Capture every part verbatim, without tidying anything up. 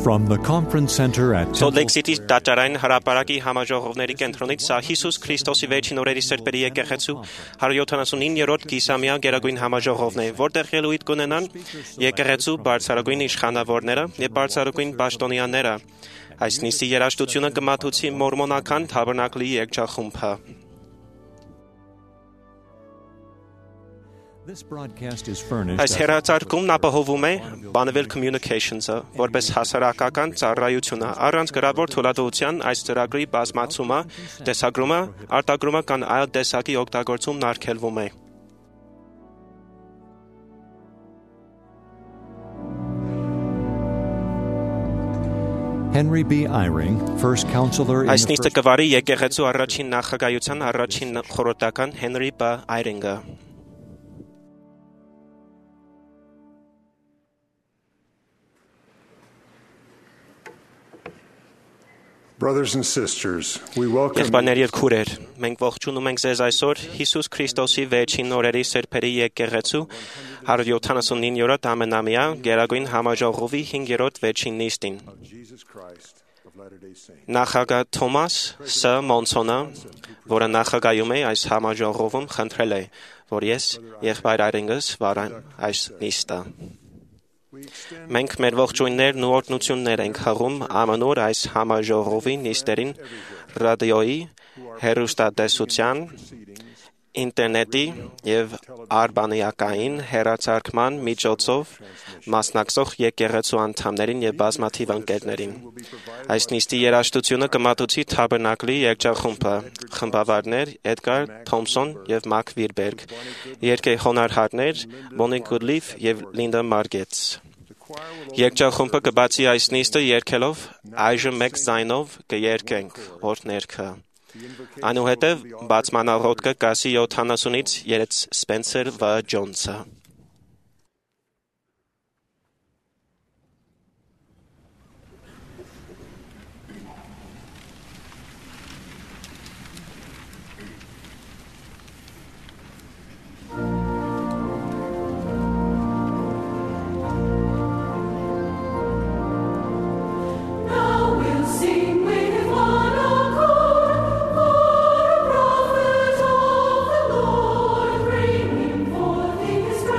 From the conference center at Salt Lake City տաճարային հրապարակի համաժողովների կենտրոնից սա Հիսուս Քրիստոսի վերջին օրերի սրբերի եկեղեցու հարյուր յոթանասունիններորդ կիսամյա գերագույն համաժողովն է, որտեղ ելույթ կունենան եկեղեցու բարձրագույն իշխանավորները եւ բարձրագույն պաշտոնյաները։ Այս նիստի երաժշտությունը կմատուցի մորմոնական թաբերնակլի երգչախումբը։ Այս հեռարձակումն ապահովում է Bonneville Communications-ը, որպես հասարակական ծառայությունը, առանց գրավոր թույլատվության այս ծրագրի բազմացումը, տեսագրումը, արտագրումը կամ այլ տեսակի օգտագործումն արգելվում է։ Henry B. Eyring, first counselor in Այս նիստը կվարի եկեղեցու առաջին նախագահության առաջին խորհրդական Henry B. Eyring-ը։ Brothers and sisters, we welcome Եղբայրներ եւ քուրեր, մենք ողջունում ենք ձեզ այսօր Հիսուս Քրիստոսի վերջին օրերի սրբերի եկեղեցու հարյուր յոթանասունիններորդ ամենամյա գերագույն համաժողովի հինգերորդ վերջին նիստին։ Նախագահ Թոմաս Ս. Մոնսոնը, որը նախագահում է այս համաժողովում, խնդրել է, որ ես եղբայր Այրինգս վարեմ այս նիստը։ Մենք մեր ողջույններն ու օրհնություններ ենք հղում ամենուր այս համաժողովի նիստերին ռադիոյի, հեռուստատեսության, ինտերնետի եւ արբանյակային հեռարձակման միջոցով մասնակցող եկեղեցու անդամներին եւ բազմաթիվ ընկերներին։ Այս նիստի երաժշտությունը կմատուցի Թաբերնակլի երգչախումբը, խմբավարներ Էդգար Թոմսոն եւ Մակ Վիրբերգ, երգեհոնարհարներ Բոնի Գուդլիֆ եւ Լինդա Մարգետս։ Երգչախումբը կբացի այս նիստը երգելով այժմ մեկ ձայնով կերգենք օրհներգը։ Այնուհետև բացմանաղոթքը կասի յոթանասունից երեց Սպենսեր Վ. Ջոնսը։ His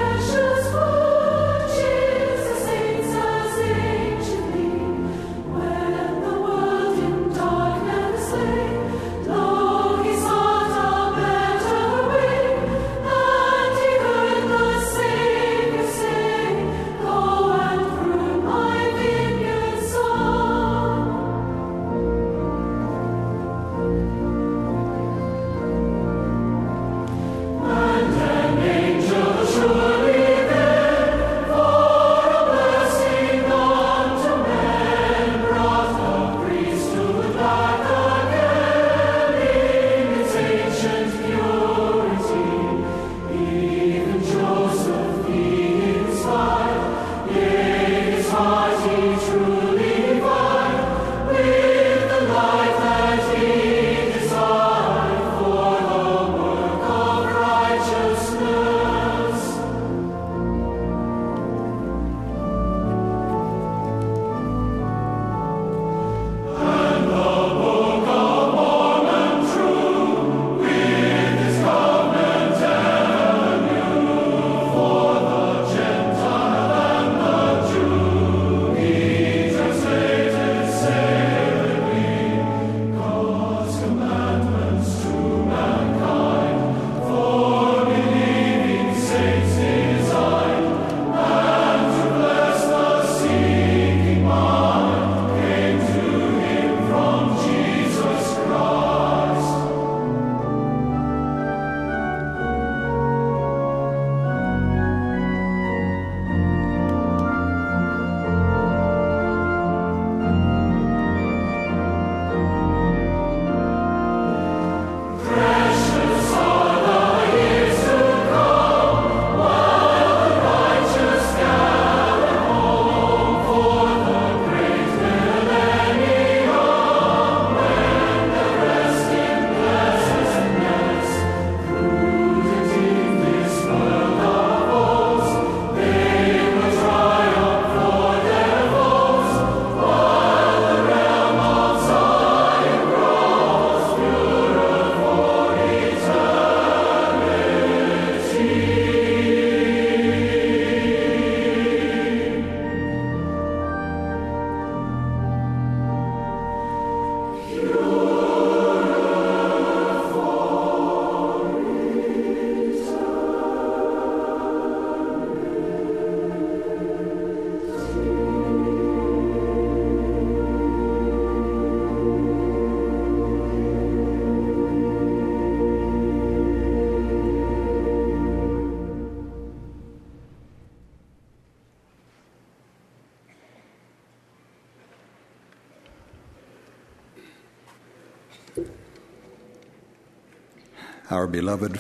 Our beloved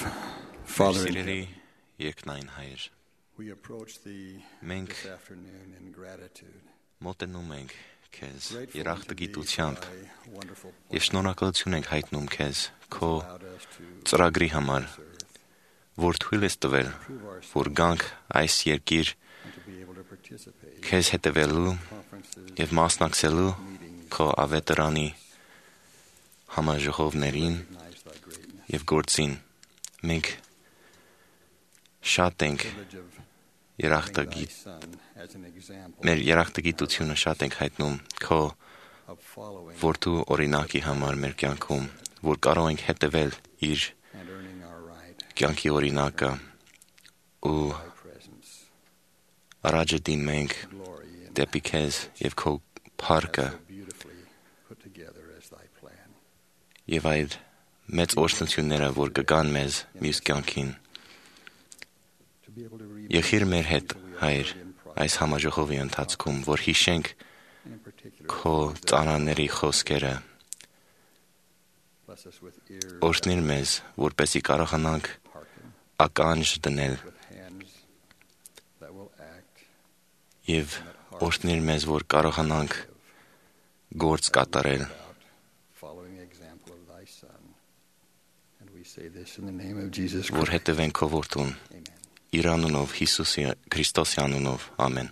Father, Սիրելի երկնային Հայր, we approach Thee Մենք this afternoon in gratitude, մոտենում ենք Քեզ grateful unto Thee երախտագիտությամբ for Thy wonderful եւ plan շնորհակալություն ենք հայտնում Քեզ քո allowed us to ծրագրի համար, որ թույլ ես տվել, որ գանք այս երկիր and to be able to participate Քեզ հետևելու in conferences, եւ մասնակցելու քո ավետարանի համաժողովներին recognize Thy greatness, եւ գործին։ Մենք շատ ենք privilege of having Thy երախտագիտ Son as an example մեր երախտագիտությունը շատ ենք հայտնում քո of following որդու օրինակի համար մեր կյանքում, որ կարող ենք հետևել իր and earning our right կյանքի օրինակը ու to Thy presence, առաջ դիմենք glory, and դեպի Քեզ եւ քո փառքը so beautifully put together as Thy plan. եւ այդ մեծ օրհնությունները, որ կգան մեզ մյուս կյանքին։ To be able to read Եղիր մեր հետ, Հայր, այս համաժողովի ընթացքում, որ հիշենք and in particular քո ծանաների խոսքերը, bless us with ears օրհնիր մեզ, որպեսզի կարողանանք hearken, ականջ դնել with hands that will act, եւ օրհնիր մեզ, որ կարողանանք գործ կատարել։ about following the example of Thy Son. And we say this in the name of Jesus Որ Christ. հետևենք քո որդուն, Amen. իր անունով, Հիսուսի Քրիստոսի անունով, ամեն։ Amen.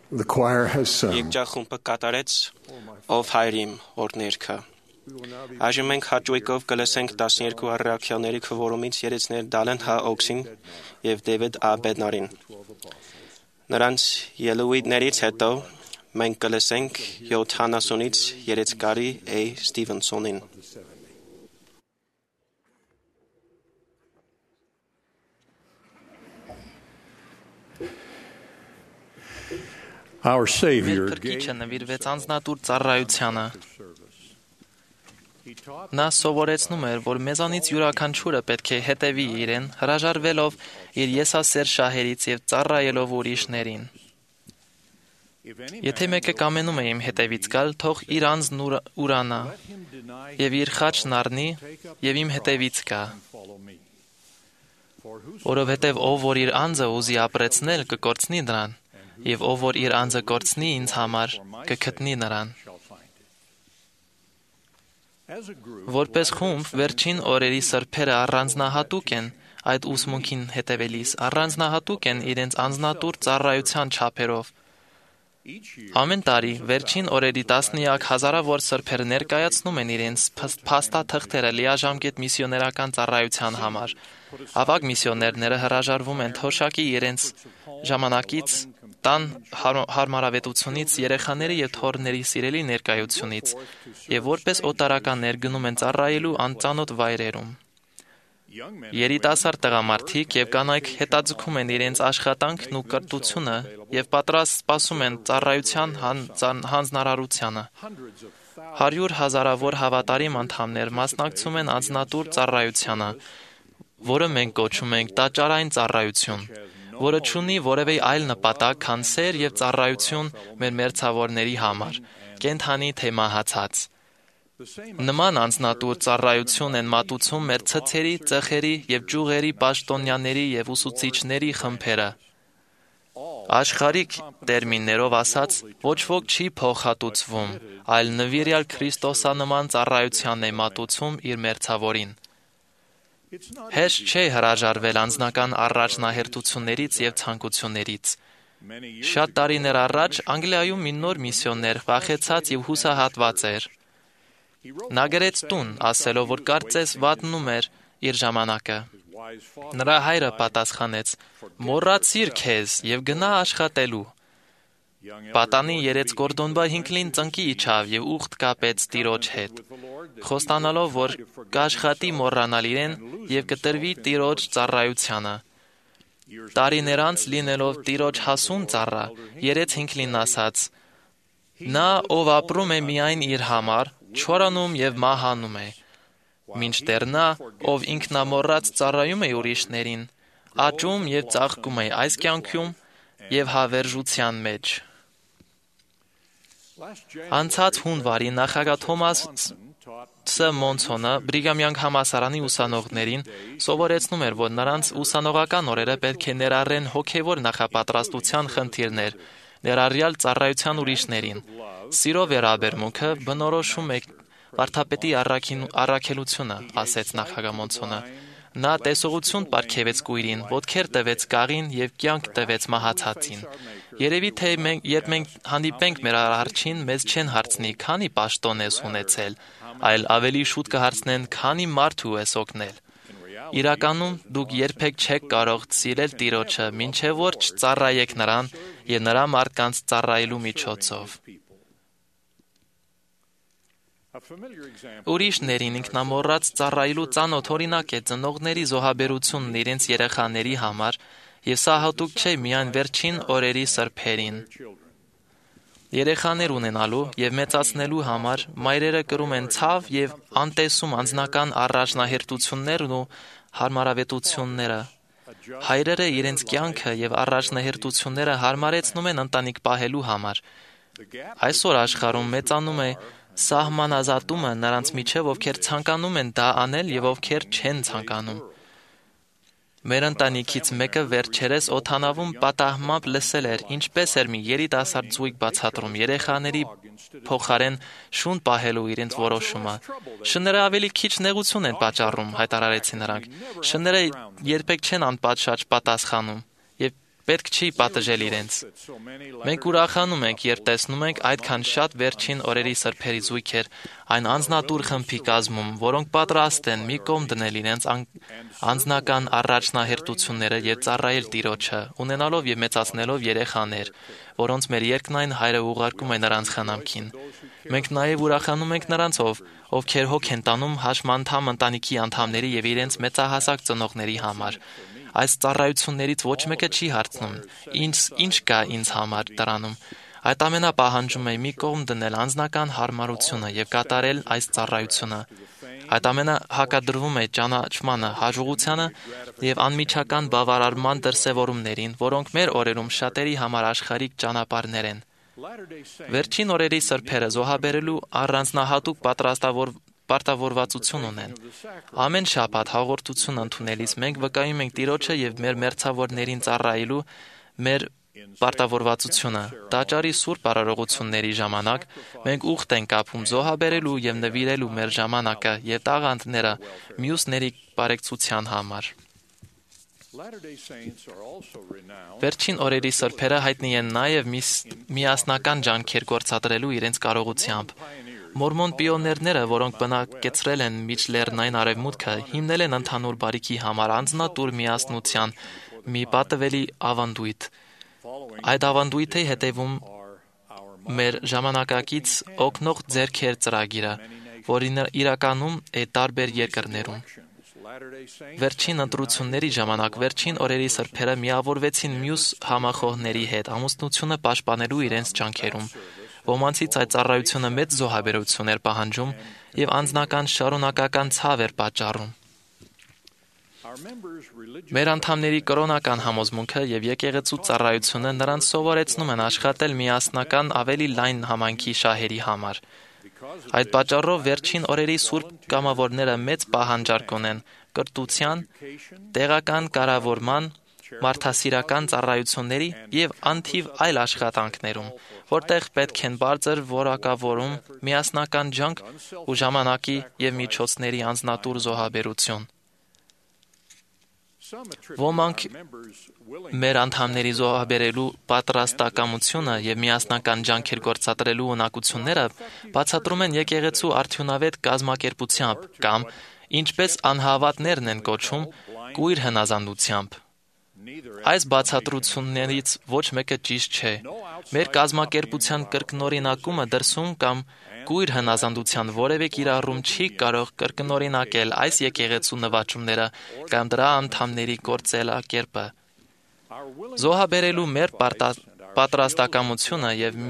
The choir has sung. Եկջախումբը կատարեց «Ով հայր իմ» օրհներգը։ Այժմ մենք հաճույքով կլսենք տասներկու առաքյալների քվորումից երեցներ Դալեն Հ. Օքսին և Դեվիդ Ա. Բեդնարին։ Նրանց ելույթներից հետո մենք կլսենք յոթանասունից երեցկարի Է. Ստիվենսոնին։ Our Մեր Savior Փրկիչը նվիրվեց անձնատուր ծառայությանը։ Նա սովորեցնում էր, որ մեզանից յուրաքանչյուրը պետք է հետևի իրեն, հրաժարվելով իր եսասեր շահերից և ծառայելով ուրիշներին։ Եթե մեկը կամենում է իմ հետևից գալ, թող իր անձն ուրանա և իր խաչն առնի և իմ հետևից գա։ Որովհետև ով որ իր անձը ուզի ապրեցնել, կկորցնի նրան, և ով որ իր անձը կորցնի ինձ համար, կգտնի նրան։ Որպես խումբ, վերջին օրերի սրբերը առանձնահատուկ են այդ ուսմունքին հետևելիս, առանձնահատուկ են իրենց անձնատուր ծառայության չափերով։ Ամեն տարի վերջին օրերի տասնյակ հազարավոր սրբեր ներկայացնում են իրենց փաստաթղթերը լիաժամկետ միսիոներական ծառայության համար։ Ավագ միսիոներները հրաժարվում են թոշակի իրենց ժամանակից, տան հարմարավետությունից, երեխաների և թոռների սիրելի ներկայությունից և որպես օտարականներ գնում են ծառայելու անծանոթ վայրերում։ Երիտասարդ տղամարդիկ և կանայք հետաձգում են իրենց աշխատանքն ու կրթությունը և պատրաստ սպասում են ծառայության հանձնարարությանը։ Հարյուր հազարավոր հավատարիմ անդամներ մասնակցում են անձնատուր ծառայությանը, որը մենք կոչում ենք տաճարային ծառայություն, որը չունի որևէ այլ նպատակ, քան սեր և ծառայություն մեր մերձավորների համար, կենդանի թե մահացած։ Նման անձնատուր ծառայություն են մատուցում մեր ցցերի, ծխերի և ճյուղերի պաշտոնյաների և ուսուցիչների խմբերը։ Աշխարհիկ տերմիններով ասած, ոչ ոք չի փոխհատուցվում, այլ նվիրյալ քրիստոսանման ծառայության է մատուցում իր մերձավորին։ Հեշտ չէ հրաժարվել անձնական առաջնահերթություններից և ցանկություններից։ Շատ տարիներ առաջ Անգլիայում մի նոր միսիոներ վախեցած և հուսահատված էր։ Նա գրեց տուն, ասելով, որ կարծես վատնում էր իր ժամանակը։ Նրա հայրը պատասխանեց. «Մոռացիր քեզ և գնա աշխատելու»։ Պատանի երեց Գորդոնբա Հինքլին ծնկի իջավ և ուխտ կապեց տիրոջ հետ, խոստանալով, որ կաշխատի մոռանալ իրեն և կտրվի տիրոջ ծառայությանը։ Տարիներ անց լինելով տիրոջ հասուն ծառա, երեց Հինքլին ասաց. «Նա, ով ապրում է միայն իր համար, չորանում և մահանում է, մինչդեռ նա, ով ինքնամոռաց ծառայում է ուրիշներին, աճում և ծաղկում է այս կյանքում և հավերժության մեջ»։ Անցած հունվարի նախագահ Թոմաս Մոնցոնը Բրիգամյան համալսարանի ուսանողներին սովորեցնում էր, որ նրանց ուսանողական օրերը պետք է ներառեն հոգևոր նախապատրաստության խնդիրներ, ներառյալ ծառայության ուրիշներին։ Սիրո վերաբերմունքը բնորոշում է վարդապետի առաքելությունը, ասեց նախագահ Մոնցոնը։ Նա տեսողություն պարգևեց կույրին, ոտքեր տվեց կաղին եւ կյանք տվեց մահացածին։ Երևի թե մենք, երբ մենք հանդիպենք մեր արարչին, մեզ չեն հարցնի, քանի պաշտոն ես ունեցել, այլ ավելի շուտ կհարցնեն, քանի մարդու ես օգնել։ Իրականում դուք երբեք չեք կարող սիրել Տիրոջը, մինչև որ չծառայեք նրան եւ նրա մարդկանց ծառայելու միջոցով։ Ուրիշներին ինքնամոռաց ծառայելու ծանոթ օրինակ է ծնողների զոհաբերությունն իրենց երեխաների համար, եւ սա հատուկ չէ միայն վերջին օրերի սրբերին։ Երեխաներ ունենալու եւ մեծացնելու համար մայրերը կրում են ցավ եւ անտեսում անձնական առաջնահերթություններն ու հարմարավետությունները։ Հայրերը իրենց կյանքը եւ առաջնահերթությունները հարմարեցնում են ընտանիք պահելու համար։ Այսօր աշխարհում մեծանում է սահմանազատումը նրանց միջև, ովքեր ցանկանում են դա անել եւ ովքեր չեն ցանկանում։ Մեր ընտանիքից մեկը վերջերս օդանավում պատահմամբ լսել էր, ինչպես էր մի երիտասարդ զույգ բացատրում երեխաների փոխարեն շուն պահելու իրենց որոշումը։ Շները ավելի քիչ նեղություն են պատճառում, հայտարարեցին նրանք։ Շները երբեք չեն անպատշաճ պատասխանում եւ պետք չի պատժել իրենց։ Մենք ուրախանում ենք, երբ տեսնում ենք այդքան շատ վերջին օրերի սրբերի զույգեր այն անձնատուր խմբի կազմում, որոնք պատրաստ են մի կողմ դնել իրենց անձնական առաջնահերթությունները եւ ծառայել Տիրոջը, ունենալով եւ մեծացնելով երեխաներ, որոնց մեր երկնային Հայրը ուղարկում է նրանց խնամքին։ Մենք նաեւ ուրախանում ենք նրանցով, ովքեր հոգ են տանում հաշմանդամ ընտանիքի անդամների եւ իրենց մեծահասակ ծնողների համար։ Այս ծառայություններից ոչ մեկը չի հարցնում. Ինչ ինչ կա ինձ համար դրանում։ Այդ ամենը պահանջում է մի կողմ դնել անձնական հարմարությունը եւ կատարել այս ծառայությունը։ Այդ ամենը հակադրվում է ճանաչմանը, հաջողությանը եւ անմիջական բավարարման դրսեւորումներին, որոնք մեր օրերում շատերի համար աշխարհիկ ճանապարհներ են։ Վերջին օրերի սրբերը զոհաբերելու առանձնահատուկ պատրաստավոր պարտավորվածություն ունեն։ Ամեն շաբաթ հաղորդություն ընդունելիս մենք վկայում ենք Տիրոջը եւ մեր մերձավորներին ծառայելու մեր պարտավորվածությունը։ Տաճարի սուրբ արարողությունների ժամանակ մենք ուխտ ենք ապում զոհաբերելու եւ նվիրելու մեր ժամանակը եւ տաղանդները մյուսների բարեկցության համար։ Վերջին օրերի սրբերը հայտնի են նաեւ միասնական ջանքեր գործադրելու իրենց կարողությամբ։ Մորմոն պիոներները, որոնք բնակեցրել են միջլեռնային արևմուտքը, հիմնել են ընդհանուր բարիքի համար անձնատուր միասնության մի պատվելի ավանդույթ։ Այդ ավանդույթի հետևում մեր ժամանակակից օգնող ձեռքեր ծրագիրը, որին իրականում է տարբեր երկրներում։ Վերջին ընտրությունների ժամանակ վերջին օրերի սրբերը միավորվեցին մյուս համախոհների հետ ամուսնությունը պաշտպանելու իրենց ջանքերում։ Ոմանցից այդ ծառայությունը մեծ զոհաբերություն էր պահանջում եւ անձնական շարունակական ցավ էր պատճառում։ Մեր անդամների կրոնական համոզմունքը եւ եկեղեցու ծառայությունը նրանց սովորեցնում են աշխատել միասնական ավելի լայն համայնքի շահերի համար։ Այդ պատճառով վերջին օրերի սուրբ կամավորները մեծ պահանջարկ ունեն կրթության, տեղական կառավարման, մարդասիրական ծառայությունների եւ անթիվ այլ աշխատանքներում, որտեղ պետք են բարձր որակավորում, միասնական ջանք ու ժամանակի եւ միջոցների անձնատուր զոհաբերություն։ Ոմանք մեր անդամների զոհաբերելու պատրաստակամությունը եւ միասնական ջանքեր գործադրելու ունակությունները բացատրում են եկեղեցու արդյունավետ կազմակերպությամբ կամ, ինչպես անհավատներն են կոչում, կույր հնազանդությամբ։ Այս բացատրություններից ոչ մեկը ճիշտ չէ։ Մեր կազմակերպության կրկնօրինակումը դրսում կամ կույր հնազանդության որևէ կիրառում չի կարող կրկնօրինակել այս եկեղեցու նվաճումները կամ դրա անդամների գործելակերպը։ Զոհաբերելու մեր պատրաստակամությունը եւ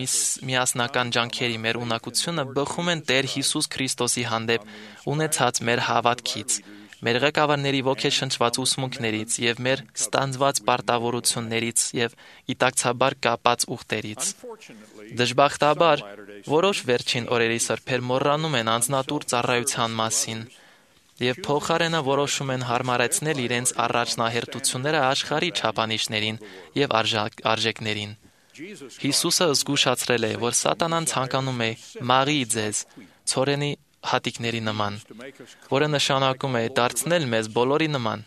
միասնական ջանքերի մեր ունակությունը բխում են Տեր Հիսուս Քրիստոսի հանդեպ ունեցած մեր հավատքից։ մեր ղեկավարների ոգեշնչված ուսմունքներից եւ մեր ստանձված պարտավորություններից եւ իտակցաբար կապած ուխտերից։ Դժբախտաբար, որոշ վերջին օրերի սրբեր մոռանում են անձնատուր ծառայության մասին եւ փոխարենը որոշում են հարմարեցնել իրենց առաջնահերթությունները աշխարհի չափանիշներին եւ արժեքներին։ Հիսուսը զգուշացրել է, որ սատանան ցանկանում է մաղի ձեզ ցորենի հատիկների նման, որը նշանակում է դարձնել մեզ բոլորի նման։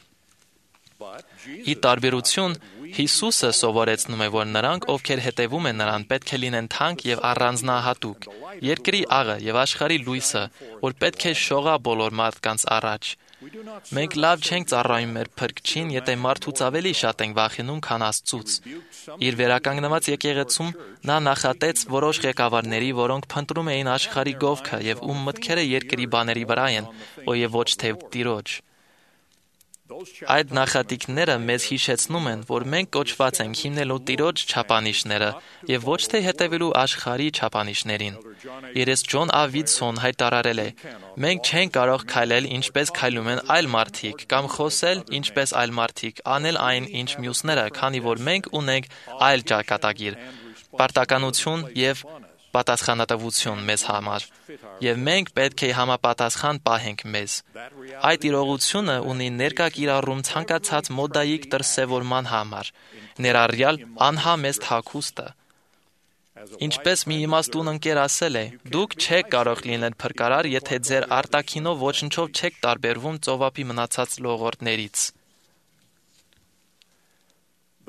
Ի տարբերություն, Հիսուսը սովորեցնում է, որ նրանք, ովքեր հետևում են նրան, պետք է լինեն թանկ եւ առանձնահատուկ, երկրի աղը եւ աշխարհի լույսը, որ պետք է շողա բոլոր մարդկանց առաջ։ Մենք լավ չենք ծառայում մեր Փրկչին, եթե մարդուց ավելի շատ ենք վախենում, քան Աստծուց։ Իր վերականգնված եկեղեցում նա նախատեց որոշ ղեկավարների, որոնք փնտրում էին աշխարհի գովքը եւ ում մտքերը երկրի բաների վրա են, եւ ոչ թե Տիրոջ։ Այդ նախատիկները մեզ հիշեցնում են, որ մենք կոչված ենք հիմնելու Տիրոջ չափանիշները եւ ոչ թե հետևելու աշխարհի չափանիշներին։ Երես Ջոն Ավիդսոն հայտարարել է. «Մենք չենք կարող քայլել ինչպես քայլում են այլ մարդիկ, կամ խոսել ինչպես այլ մարդիկ, անել այն, ինչ մյուսները, քանի որ մենք ունենք այլ ճակատագիր, պարտականություն եւ պատասխանատվություն մեզ համար, եւ մենք պետք է համապատասխան պահենք մեզ։ Այդ իրողությունը ունի ներկա կիրառում ցանկացած մոդայիկ դրսևորման համար, ներառյալ անհամեստ հագուստը։ Ինչպես մի իմաստուն ընկեր ասել է, դուք չեք կարող լինել փրկարար, եթե ձեր արտաքինով ոչնչով չեք տարբերվում ծովափի մնացած լողորդներից։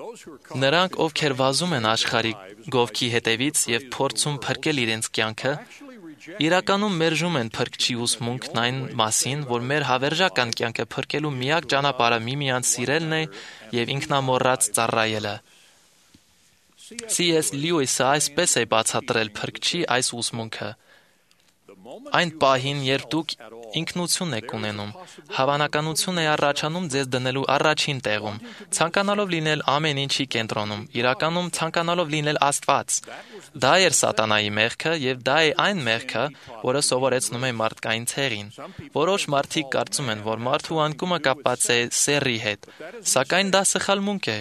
Նրանք, ովքեր վազում են աշխարհի գովքի հետևից եւ փորձում փրկել իրենց կյանքը, իրականում մերժում են Փրկչի ուսմունքն այն մասին, որ մեր հավերժական կյանքը փրկելու միակ ճանապարհը միմյանց սիրելն է եւ ինքնամոռաց ծառայելը։ Սի Էս Լյուիսը այսպես է բացատրել Փրկչի այս ուսմունքը. Այն պահին, երբ դուք ինքնություն եք ունենում, հավանականություն է առաջանում ձեզ դնելու առաջին տեղում, ցանկանալով լինել ամեն ինչի կենտրոնում, իրականում ցանկանալով լինել Աստված։ Դա էր սատանայի մեղքը եւ դա է այն մեղքը, որը սովորեցնում է մարդկային ցեղին։ Որոշ մարդիկ կարծում են, որ մարդու անկումը կապված է սեռի հետ, սակայն դա սխալմունք է։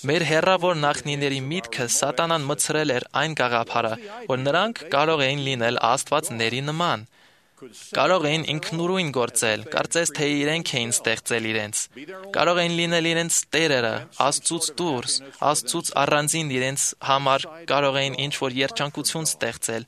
Մեր հեռավոր նախնիների միտքը սատանան մցրել էր այն գաղափարը, որ նրանք կարող էին լինել աստվածների նման, կարող էին ինքնուրույն գործել, կարծես թե իրենք էին ստեղծել իրենց, կարող էին լինել իրենց տերերը, Աստծուց դուրս, Աստծուց առանձին իրենց համար կարող էին ինչ-որ երջանկություն ստեղծել,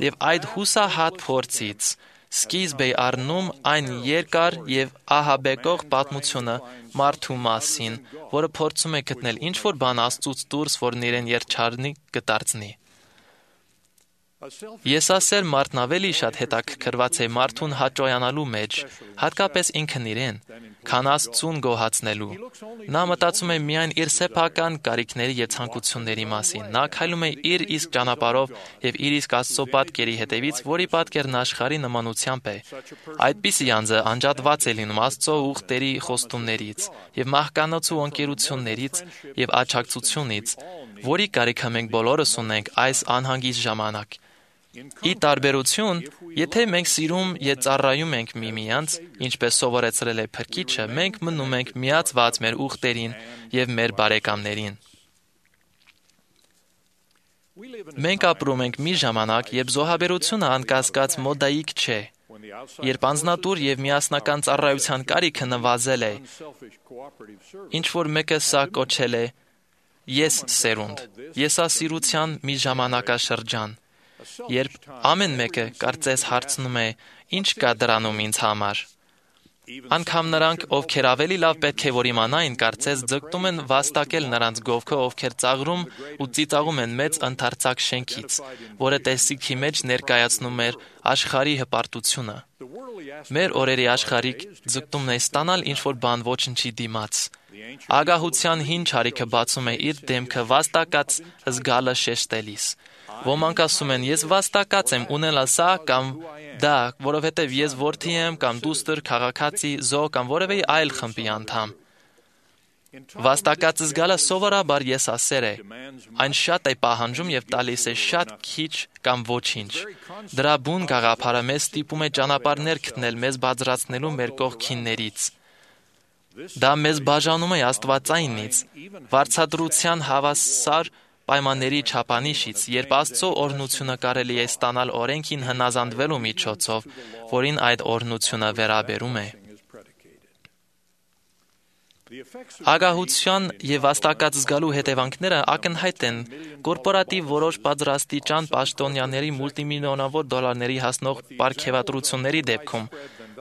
եւ այդ հուսահատ փորձից սկիզբ է առնում այն երկար եւ ահաբեկող պատմությունը մարդու մասին, որը փորձում է գտնել ինչ-որ բան Աստծուց դուրս, որն իրեն երջանիկ կդարձնի։ Եսասեր մարդն ավելի շատ հետաքրքրված է մարդուն հաճոյանալու մեջ, հատկապես ինքն իրեն, քան Աստծուն գոհացնելու։ Նա մտածում է միայն իր սեփական կարիքների եւ ցանկությունների մասին։ Նա քայլում է իր իսկ ճանապարհով եւ իր իսկ Աստծո պատկերի հետևից, որի պատկերն աշխարհի նմանությամբ է։ Այդպիսի անձը անջատված է լինում Աստծո ուխտերի խոստումներից եւ մահկանացու ընկերություններից եւ աջակցությունից, որի կարիքը մենք բոլորս ունենք այս անհանգիստ ժամանակ։ Ի տարբերություն, եթե մենք սիրում եւ ծառայում ենք միմյանց, ինչպես սովորեցրել է Փրկիչը, մենք մնում ենք միացված մեր ուխտերին եւ մեր բարեկամներին։ Մենք ապրում ենք մի ժամանակ, երբ զոհաբերությունը անկասկած մոդայիկ չէ, երբ անձնատուր եւ միասնական ծառայության կարիքը նվազել է, ինչ որ մեկը սա կոչել է ես սերունդ, եսասիրության մի ժամանակաշրջան, երբ ամեն մեկը կարծես հարցնում է. «Ինչ կա դրանում ինձ համար»։ Անկամ նրանք, ովքեր ավելի լավ պետք է որ իմանային, կարծես ձգտում են վաստակել նրանց գովքը, ովքեր ծաղրում ու ծիծաղում են մեծ ընդարձակ շենքից, որը տեսիքի մեջ ներկայացնում էր աշխարհի հպարտությունը։ Մեր օրերի աշխարհիկ ձգտումն է ստանալ ինչ-որ բան ոչնչի դիմաց։ Ագահության հին չարիքը բացում է իր դեմքը վաստակած զգալը շեշտելիս։ Ոմանք ասում են, ես վաստակած եմ ունենալ սա կամ դա, որովհետև ես որդի եմ կամ դուստր, քաղաքացի, զո կամ որևէ այլ խմբի անդամ։ Վաստակած զգալը սովորաբար եսասեր է։ Այն շատ է պահանջում եւ տալիս է շատ քիչ կամ ոչինչ։ Դրա բուն գաղափարը մեզ ստիպում է ճանապարհներ գտնել մեզ բարձրացնելու մեր կողքիններից։ Դա մեզ բաժանում է Աստվածայինից, վարձատրության հավասար պայմանների չափանիշից, երբ Աստծո օրհնությունը կարելի է ստանալ օրենքին հնազանդվելու միջոցով, որին այդ օրհնությունը վերաբերում է։ Ագահության եւ վաստակած զգալու հետևանքները ակնհայտ են կորպորատիվ որոշ բարձրաստիճան պաշտոնյաների մուլտիմիլիոնավոր դոլարների հասնող պարգևատրությունների դեպքում,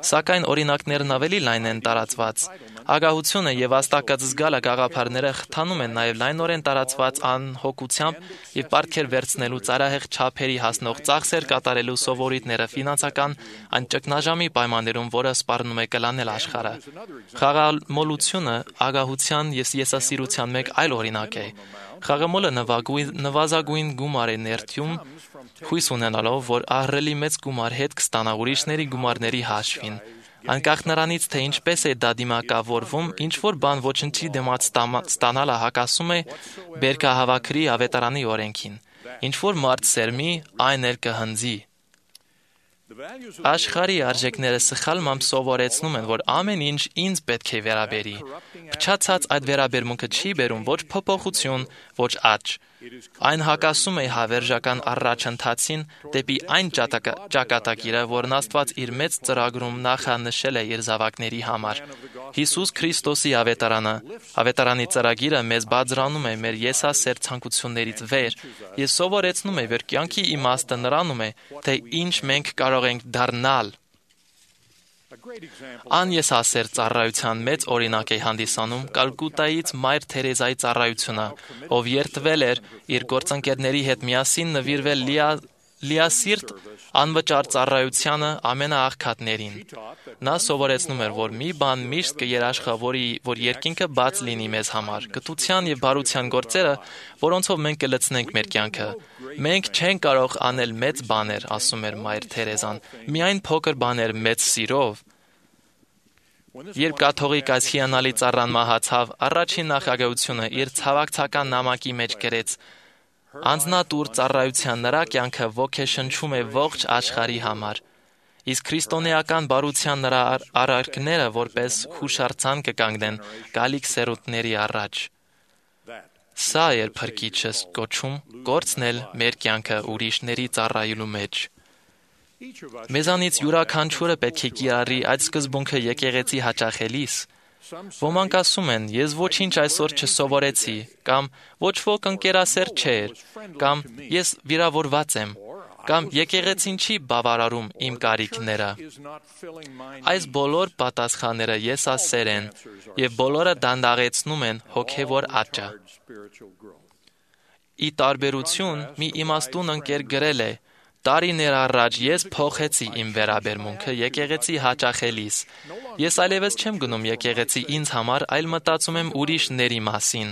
սակայն օրինակներն ավելի լայն են տարածված։ Ագահությունը եւ վաստակած զգալը գաղափարները խթանում են նաեւ լայնորեն տարածված անհոգությամբ եւ պարգև վերցնելու ծարահեղ չափերի հասնող ծախսեր կատարելու սովորույթները ֆինանսական այն ճգնաժամի պայմաններում, որը սպառնում է կլանել աշխարհը։ Խաղամոլությունը ագահության եւ եսասիրության մեկ այլ օրինակ է։ Խաղամոլը նվազագույն գումար է ներդյում, հույս ունենալով, որ ահռելի մեծ գումար հետ կստանա ուրիշների գումարների հաշվին։ Անկախ նրանից, թե ինչպես է դա դիմակավորվում, ինչ որ բան ոչնչի դիմաց ստանալը հակասում է բերքահավաքրի ավետարանի օրենքին։ Ինչ որ մարդ սերմի, այն էլ կհնձի։ Աշխարհի արժեքները սխալմամբ սովորեցնում են, որ ամեն ինչ ինձ պետք է վերաբերի։ Փչացած այդ վերաբերմունքը չի բերում ոչ փոփոխություն, ոչ աճ։ Այն հակասում է հավերժական առաջընթացին դեպի այն ճակատագիրը, որն Աստված իր մեծ ծրագրում նախանշել է իր զավակների համար։ Հիսուս Քրիստոսի ավետարանը, ավետարանի ծրագիրը մեզ բարձրանում է մեր եսասեր ցանկություններից վեր եւ սովորեցնում է, որ կյանքի իմաստը նրանում է, թե ինչ մենք կարող ենք դառնալ։ Անեսասեր ծառայության մեծ օրինակ է հանդիսանում Կալկուտայից Մայր Թերեզայի ծառայությունը, ով երդվել էր իր գործընկերների հետ միասին նվիրվել լիասիրտ անվճար ծառայությանը ամենաաղքատներին։ Նա սովորեցնում էր, որ մի բան միշտ կերաշխավորի, որ երկինքը բաց լինի մեզ համար, գթության եւ բարության գործերը, որոնցով մենք կլցնենք մեր կյանքը։ Մենք չենք կարող անել մեծ բաներ, ասում էր Մայր Թերեզան, միայն փոքր բաներ մեծ սիրով։ Երբ կաթողիկ այս հիանալի ծառան մահացավ, առաջին նախագահությունը իր ցավակցական նամակի մեջ գրեց. «Անձնատուր ծառայության նրա կյանքը ոգեշնչում է ողջ աշխարհի համար, իսկ քրիստոնեական բարության նրա արարքները որպես հուշարձան կկանգնեն գալիք սերունդների առաջ»։ Սա էր Փրկիչս կոչում կորցնել մեր կյանքը ուրիշների ծառայելու մեջ։ Մեզանից յուրաքանչյուրը պետք է կիրառի այդ սկզբունքը եկեղեցի հաճախելիս։ Ոմանք ասում են, ես ոչինչ այսօր չսովորեցի, կամ ոչ ոք ընկերասեր չէր, կամ ես վիրավորված եմ, կամ եկեղեցին չի բավարարում իմ կարիքները։ Այս բոլոր պատասխանները եսասեր են, եւ բոլորը դանդաղեցնում են հոգեվոր աճը։ Ի տարբերություն, մի իմաստուն ընկեր գրել է. «Տարիներ առաջ ես փոխեցի իմ վերաբերմունքը եկեղեցի հաճախելիս։ Ես այլևս չեմ գնում եկեղեցի ինձ համար, այլ մտածում եմ ուրիշների մասին։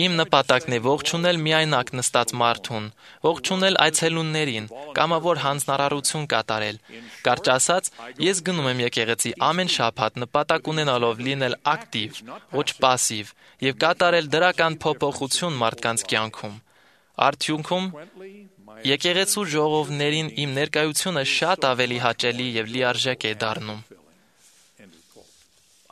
Իմ նպատակն է ողջունել միայնակ նստած մարդուն, ողջունել այցելուններին, կամավոր հանձնարարություն կատարել։ Կարճ ասած, ես գնում եմ եկեղեցի ամեն շաբաթ նպատակ ունենալով լինել ակտիվ, ոչ պասիվ, եւ կատարել դրական փոփոխություն մարդկանց կյանքում։ Արդյունքում եկեղեցու ժողովներին իմ ներկայությունը շատ ավելի հաճելի եւ լիարժեք է դառնում»։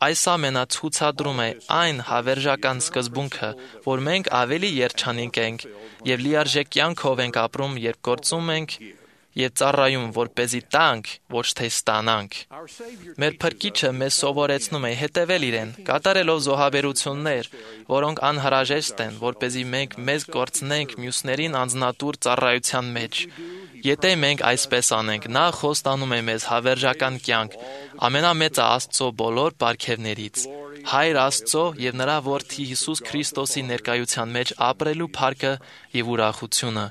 Այս ամենը ցուցադրում է այն հավերժական սկզբունքը, որ մենք ավելի երջանիկ ենք եւ լիարժեք կյանքով ենք ապրում, երբ գործում ենք եւ ծառայում, որպեսզի տանք, ոչ թե ստանանք։ Մեր Փրկիչը մեզ սովորեցնում է հետևել իրեն, կատարելով զոհաբերություններ, որոնք անհրաժեշտ են, որպեսզի մենք մեզ կորցնենք մյուսներին անձնատուր ծառայության մեջ։ Եթե մենք այսպես անենք, նա խոստանում է մեզ հավերժական կյանք, ամենամեծը Աստծո բոլոր պարգևներից, Հայր Աստծո եւ նրա Որդի Հիսուս Քրիստոսի ներկայության մեջ ապրելու փառքը եւ ուրախությունը։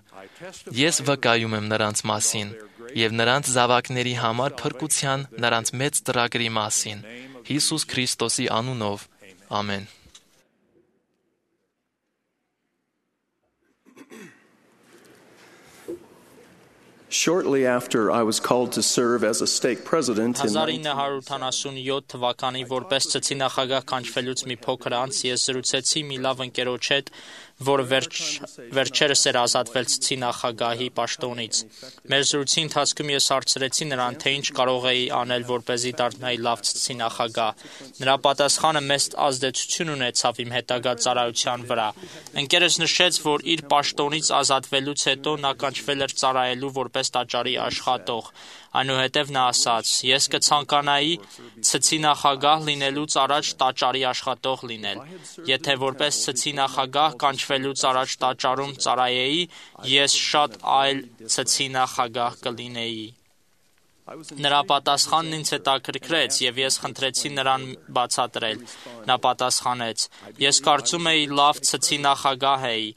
Ես վկայում եմ նրանց մասին եւ նրանց զավակների համար փրկության նրանց մեծ ծրագրի մասին, Հիսուս Քրիստոսի անունով։ Ամեն։ Shortly after I was called to serve as a stake president in հազար ինը հարյուր ութանասունյոթ թվականին որպես ծծի նախագահ կանչվելուց մի փոքր անց ես զրուցեցի մի լավ ընկերոջ հետ, որը վերջ, վերջերս էր ազատվել ծծի նախագահի պաշտոնից։ Մեր զրույցի ընթացքում ես հարցրեցի նրան, թե ինչ կարող էի անել, որպեսզի դառնայի լավ ծծի նախագահ։ Նրա պատասխանը մեծ ազդեցություն ունեցավ իմ հետագա ծառայության վրա։ Ընկերս նշեց, որ իր պաշտոնից ազատվելուց հետո նա կանչվել էր ծառայելու որպես տաճարի աշխատող։ Այնուհետև նա ասաց. «Ես կցանկանայի ծծի նախագահ լինելուց առաջ տաճարի աշխատող լինել։ Եթե որպես ծծի նախագահ կանչվելուց առաջ տաճարում ծառայեի, ես շատ այլ ծծի նախագահ կլինեի»։ Նրա պատասխանն ինձ հետաքրքրեց, եւ ես խնդրեցի նրան բացատրել։ Նա պատասխանեց. «Ես կարծում էի լավ ծծի նախագահ էի։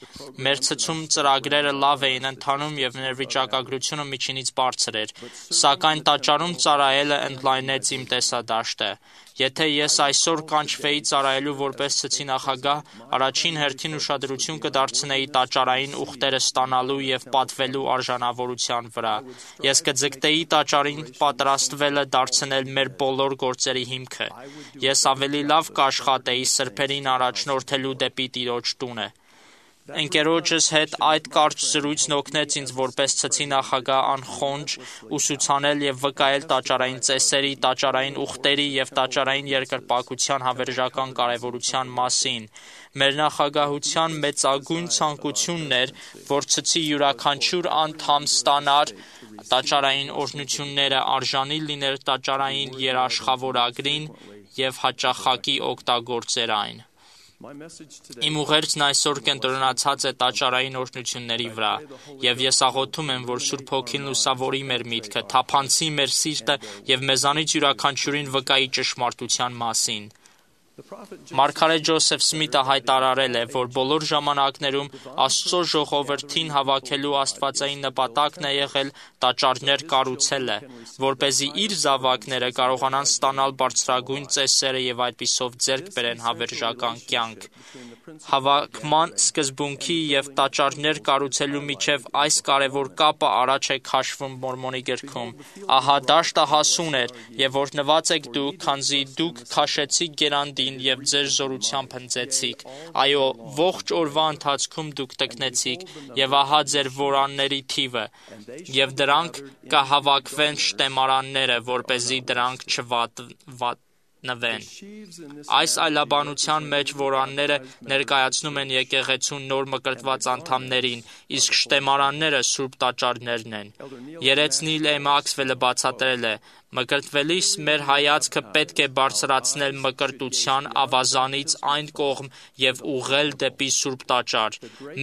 Մեր ծծում ծրագրերը լավ էին ընթանում եւ մեր վիճակագրությունը միջինից բարձր էր, սակայն տաճարում ծառայելը ընդլայնեց իմ տեսադաշտը։ Եթե ես այսօր կանչվեի ծառայելու որպես ծծի նախագահ, առաջին հերթին ուշադրություն կդարձնեի տաճարային ուխտերը ստանալու եւ պատվելու արժանավորության վրա։ Ես կձգտեի տաճարին պատրաստվելը դարձնել մեր բոլոր գործերի հիմքը։ Ես ավելի լավ կաշխատեի սրբերին առաջնորդելու դեպի Տիրոջ տունը»։ Ընկերոջս հետ այդ կարճ զրույցն օգնեց ինձ որպես ծծի նախագահ անխոնջ ուսուցանել եւ վկայել տաճարային ծեսերի, տաճարային ուխտերի եւ տաճարային երկրպագության հավերժական կարեւորության մասին։ Մեր նախագահության մեծագույն ցանկությունն էր, որ ծծի յուրաքանչյուր անդամ ստանար տաճարային օրհնությունները, արժանի լիներ տաճարային երաշխավորագրին եւ հաճախակի օգտագործեր այն։ Իմ ուղերձն այսօր կենտրոնացած է տաճարային օրհնությունների վրա, եւ ես աղոթում եմ, որ Սուրբ Հոգին լուսավորի մեր միտքը, թափանցի մեր սիրտը եւ մեզանից յուրաքանչյուրին վկայի ճշմարտության մասին։ Մարգարետ Ջոսեֆ Սմիթը հայտարարել է, որ բոլոր ժամանակներում Աստծո ժողովրդին հավաքելու աստվածային նպատակն է եղել տաճարներ կառուցելը, որպեսզի իր զավակները կարողանան ստանալ բարձրագույն ծեսերը եւ այդպիսով ձեռք բերեն հավերժական կյանք։ Հավաքման սկզբունքի եւ տաճարներ կառուցելու միջև այս կարևոր կապը առաջ է քաշվում Մորմոնի գրքում։ Ահա դաշտը հասուն էր, եւ օրհնված եք դուք, քանզի դուք քաշեցիք գերանդին եւ ձեր զորությամբ հնձեցիք։ Այո, ողջ օրվա ընթացքում դուք տկնեցիք, եւ ահա ձեր որանների թիվը, եւ դրանք կհավաքվեն շտեմարանները, որպեսզի դրանք չվատնվեն։ Այս այլաբանության մեջ որանները ներկայացնում են եկեղեցուն նոր մկրտված անդամներին, իսկ շտեմարանները սուրբ տաճարներն են։ Երեցնիլ է Մաքսվելը բացատրել է. «Մկրտվելիս մեր հայացքը պետք է բարձրացնել մկրտության ավազանից այն կողմ եւ ուղղել դեպի սուրբ տաճար։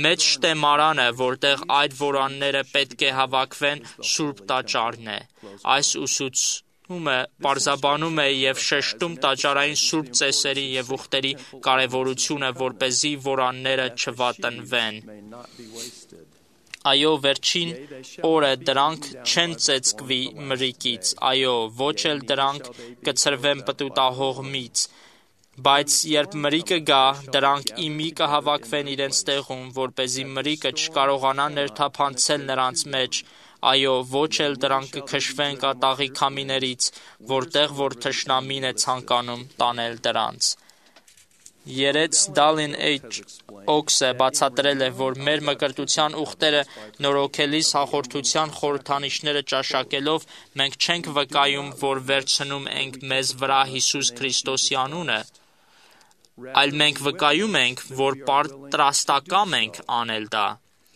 Մեծ շտեմարանը, որտեղ այդ որանները պետք է հավաքվեն, սուրբ տաճարն է»։ Այս ուսուց պարզաբանում է եւ շեշտում տաճարային սուրբ ծեսերի եւ ուխտերի կարեւորությունը, որպեսզի որանները չվատնվեն։ Այո, վերջին օրը դրանք չեն ծեծկվի մրրիկից, այո, ոչ էլ դրանք կցրվեն պտուտահողմից, բայց երբ մրրիկը գա, դրանք ի մի կհավաքվեն իրենց տեղում, որպեսզի մրրիկը չկարողանա ներթափանցել նրանց մեջ։ Այո, ոչ էլ դրանք կքշվեն կատաղի քամիներից, որտեղ որ թշնամին է ցանկանում տանել դրանց։ Երեց Դալին Էյչ Օքսը բացատրել է, որ մեր մկրտության ուխտերը նորոգելիս հաղորդության խորհրդանիշները ճաշակելով մենք չենք վկայում, որ վերցնում ենք մեզ վրա Հիսուս Քրիստոսի անունը, այլ մենք վկայում ենք, որ պատրաստակամ ենք անել դա։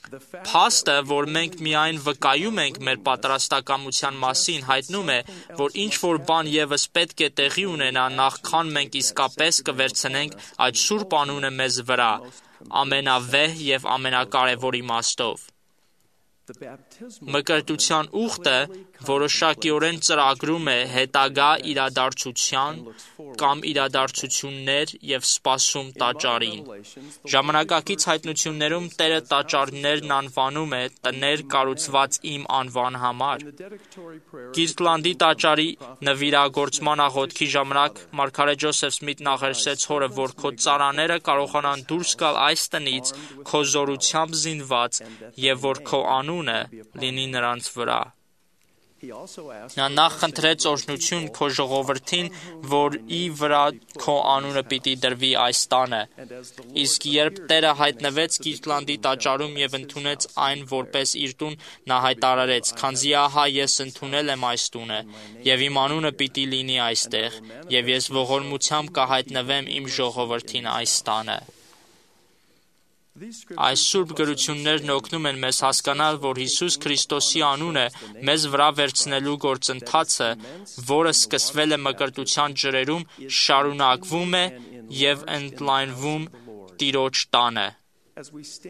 Փաստը, որ մենք միայն վկայում ենք մեր պատրաստակամության մասին, հայտնում է, որ ինչ-որ բան ևս պետք է տեղի ունենա, նախքան մենք իսկապես կվերցնենք այդ սուրբ անունը մեզ վրա, ամենավեհ եւ ամենակարևոր իմաստով։ Մկրտության ուխտը որոշակիորեն ծրագրում է հետագա իրադարձության կամ իրադարձություններ և սպասում տաճարին։ Ժամանակակից հայտնություններում Տերը տաճարներն անվանում է տներ կառուցված իմ անվան համար։ Կիրտլանդի տաճարի նվիրագործման աղոթքի ժամանակ մարգարե Ջոսեֆ Սմիթն աղերսեց հորը, որ քո ծառաները կարողանան դուրս գալ այս տնից քո զորությամբ զինված և որ քո անունը լինի նրանց վրա։ Նա նախ խնդրեց օրհնություն քո ժողովրդին, որի վրա քո անունը պիտի դրվի այս տանը։ Իսկ երբ Տերը հայտնվեց Կիրտլանդի տաճարում և ընդունեց այն որպես իր տուն, նա հայտարարեց. «Քանզի ահա ես ընդունել եմ այս տունը, և իմ անունը պիտի լինի այստեղ, և ես ողորմությամբ կհայտնվեմ իմ ժողովրդին այս տանը»։ Այս սուրբ գրություններն օգնում են մեզ հասկանալ, որ Հիսուս Քրիստոսի անունը մեզ վրա վերցնելու գործընթացը, որը սկսվել է մկրտության ջրերում, շարունակվում է և ընդլայնվում Տիրոջ տանը։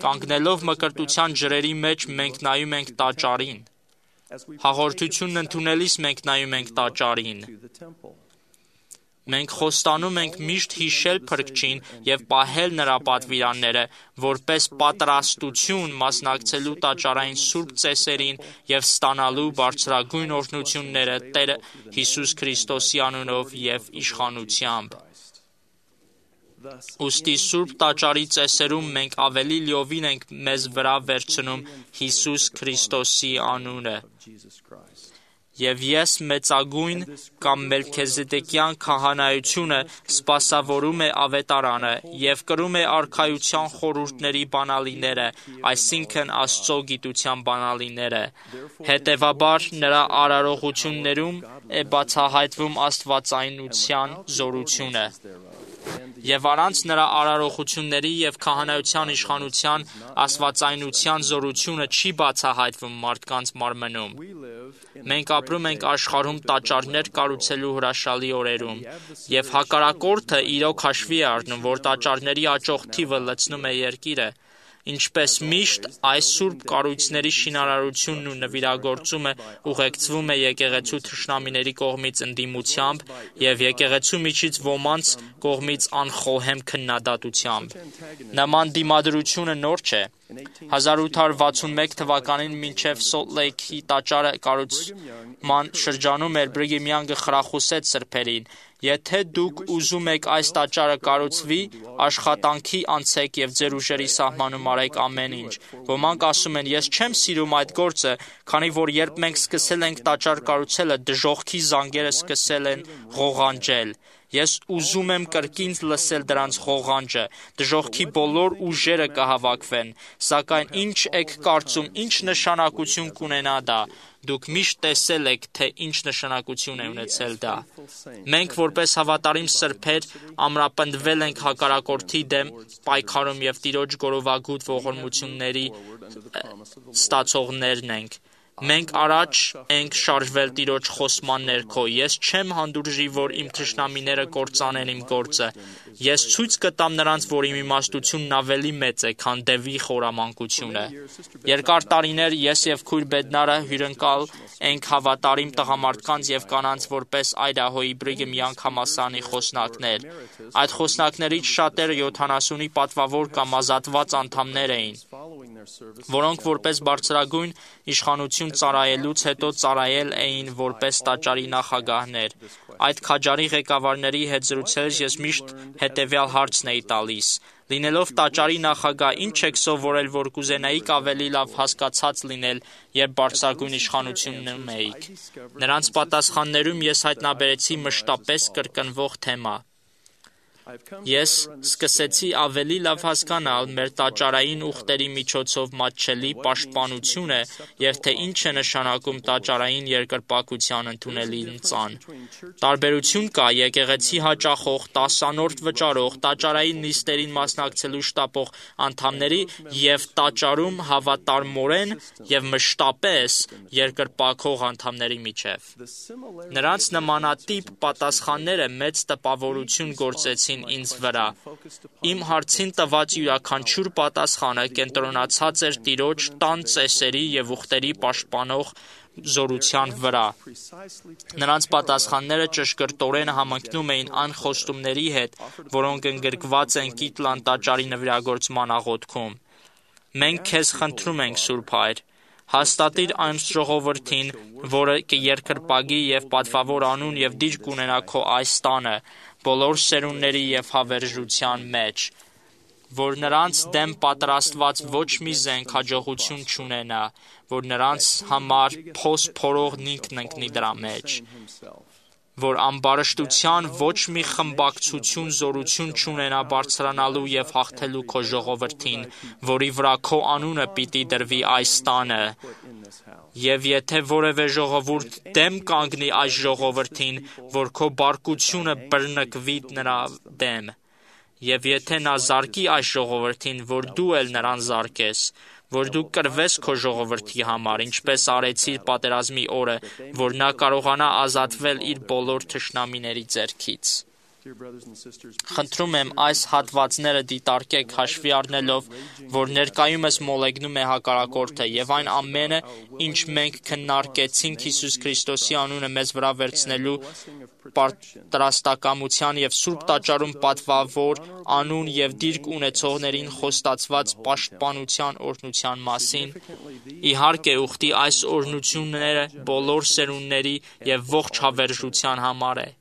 Կանգնելով մկրտության ջրերի մեջ մենք նայում ենք տաճարին։ Հաղորդությունն ընդունելիս մենք նայում ենք տաճարին։ Մենք խոստանում ենք միշտ հիշել Փրկչին և պահել նրա պատվիրանները, որպես պատրաստություն մասնակցելու տաճարային սուրբ ծեսերին և ստանալու բարձրագույն օրհնությունները Տեր Հիսուս Քրիստոսի անունով և իշխանությամբ։ Ուստի Սուրբ Տաճարի ծեսերում մենք ավելի լիովին ենք մեզ վրա վերցնում Հիսուս Քրիստոսի անունը։ Եվ ես մեծագույն կամ Մելքիզեդեկյան քահանայությունը սպասավորում է ավետարանը և կրում է արքայության խորհուրդների բանալիները, այսինքն Աստծո գիտության բանալիները։ Հետևաբար նրա արարողություններում է բացահայտվում աստվածայնության զորությունը։ Եվ առանց նրա արարողությունների և քահանայության իշխանության աստվածայնության զորությունը չի բացահայտվում մարդկանց մարմնում։ Մենք ապրում ենք աշխարհում տաճարներ կառուցելու հրաշալի օրերում, և հակառակորդը իրոք հաշվի է առնում, որ տաճարների աճող թիվը լցնում է երկիրը։ Ինչպես միշտ, այս սուրբ կառույցների շինարարությունն ու նվիրագործումը ուղեկցվում է եկեղեցու թշնամիների կողմից ընդդիմությամբ և եկեղեցու միջից ոմանց կողմից անխոհեմ քննադատությամբ։ Նման դիմադրությունը նոր չէ։ հազար ութ հարյուր վաթսունմեկ թվականին մինչև Սոլտ Լեյքի տաճարը կառուցման շրջանում էր Բրիգեմ Յանգը խրախուսեց սրբերին. «Եթե դուք ուզում եք այս տաճարը կառուցվի, աշխատանքի անցեք և ձեր ուժերի սահմանում արեք ամեն ինչ»։ Ոմանք ասում են. «Ես չեմ սիրում այդ գործը, քանի որ երբ մենք սկսել ենք տաճար կառուցելը, դժոխքի զանգերը սկսել են ղողանջել»։ Ես ուզում եմ կրկին լսել դրանց ղողանջը։ Դժոխքի բոլոր ուժերը կհավաքվեն։ Սակայն ինչ եք կարծում, ինչ նշանակություն կունենա դա։ Դուք միշտ տեսել եք, թե ինչ նշանակություն է ունեցել դա։ Մենք որպես հավատարիմ սրբեր ամրապնդվել ենք հակառակորդի դեմ պայքարում և Տիրոջ գորովագութ ողորմությունների ստացողներն ենք։ Մենք առաջ ենք շարժվել Տիրոջ խոսման ներքո։ Ես չեմ հանդուրժի, որ իմ թշնամիները կործանեն իմ գործը։ Ես ցույց կտամ նրանց, որ իմ իմաստությունն ավելի մեծ է, քան դևի խորամանկությունը։ Երկար տարիներ ես և քույր Բեդնարը հյուրընկալ ենք հավատարիմ տղամարդկանց և կանանց որպես Այդահոյի Բրիգեմ Յանգ համալսարանի խոսնակներ։ Այդ խոսնակներից շատերը յոթանասունի պատվավոր կամ ազատված անդամներ էին, որոնք որպես բարձրագույն իշխանություն ծառայելուց հետո ծառայել էին որպես տաճարի նախագահներ։ Այդ քաջարի ղեկավարների հետ զրուցելիս ես միշտ հետևյալ հարցն էի տալիս. «Լինելով տաճարի նախագահ, ինչ եք սովորել, որ կուզենայիք ավելի լավ հասկացած լինել, երբ բարձրագույն իշխանությունում էիք»։ Նրանց պատասխաններում ես հայտնաբերեցի մշտապես կրկնվող թեմա։ Ես սկսեցի ավելի լավ հասկանալ մեր տաճարային ուխտերի միջոցով մատչելի պաշտպանությունը և թե ինչ է նշանակում տաճարային երկրպագության ընդունելին ծան։ Տարբերություն կա եկեղեցի հաճախող, տասանորդ վճարող, տաճարային նիստերին մասնակցելու շտապող անդամների և տաճարում հավատարմորեն և մշտապես երկրպագող անդամների միջև։ Նրանց նմանատիպ պատասխանները մեծ տպավորություն գործեցին ինձ վրա։ Իմ հարցին տված յուրաքանչյուր պատասխանը կենտրոնացած էր Տիրոջ տան ծեսերի և ուխտերի պաշտպանող զորության վրա։ Նրանց պատասխանները ճշգրտորեն համընկնում էին այն խոստումների հետ, որոնք ընդգրկված են Կիտլան տաճարի նվիրագործման աղոթքում։ Մենք քեզ խնդրում ենք, Սուրբ Հայր, հաստատիր այն ժողովրդին, որը կերկրպագի եւ պատվավոր անուն եւ դիրք ունենա քո այս տանը, բոլոր սերունդների եւ հավերժության մեջ, որ նրանց դեմ պատրաստված ոչ մի զենք հաջողություն չունենա, որ նրանց համար փոս փորողն ինքն ընկնի դրա մեջ, որ ամբարշտության ոչ մի խմբակցություն զորություն չունենա բարձրանալու եւ հաղթելու քո ժողովրդին, որի վրա քո անունը պիտի դրվի այս տանը։ Եվ եթե որևէ ժողովուրդ դեմ կանգնի այս ժողովրդին, որ քո բարկությունը բռնկվի նրա դեմ, եւ եթե նա զարկի այս ժողովրդին, որ դու էլ նրան զարկես, որ դու կրվես քո ժողովրդի համար, ինչպես արեցիր պատերազմի օրը, որ նա կարողանա ազատվել իր բոլոր թշնամիների ձեռքից։ Խնդրում եմ այս հատվածները դիտարկեք հաշվի առնելով, որ ներկայումս մոլեգնում է հակառակորդը եւ այն ամենը, ինչ մենք քննարկեցինք Հիսուս Քրիստոսի անունը մեզ վրա վերցնելու պատրաստակամության եւ Սուրբ տաճարում պատվավոր անուն եւ դիրք ունեցողներին խոստացված պաշտպանության օրհնության մասին, իհարկե ուխտի այս օրհնությունները բոլոր սերունդների եւ ողջ հավերժության համար է։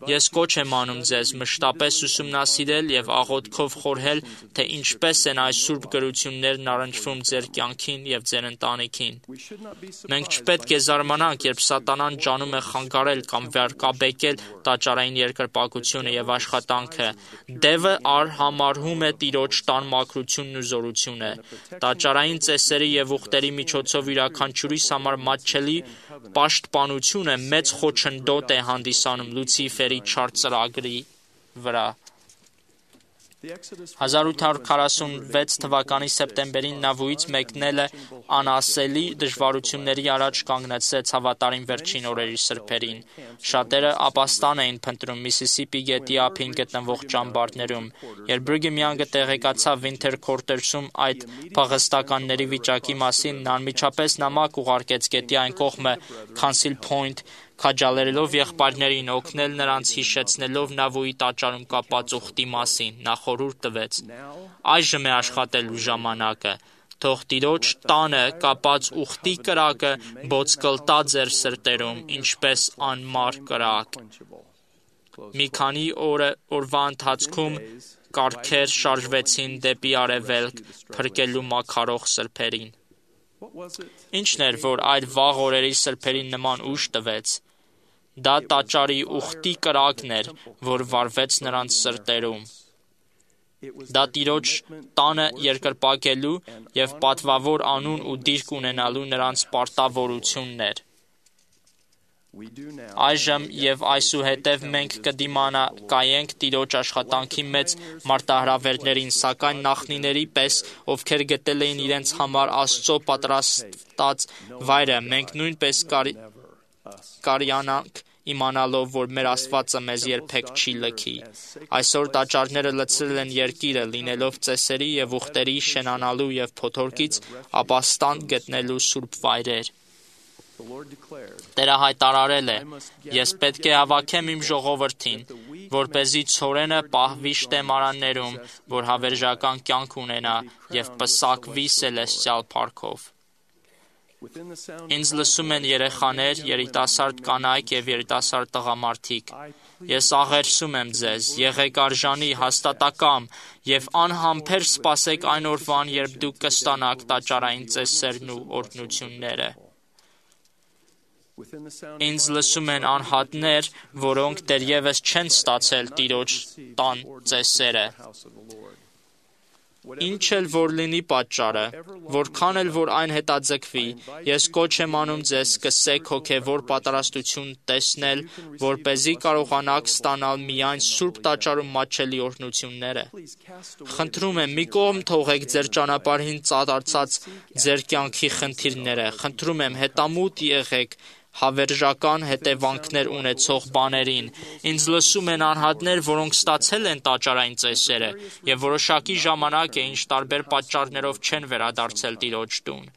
Ես կոչ եմ անում ձեզ մշտապես ուսումնասիրել եւ աղոթքով խորհել, թե ինչպես են այս սուրբ գրություններն առնչվում ձեր կյանքին եւ ձեր ընտանիքին։ Մենք չպետք է զարմանանք, երբ սատանան ջանում է խանգարել կամ վարկաբեկել տաճարային երկրպագությունը եւ աշխատանքը։ Դևը արհամարհում է Տիրոջ տան մաքրությունն ու զորությունը։ Տաճարային ծեսերի եւ ուխտերի միջոցով յուրաքանչյուրիս համար մատչելի պաշտպանությունը մեծ խոչընդոտ է հանդիսանում Լուցիֆերի չար ծրագրի վրա։ հազար ութ հարյուր քառասունվեց թվականի սեպտեմբերին նա վույից մեկնելը անասելի դժվարությունների առաջ կանգնեցրեց հավատարիմ վերջին օրերի սրբերին։ Շատերը ապաստան էին փնտրում Միսիսիպի գետի ափին գտնվող ճամբարներում։ Երբ Բրիգեմյանգը տեղեկացավ Վինթեր Քորտերսում այդ փախստականների վիճակի մասին, նա անմիջապես նամակ ուղարկեց գետի այն կողմը Քանսիլ Փոյնթ, քաջալերելով եղբայրներին օգնել նրանց հիշեցնելով Նավուի տաճարում կապած ուխտի մասին, նա խորհուրդ տվեց. այժմ է աշխատելու ժամանակը, թող Տիրոջ տանը կապած ուխտի կրակը բոցկլտա ձեր սրտերում, ինչպես անմար կրակ։ Մի քանի օր, օրվա ընթացքում կառքեր շարժվեցին դեպի արևելք, փրկելու մաքարող սրբերին։ Ինչն էր, որ այդ վաղ օրերի սրբերին նման ուժ տվեց։ Դա տաճարի ուխտի կրակն էր, որ վառվեց նրանց սրտերում։ Դա Տիրոջ տանը երկրպագելու եւ պատվավոր անուն ու դիրք ունենալու նրանց պարտավորությունն էր։ Այժմ եւ այսուհետև մենք կդիմանա կայենք Տիրոջ աշխատանքի մեծ մարտահրավերներին, սակայն նախնիների պես, ովքեր գտել էին իրենց համար Աստծո պատրաստած վայրը, մենք նույնպես կարյանանք իմանալով, որ մեր Աստվածը մեզ երբեք չի լքի։ Այսօր տաճարները լցրել են երկիրը, լինելով ծեսերի եւ ուխտերի շենանալու եւ փոթորկից ապաստան գտնելու սուրբ վայրեր։ Տերը հայտարարել է. ես պետք է հավաքեմ իմ ժողովրդին, որպեսզի ցորենը պահվի շտեմարաններում, որ հավերժական կյանք ունենա եւ պսակվի սելեստիալ փառքով։ Ինձ լսում են երեխաներ, երիտասարդ կանայք եւ երիտասարդ տղամարդիկ։ Ես աղերսում եմ ձեզ, եղեք արժանի, հաստատակամ եւ անհամբեր սպասեք այն օրվան, երբ դուք կստանաք տաճարային ծեսերն ու օրհնությունները։ Ինձ լսում են անհատներ, որոնք դեռևս չեն ստացել Տիրոջ տան ծեսերը։ Ինչ էլ որ լինի պատճառը, որքան էլ որ այն հետաձգվի, ես կոչ եմ անում ձեզ սկսեք հոգևոր պատրաստություն տեսնել, որպեսզի կարողանաք ստանալ միայն Սուրբ տաճարում մատչելի օրհնությունները։ Խնդրում եմ, մի կողմ թողեք ձեր ճանապարհին ծառացած ձեր կյանքի խնդիրները, խնդրում եմ, հետամուտ եղեք հավերժական հետևանքներ ունեցող բաներին։ Ինձ լսում են անհատներ, որոնք ստացել են տաճարային ծեսերը եւ որոշակի ժամանակ է, ինչ տարբեր պատճառներով չեն վերադարձել Տիրոջ տուն։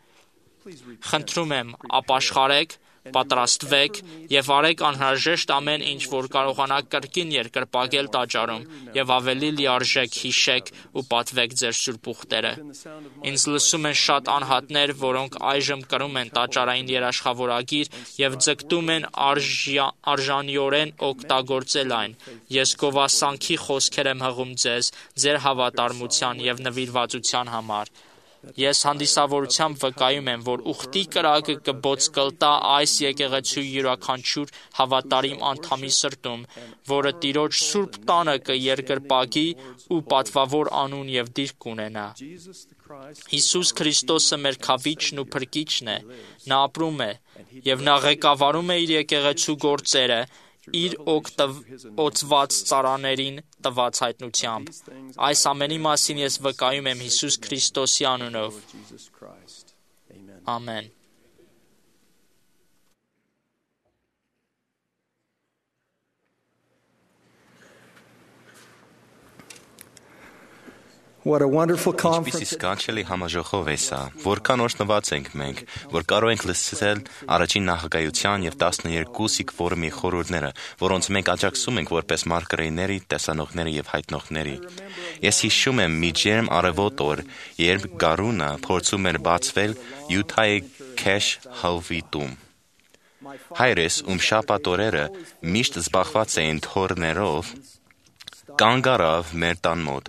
Խնդրում եմ, ապաշխարեք, պատրաստվեք եւ արեք անհրաժեշտ ամեն ինչ, որ կարողանաք կրկին երկրպագել տաճարում եւ ավելի լիարժեք հիշեք ու պատվեք ձեր սուրբ ուխտերը։ Ինձ լսում են շատ անհատներ, որոնք այժմ կրում են տաճարային երաշխավորագիր եւ ձգտում են արժա, արժանիորեն օգտագործել այն։ Ես գովասանքի խոսքեր եմ հղում ձեզ, ձեր հավատարմության եւ նվիրվածության համար։ Ես հանդիսավորությամբ վկայում եմ, որ ուխտի կրակը կբոց կլտա այս եկեղեցու յուրաքանչյուր հավատարիմ անդամի սրտում, որը Տիրոջ սուրբ տանը կերկրպագի ու պատվավոր անուն եւ դիրք կունենա։ Հիսուս Քրիստոսը մեր քավիչն ու փրկիչն է, նա ապրում է եւ նա ղեկավարում է իր եկեղեցու գործերը իր օգտված ծառաներին տված հայտնությամբ։ Այս ամենի մասին ես վկայում եմ Հիսուս Քրիստոսի անունով։ Ամեն։ What a wonderful conference. Ինչպիսի սքանչելի համաժողով է սա, որքան օրհնված ենք մենք, որ կարող ենք լսել առաջին նախագահության եւ տասներկու սիգֆորումի խորհուրդները, որոնց մենք աջակցում ենք որպես մարգարեների, տեսանողների եւ հայտնողների։ Ես հիշում եմ մի ջերմ արևոտ օր, երբ գարունը փորձում էր բացվել Յուտայի քեշ հովիտում։ Հայրս, ում շաբաթօրերը միշտ զբաղված էին թոռներով, կանգ առավ մեր տան մոտ,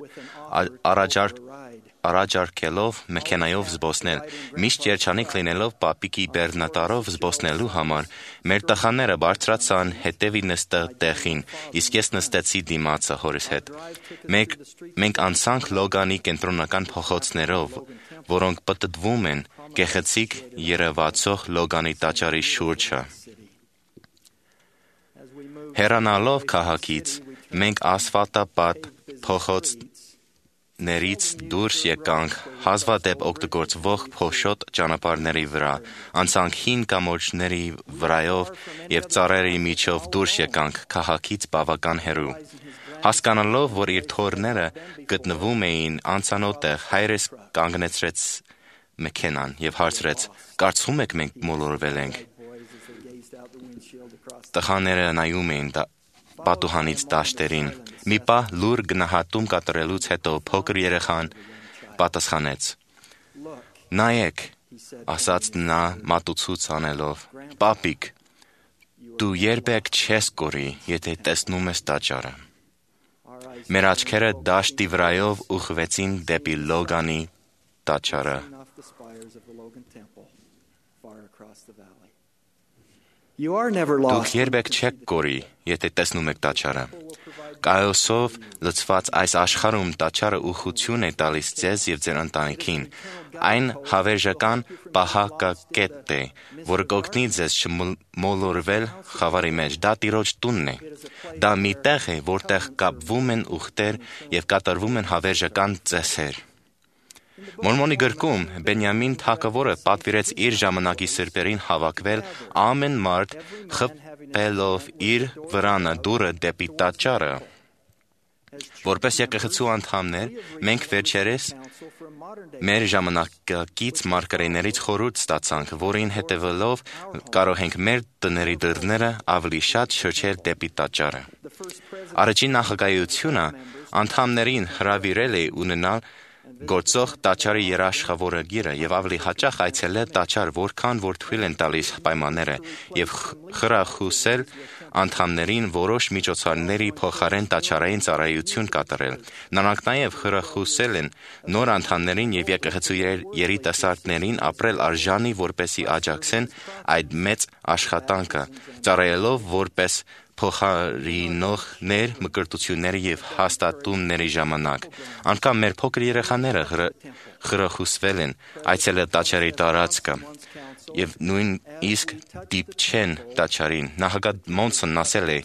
առաջարկելով մեքենայով զբոսնել, միշտ երջանիկ լինելով պապիկի բեռնատարով զբոսնելու համար, մեր տխաները բարձրացան հետևի նստեղ տեղին, իսկ ես նստեցի դիմացը հորս հետ։ Մենք, մենք անցանք Լոգանի կենտրոնական փողոցներով, որոնք պտտվում են գեղեցիկ երևացող Լոգանի տաճարի շուրջը։ Հեռանալով քաղաքից, մենք ասֆալտապատ փողոցներից դուրս եկանք հազվադեպ օգտագործվող փոշոտ ճանապարհների վրա, անցանք հին կամուրջների վրայով եւ ծառերի միջով դուրս եկանք քաղաքից բավական հեռու։ Հասկանալով, որ իր թոռները գտնվում էին անծանոթ տեղ, հայրս կանգնեցրեց մեքենան եւ հարցրեց. «Կարծում եք մենք մոլորվել ենք»։ Տղաները նայում էին պատուհանից դաշտերին։ Մի պահ լուր գնահատում կատարելուց հետո փոքր երեխան պատասխանեց. «Նայեք», ասաց նա մատուցույց անելով, «Պապիկ, դու երբեք չես կորի, եթե տեսնում ես տաճարը»։ Մեր աչքերը դաշտի վրայով ուղղվեցին դեպի Լոգանի տաճարը։ Դուք երբեք չեք կորի, եթե տեսնում եք տաճարը։ Կայոսով լցված այս աշխարհում տաճարը ուխություն է տալիս ձեզ եւ ձեր ընտանիքին։ Այն հավերժական պահակակետ է, որը կօգնի ձեզ չմոլորվել խավարի մեջ։ Դա Տիրոջ տունն է։ Դա մի տեղ է, որտեղ կապվում են ուխտեր եւ կատարվում են հավերժական ծեսեր։ Մորմոնի գրքում Բենյամին թագավորը պատվիրեց իր ժամանակի սրբերին հավաքվել ամեն մարդ խփելով իր վրանը դուռը դեպի տաճարը։ Որպես եկեղեցու անդամներ, մենք վերջերս մեր ժամանակակից մարգարեներից խորհուրդ ստացանք, որին հետևելով կարող ենք մեր տների դռները ավելի շատ շրջել դեպի տաճարը։ Առաջին նախագահությունը անդամներին հրավիրել է ունենալ գործող տաճարի երաշխավորագիրը եւ ավելի հաճախ այցելել տաճար, որքան որ թույլ են տալիս պայմանները, եւ խրախուսել անդամներին որոշ միջոցառումների փոխարեն տաճարային ծառայություն կատարել։ Նրանք նաեւ խրախուսել են նոր անդամներին եւ եկեղեցու երիտասարդներին ապրել արժանի, որպեսի աջակցեն այդ մեծ աշխատանքը, ծառայելով որպես փոխարինողներ մկրտությունների եւ հաստատումների ժամանակ։ Անկամ մեր փոքր երեխաները խրախուսվել են այցելել տաճարի տարածքը եւ նույնիսկ դիպչեն տաճարին։ Նախագահ Մոնսոնն ասել է.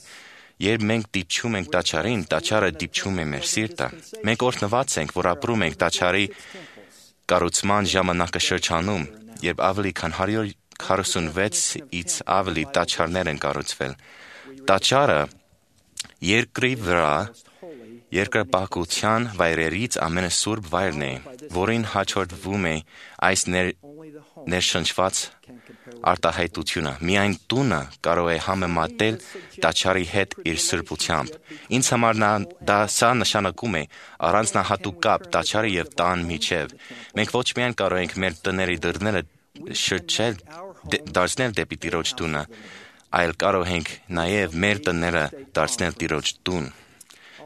«Երբ մենք դիպչում ենք տաճարին, տաճարը դիպչում է մեր սիրտը»։ Մենք օրհնված ենք, որ ապրում ենք տաճարի կառուցման ժամանակաշրջանում, երբ ավելի քան հարյուր քառասունվեցից ավելի տաճարներ են կառուցվել։ Տաճարը երկրի վրա երկրպագության վայրերից ամենասուրբ վայրն է, որին հաջորդվում է այս ներշնչված արտահայտությունը։ Միայն տունը կարող է համեմատել տաճարի հետ իր սրբությամբ։ Ինձ համար դա սա նշանակում է առանձնահատուկ կապ տաճարի եւ տան միջև։ Մենք ոչ միայն կարող ենք մեր տների դռները շրջել դարձնել դեպի Տիրոջ տունը, այլ կարող ենք նաեւ մեր տները դարձնել Տիրոջ տուն։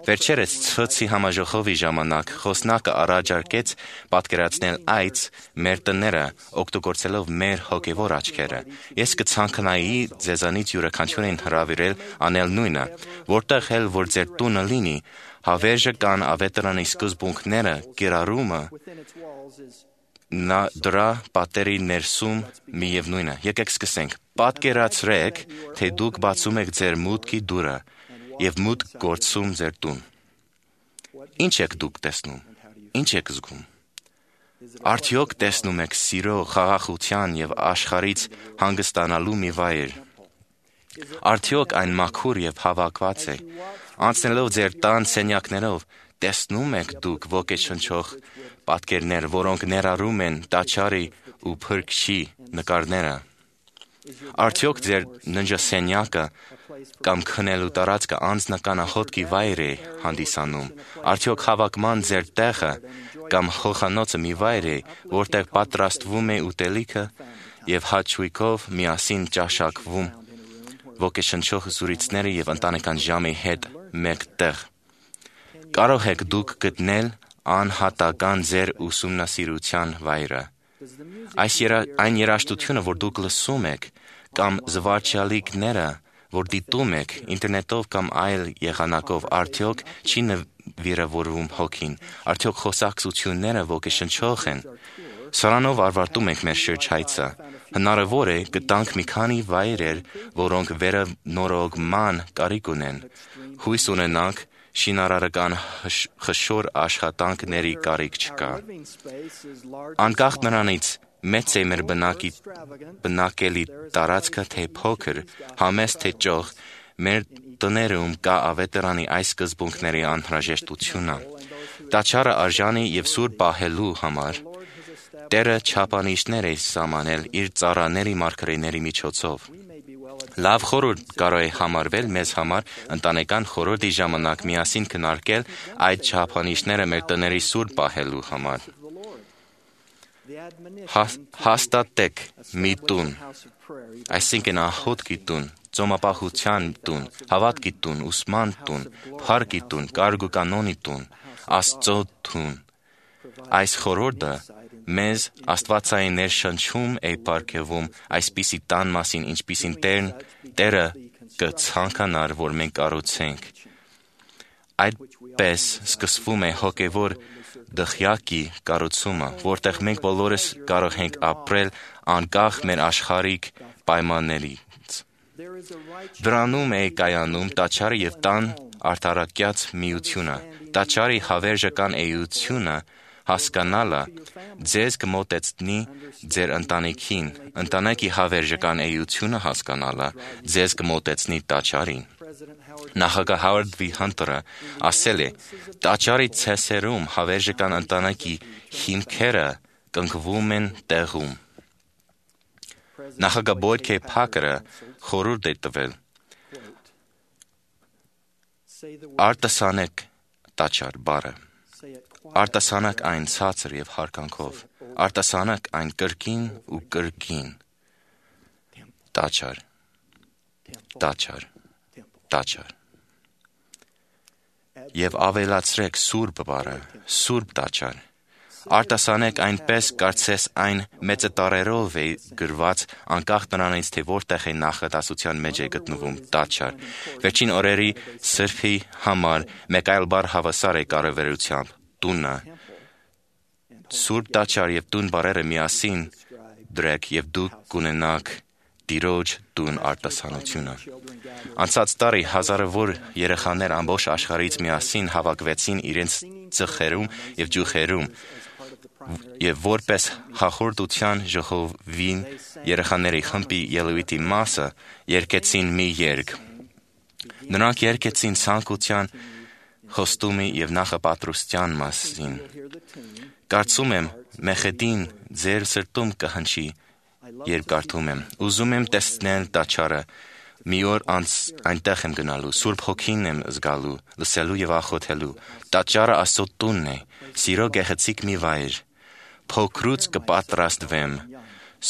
Վերջերս Ցվցի համաժողովի ժամանակ խոսնակը առաջարկեց պատկերացնել այց մեր տները, օգտագործելով մեր հոգևոր աչքերը։ Ես կցանկանայի ձեզանից յուրաքանչյուրին հրավիրել անել նույնը, որտեղ էլ որ ձեր տունը լինի, հավերժը կան ավետարանի սկզբունքները, կիրառումը, նա դրա պատերի ներսում միևնույնը։ Եկեք սկսենք։ Պատկերացրեք, թե դուք բացում եք ձեր մուտքի դուռը եւ մուտք գործում ձեր տուն։ Ինչ եք դուք տեսնում։ Ինչ եք զգում։ Արդյոք տեսնում եք սիրո, խաղաղության եւ աշխարհից հանգստանալու մի վայր։ Արդյոք այն մաքուր եւ հավաքված է։ Անցնելով ձեր տան սենյակներով, տեսնում եք դուք ոգեշնչող պատկերներ, որոնք ներառում են տաճարի ու փրկչի նկարները։ Արդյոք ձեր ննջասենյակը կամ քնելու տարածքը անձնական ահոտքի վայր է հանդիսանում։ Արդյոք հավաքման ձեր տեղը կամ խոհանոցը մի վայր է, որտեղ պատրաստվում է ուտելիքը եւ հաճույքով միասին ճաշակվում ոգեշնչող զրույցների եւ ընտանեկան ժամի հետ մեկտեղ։ Կարող եք դուք գտնել անհատական ձեր ուսումնասիրության վայրը։ Այս երա, այն երաժշտությունը, որ դուք լսում եք, կամ զվարճալիքները, որ դիտում եք ինտերնետով կամ այլ եղանակով, արդյոք չի նվիրավորվում հոգին, արդյոք խոսակցությունները ոգեշնչող են։ Սրանով ավարտում ենք մեր շրջայցը։ Հնարավոր է գտանք մի քանի վայրեր, որոնք վերանորոգման կարիք ունեն։ Հույս ունենանք, շինարարական խշոր աշխատանքների կարիք չկա։ Անկախ նրանից, մեծ է մեր բնակի, բնակելի տարածքը թե փոքր, համեստ թե ճոխ, մեր տներում կա ավետարանի այս սկզբունքների անհրաժեշտությունը։ Տաճարը արժանի եւ սուրբ պահելու համար Տերը չափանիշներ է սահմանել իր ծառաների մարգարեների միջոցով։ Լավ խորհուրդ կարող է համարվել մեզ համար ընտանեկան խորհրդի ժամանակ միասին քննարկել այդ չափանիշները մեր տների սուրբ պահելու համար։ Հաստատեք մի տուն, այսինքն ահոտքի տուն, ծոմապահության տուն, հավատքի տուն, ուսման տուն, փառքի տուն, կարգուկանոնի տուն, Աստծո տուն։ Այս խորհուրդը մեզ աստվածային ներշնչում է պարգևում այսպիսի տան մասին, ինչպիսին Տերն Տերը կցանկանար, որ մենք կառուցենք։ Այդպես սկսվում է հոգևոր դղյակի կառուցումը, որտեղ մենք բոլորս կարող ենք ապրել անկախ մեր աշխարհիկ պայմաններից։ Դրանում է կայանում տաճարի եւ տան արտարակյաց միությունը, տաճարի հավերժական էությունը հասկանալը ձեզ կմոտեցնի ձեր ընտանիքին, ընտանեկի հավերժական էությունը հասկանալը ձեզ կմոտեցնի տաճարին։ Նախագահ Հովարդ Վի Հանտերը ասել է. «Տաճարի ցեսերում հավերժական ընտանեկի հիմքերը կնքվում են տեղում»։ Նախագահ Բոյդ Քեյ Փաքերը խորհուրդ է տվել. «Արտասանեք տաճար բառը, արտասանեք այն ցածր եւ հարկանքով, արտասանեք այն կրկին ու կրկին, տաճար, տաճար, տաճար։ Եվ ավելացրեք սուրբ բառը, սուրբ տաճար, արտասանեք այնպես, կարծես այն մեծտառերով է գրված, անկախ նրանից, թե որտեղ է նախադասության մեջ է գտնվում տաճար։ Վերջին օրերի սրբի համար մեկ այլ բառ հավասար է կարևորությամբ՝ տունը։ Սուրբ տաճար եւ տուն բառերը միասին դրեք եւ դուք կունենաք Տիրոջ տուն արտասանությունը։ Անցած տարի հազարավոր երեխաներ ամբողջ աշխարհից միասին հավաքվեցին իրենց ծխերում եւ ջուխերում եւ որպես հաղորդության ժողովին երեխաների խմբի ելույթի մասը երգեցին մի երգ։ Նրանք երգեցին ցանկության խոստումի եւ նախապատրաստության մասին։ Կարծում եմ Մեխեդին ձեր սրտում կհնչի, երբ կարդում եմ։ Ուզում եմ տեսնել տաճարը, մի օր անց այնտեղ եմ գնալու, Սուրբ Հոգին եմ զգալու, լսելու եւ աղոթելու։ Տաճարը Աստծո տունն է, սիրո գեղեցիկ մի վայր։ Փոքրուց կպատրաստվեմ,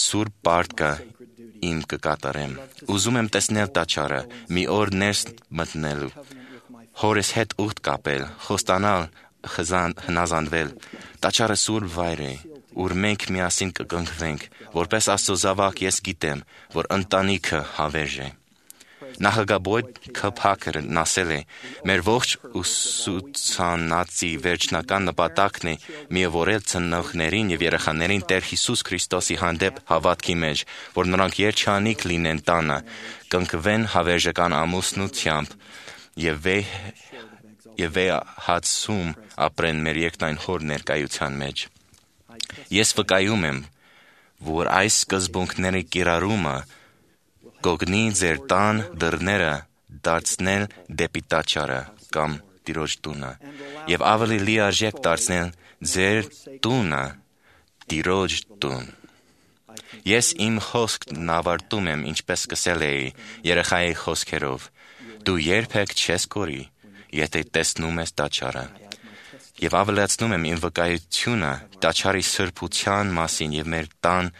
Սուրբ պարտքը իմ կկատարեմ։ Ուզում եմ տեսնել տաճարը, մի օր ներս մտնելու, հորս հետ ուխտ կապել, խոստանալ, հնազանդվել։ Տաճարը սուրբ վայր է, ուր մենք միասին կկնքվենք, որպես Աստծո զավակ ես գիտեմ, որ ընտանիքը հավերժ է։ Նախագահ Քփակերն ասել է. մեր ողջ ուսուցանածի վերջնական նպատակն է միավորել ծնողներին եւ երեխաներին Տեր Հիսուս Քրիստոսի հանդեպ հավատքի մեջ, որ նրանք երջանիկ լինեն տանը, կնքվեն հավերժական ամուսնությամբ եւ վե եւ վեհացում ապրեն մեր երկնային Հոր ներկայության մեջ։ Ես վկայում եմ, որ այս սկզբունքների կիրառումը կօգնի ձեր տան դռները դարձնել դեպի տաճարը կամ Տիրոջ տունը եւ ավելի լիարժեք դարձնել ձեր տունը Տիրոջ տուն։ Ես իմ խոսքն ավարտում եմ, ինչպես սկսել էի, երեխայի խոսքերով. դու երբեք չես կորի, եթե տեսնում ես տաճարը։ Եվ ավելացնում եմ իմ վկայությունը տաճարի սրբության մասին եւ մեր տան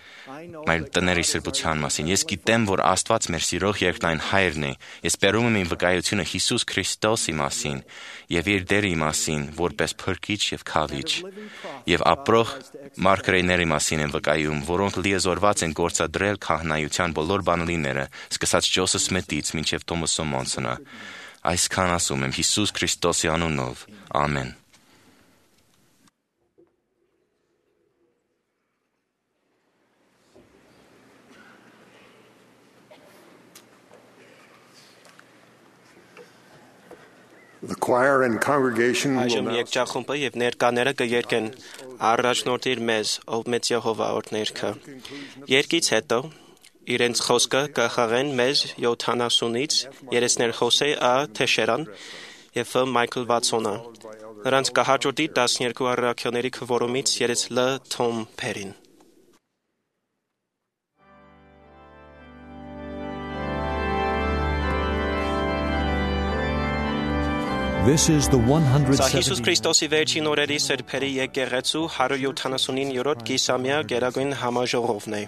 մեր տների սրբության մասին։ Ես գիտեմ, որ Աստված մեր սիրող երկնային Հայրն է։ Ես բերում եմ իմ վկայությունը Հիսուս Քրիստոսի մասին եւ իր դերի մասին, որպես փրկիչ եւ քավիչ։ Եվ ապրող մարգարեների մասին եմ վկայում, որոնք լիազորված են գործադրել քահանայության բոլոր բանալիները, սկսած Ջոսեֆ Սմիթից մինչեւ Թոմաս Մոնսոնը։ Այսքան ասում եմ Հիսուս Քրիստոսի անունով։ Ամեն։ The choir and congregation will Այժմ now եկճախումբը եւ ներկաները կերկեն առաջնորդիր մեզ, ով մեծ Եհովա օրհներքը։ Երկից հետո իրենց խոսքը կխաղեն մեզ յոթանասունից երեսներ Խոսե Ա Թեշերան եւ Մայքլ Վատսոնը։ Նրանց կհաջորդի տասներկու առաքյալների քվորումից երես Լ Թոմ Փերին։ This is the one hundred Սա Հիսուս seventy Քրիստոսի վերջին օրերի սրբերի եկեղեցու հարյուր յոթանասունիններորդ կիսամյա գերագույն համաժողովն է։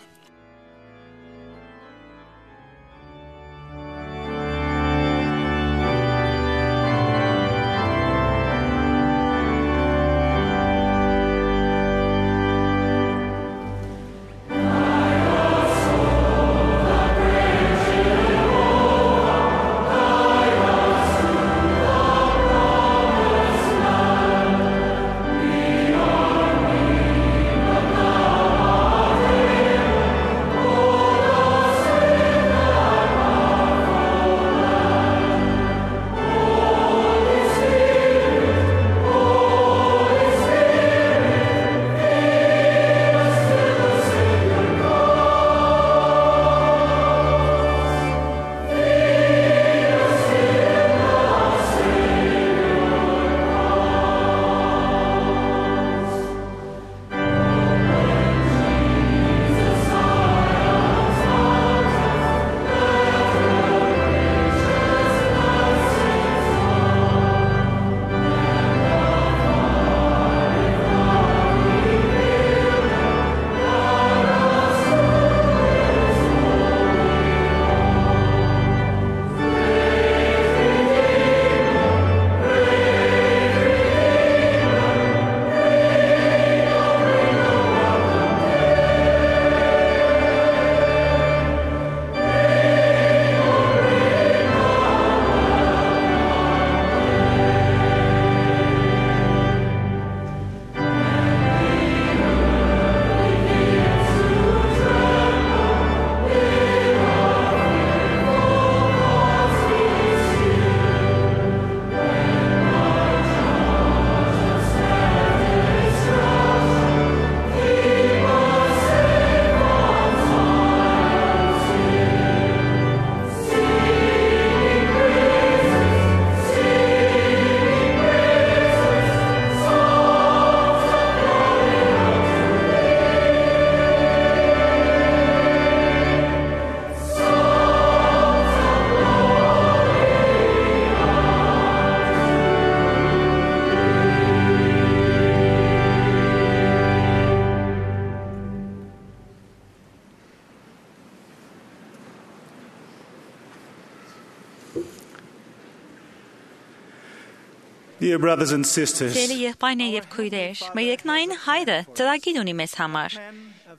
Dear brothers and sisters, Սիրելի եղբայրներ եւ քույրեր, մեր երկնային Հայրը ծրագիր ունի մեզ համար։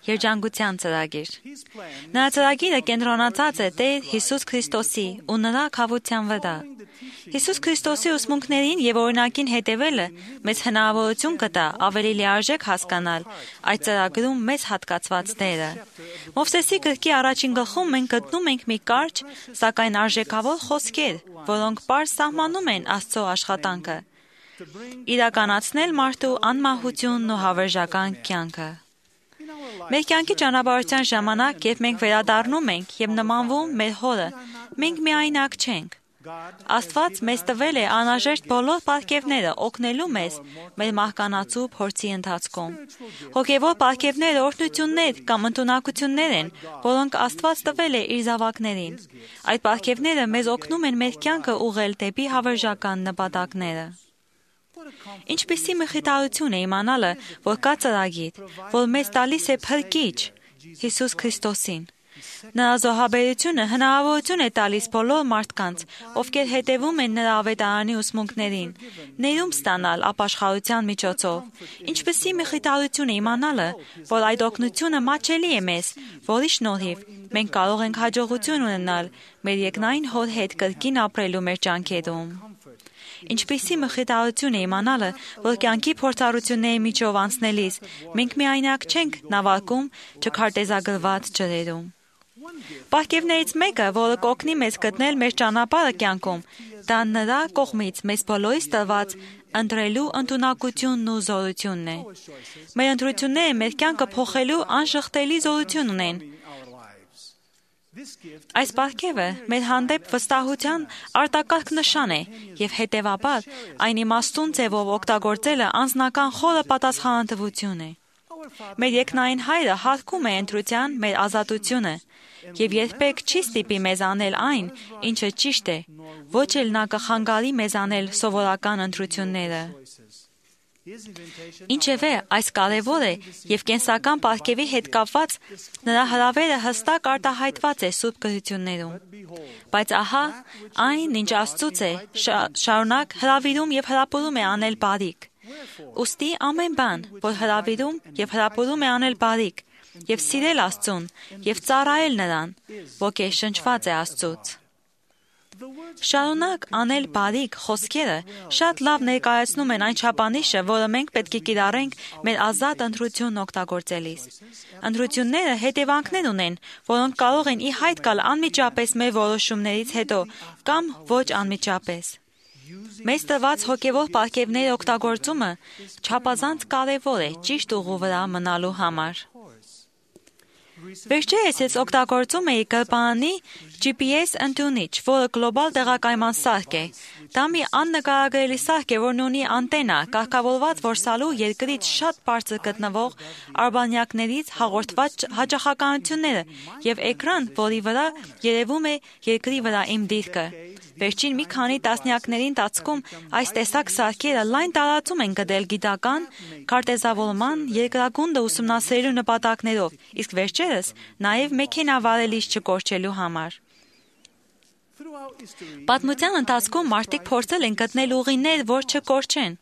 Երջանկության ծրագիր։ Նրա ծրագիրը կենտրոնացած է Տեր Հիսուս Քրիստոսի ու նրա քավության վրա։ Հիսուս Քրիստոսի ուսմունքներին եւ օրինակին հետևելը մեզ հնարավորություն կտա ավելի լիարժեք հասկանալ այդ ծրագրում մեզ հատկացված դերը։ Մովսեսի գրքի առաջին գլխում մենք գտնում ենք մի կարճ, սակայն արժեքավոր խոսքեր, որոնք պարզ սահմանում են Աստծո աշխատանքը։ Իրականացնել մարդու անմահությունն ու հավերժական կյանքը։ Մեր կյանքի ճանապարհության ժամանակ, երբ մենք վերադառնում ենք եւ նմանվում մեր Հորը, մենք միայնակ չենք։ Աստված մեզ տվել է անհրաժեշտ բոլոր պարգևները օգնելու մեզ մեր մահկանացու փորձի ընթացքում։ Հոգևոր պարգևները օրհնություններ կամ ընտունակություններ են, որոնք Աստված տվել է իր զավակներին։ Այդ պարգևները մեզ օգնում են մեր կյանքը ուղղել դեպի հավերժական նպատակները։ Ինչպիսի մխիթարություն է իմանալը, որ կա ծրագիր, որ մեզ տալիս է փրկիչ Հիսուս Քրիստոսին։ Նրա զոհաբերությունը հնարավորություն է տալիս բոլոր մարդկանց, ովքեր հետևում են նրա ավետարանի ուսմունքներին, ներում ստանալ ապաշխարության միջոցով։ Ինչպիսի մխիթարություն է իմանալը, որ այդ օգնությունը մատչելի է մեզ, որի շնորհիվ մենք կարող ենք հաջողություն ունենալ մեր երկնային Հոր հետ կրկին ապրելու մեր ջանքերում։ Ինչպիսի մխիթարություն է իմանալը, որ կյանքի փորձառությունների միջով անցնելիս մենք միայնակ չենք նավարկում չքարտեզագրված ջրերում։ Պարգևներից մեկը, որը կօգնի մեզ գտնել մեր ճանապարհը կյանքում, դա նրա կողմից մեզ բոլորիս տրված ընտրելու ընդունակությունն ու զորությունն է։ Մեր ընտրությունները մեր կյանքը փոխելու անժխտելի զորություն ունեն։ Այս պարգևը մեր հանդեպ վստահության արտակարգ նշան է եւ հետեւաբար այն իմաստուն ձևով օգտագործելը անձնական խորը պատասխանատվություն է։ Մեր երկնային Հայրը հարգում է ընտրության մեր ազատությունը եւ երբեք չի ստիպի մեզ անել այն, ինչը ճիշտ է, ոչ էլ նա կխանգարի մեզ անել սովորական ընտրությունները։ Ինչևէ, այս կարևոր է եւ կենսական պարգևի հետ կապված նրա հրավերը հստակ արտահայտված է Սուրբ Գրություններում։ Բայց ահա այն, ինչ Աստծուց է, շարունակ հրավիրում եւ հրապուրում է անել բարիք։ Ուստի ամեն բան, որ հրավիրում եւ հրապուրում է անել բարիք, եւ սիրել Աստծուն, եւ ծառայել նրան, ոգեշնչված է Աստծուց։ Շարունակ անել բարիք խոսքերը շատ լավ ներկայացնում են այն չափանիշը, որը մենք պետք է կիրառենք մեր ազատ ընտրությունն օգտագործելիս։ Ընտրությունները հետևանքներ ունեն, որոնք կարող են ի հայտ գալ անմիջապես մեր որոշումներից հետո կամ ոչ անմիջապես։ Մեզ տրված հոգևոր պարգևների օգտագործումը չափազանց կարևոր է ճիշտ ուղու վրա մնալու համար։ Վերջերս ես օգտագործում էի գրպանի Ջի Պի Էս ընդունիչ, որը գլոբալ տեղակայման սարք է։ Դա մի աննկարագրելի սարք է, որն ունի անտենա, կարգավորված որսալու երկրից շատ բարձր գտնվող արբանյակներից հաղորդված հաճախականությունները եւ էկրան, որի վրա երևում է երկրի վրա իմ դիրքը։ Վերջին մի քանի տասնյակների ընթացքում այս տեսակ սարքերը լայն տարածում են գտել գիտական, քարտեզավորման, երկրագունդը ուսումնասիրելու նպատակներով, իսկ վերջերս նաև մեքենա վարելիս չկորչելու համար։ Պատմության ընթացքում մարդիկ փորձել են գտնել ուղիներ, որ չկորչեն։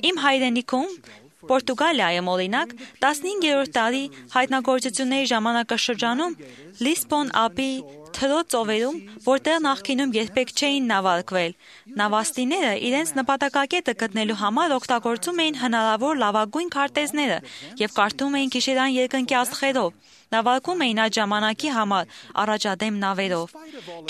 Իմ հայրենիքում Պորտուգալիայում օրինակ տասնհինգերորդ դարի հայտնագործությունների ժամանակաշրջանում Լիսբոն ափի թրոց ծովերում, որտեղ նախկինում երբեք չէին նավարկվել, նավաստիները իրենց նպատակակետը գտնելու համար օգտագործում էին հնարավոր լավագույն քարտեզները եւ կարդում էին գիշերային երկնքի աստղերով, նավարկում էին այդ ժամանակի համար առաջադեմ նավերով։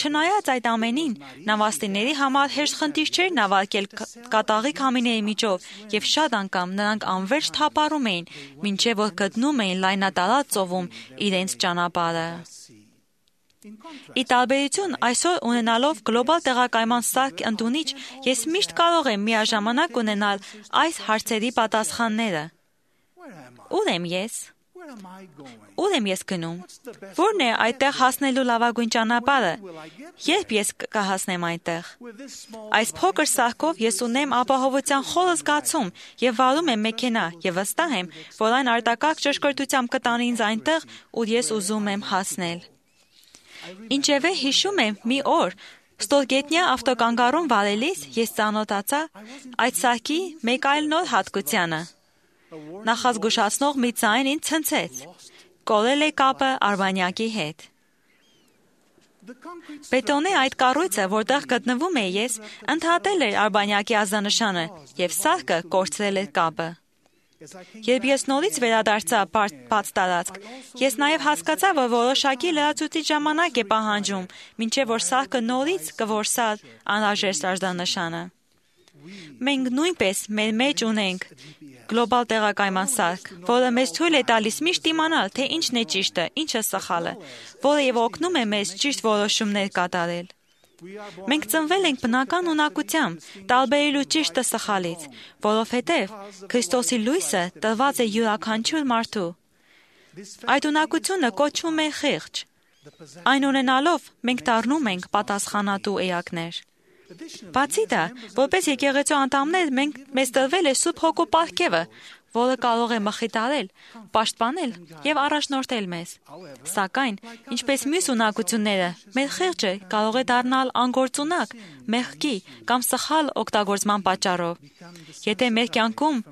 Չնայած այդ ամենին, նավաստիների համար հեշտ խնդիր չէր նավարկել կատաղի քամիների միջով եւ շատ անգամ նրանք անվերջ թափառում էին, մինչեւ որ գտնում էին լայնատարած ծովում իրենց ճանապարհը։ Ի տարբերություն այսօր ունենալով գլոբալ տեղակայման սարք ընդունիչ, ես միշտ կարող եմ միաժամանակ ունենալ այս հարցերի պատասխանները։ Ուր եմ ես։ Ուր եմ ես գնում։ Որն է այդտեղ հասնելու լավագույն ճանապարհը։ Երբ ես կհասնեմ այնտեղ։ Այս փոքր սարքով ես ունեմ ապահովության խորը զգացում եւ վարում եմ մեքենա եւ վստահ եմ, որ այն արտակարգ ճշգրտությամբ կտանի ինձ այնտեղ, ուր ես ուզում եմ հասնել։ Ինչևէ հիշում եմ մի օր, Ստոլգետնյա ավտոկանգառում վարելիս ես ծանոթացա այդ սարքի մեկ այլ նոր հատկությանը։ Նախազգուշացնող մի ձայն ինձ ցնցեց։ Կորել է կապը արբանյակի հետ։ Բետոնե այդ կառույցը, որտեղ գտնվում էի ես, ընդհատել էր արբանյակի ազդանշանը եւ սարքը կորցրել էր կապը։ Երբ ես նորից վերադարձա բաց տարածք, ես նաև հասկացա, որ որոշակի լրացուցիչ ժամանակ է պահանջում, մինչև որ սարքը նորից կորսա անհրաժեշտ ազդանշանը։ Մենք նույնպես մեր մեջ ունենք գլոբալ տեղակայման սարք, որը մեզ թույլ է տալիս միշտ իմանալ, թե ինչն է ճիշտը, ինչը սխալը, որը եւ օգնում է մեզ ճիշտ որոշումներ կատարել։ Մենք ծնվել ենք բնական ունակությամբ, տարբերելու ճիշտը սխալից, որովհետև Քրիստոսի լույսը տրված է յուրաքանչյուր մարդու։ Այդ ունակությունը կոչվում է խիղճ։ Այն ունենալով մենք դառնում ենք պատասխանատու էակներ։ Բացի դա, որպես եկեղեցու անդամներ մենք մեզ տրվել է Սուրբ Հոգու պարգևը, որը կարող է մխիթարել, պաշտպանել եւ առաջնորդել մեզ։ Սակայն, ինչպես մյուս ունակությունները, մեր խիղճը կարող է դառնալ անգործունակ, մեղքի կամ սխալ օգտագործման պատճառով։ Եթե մեր կյանքում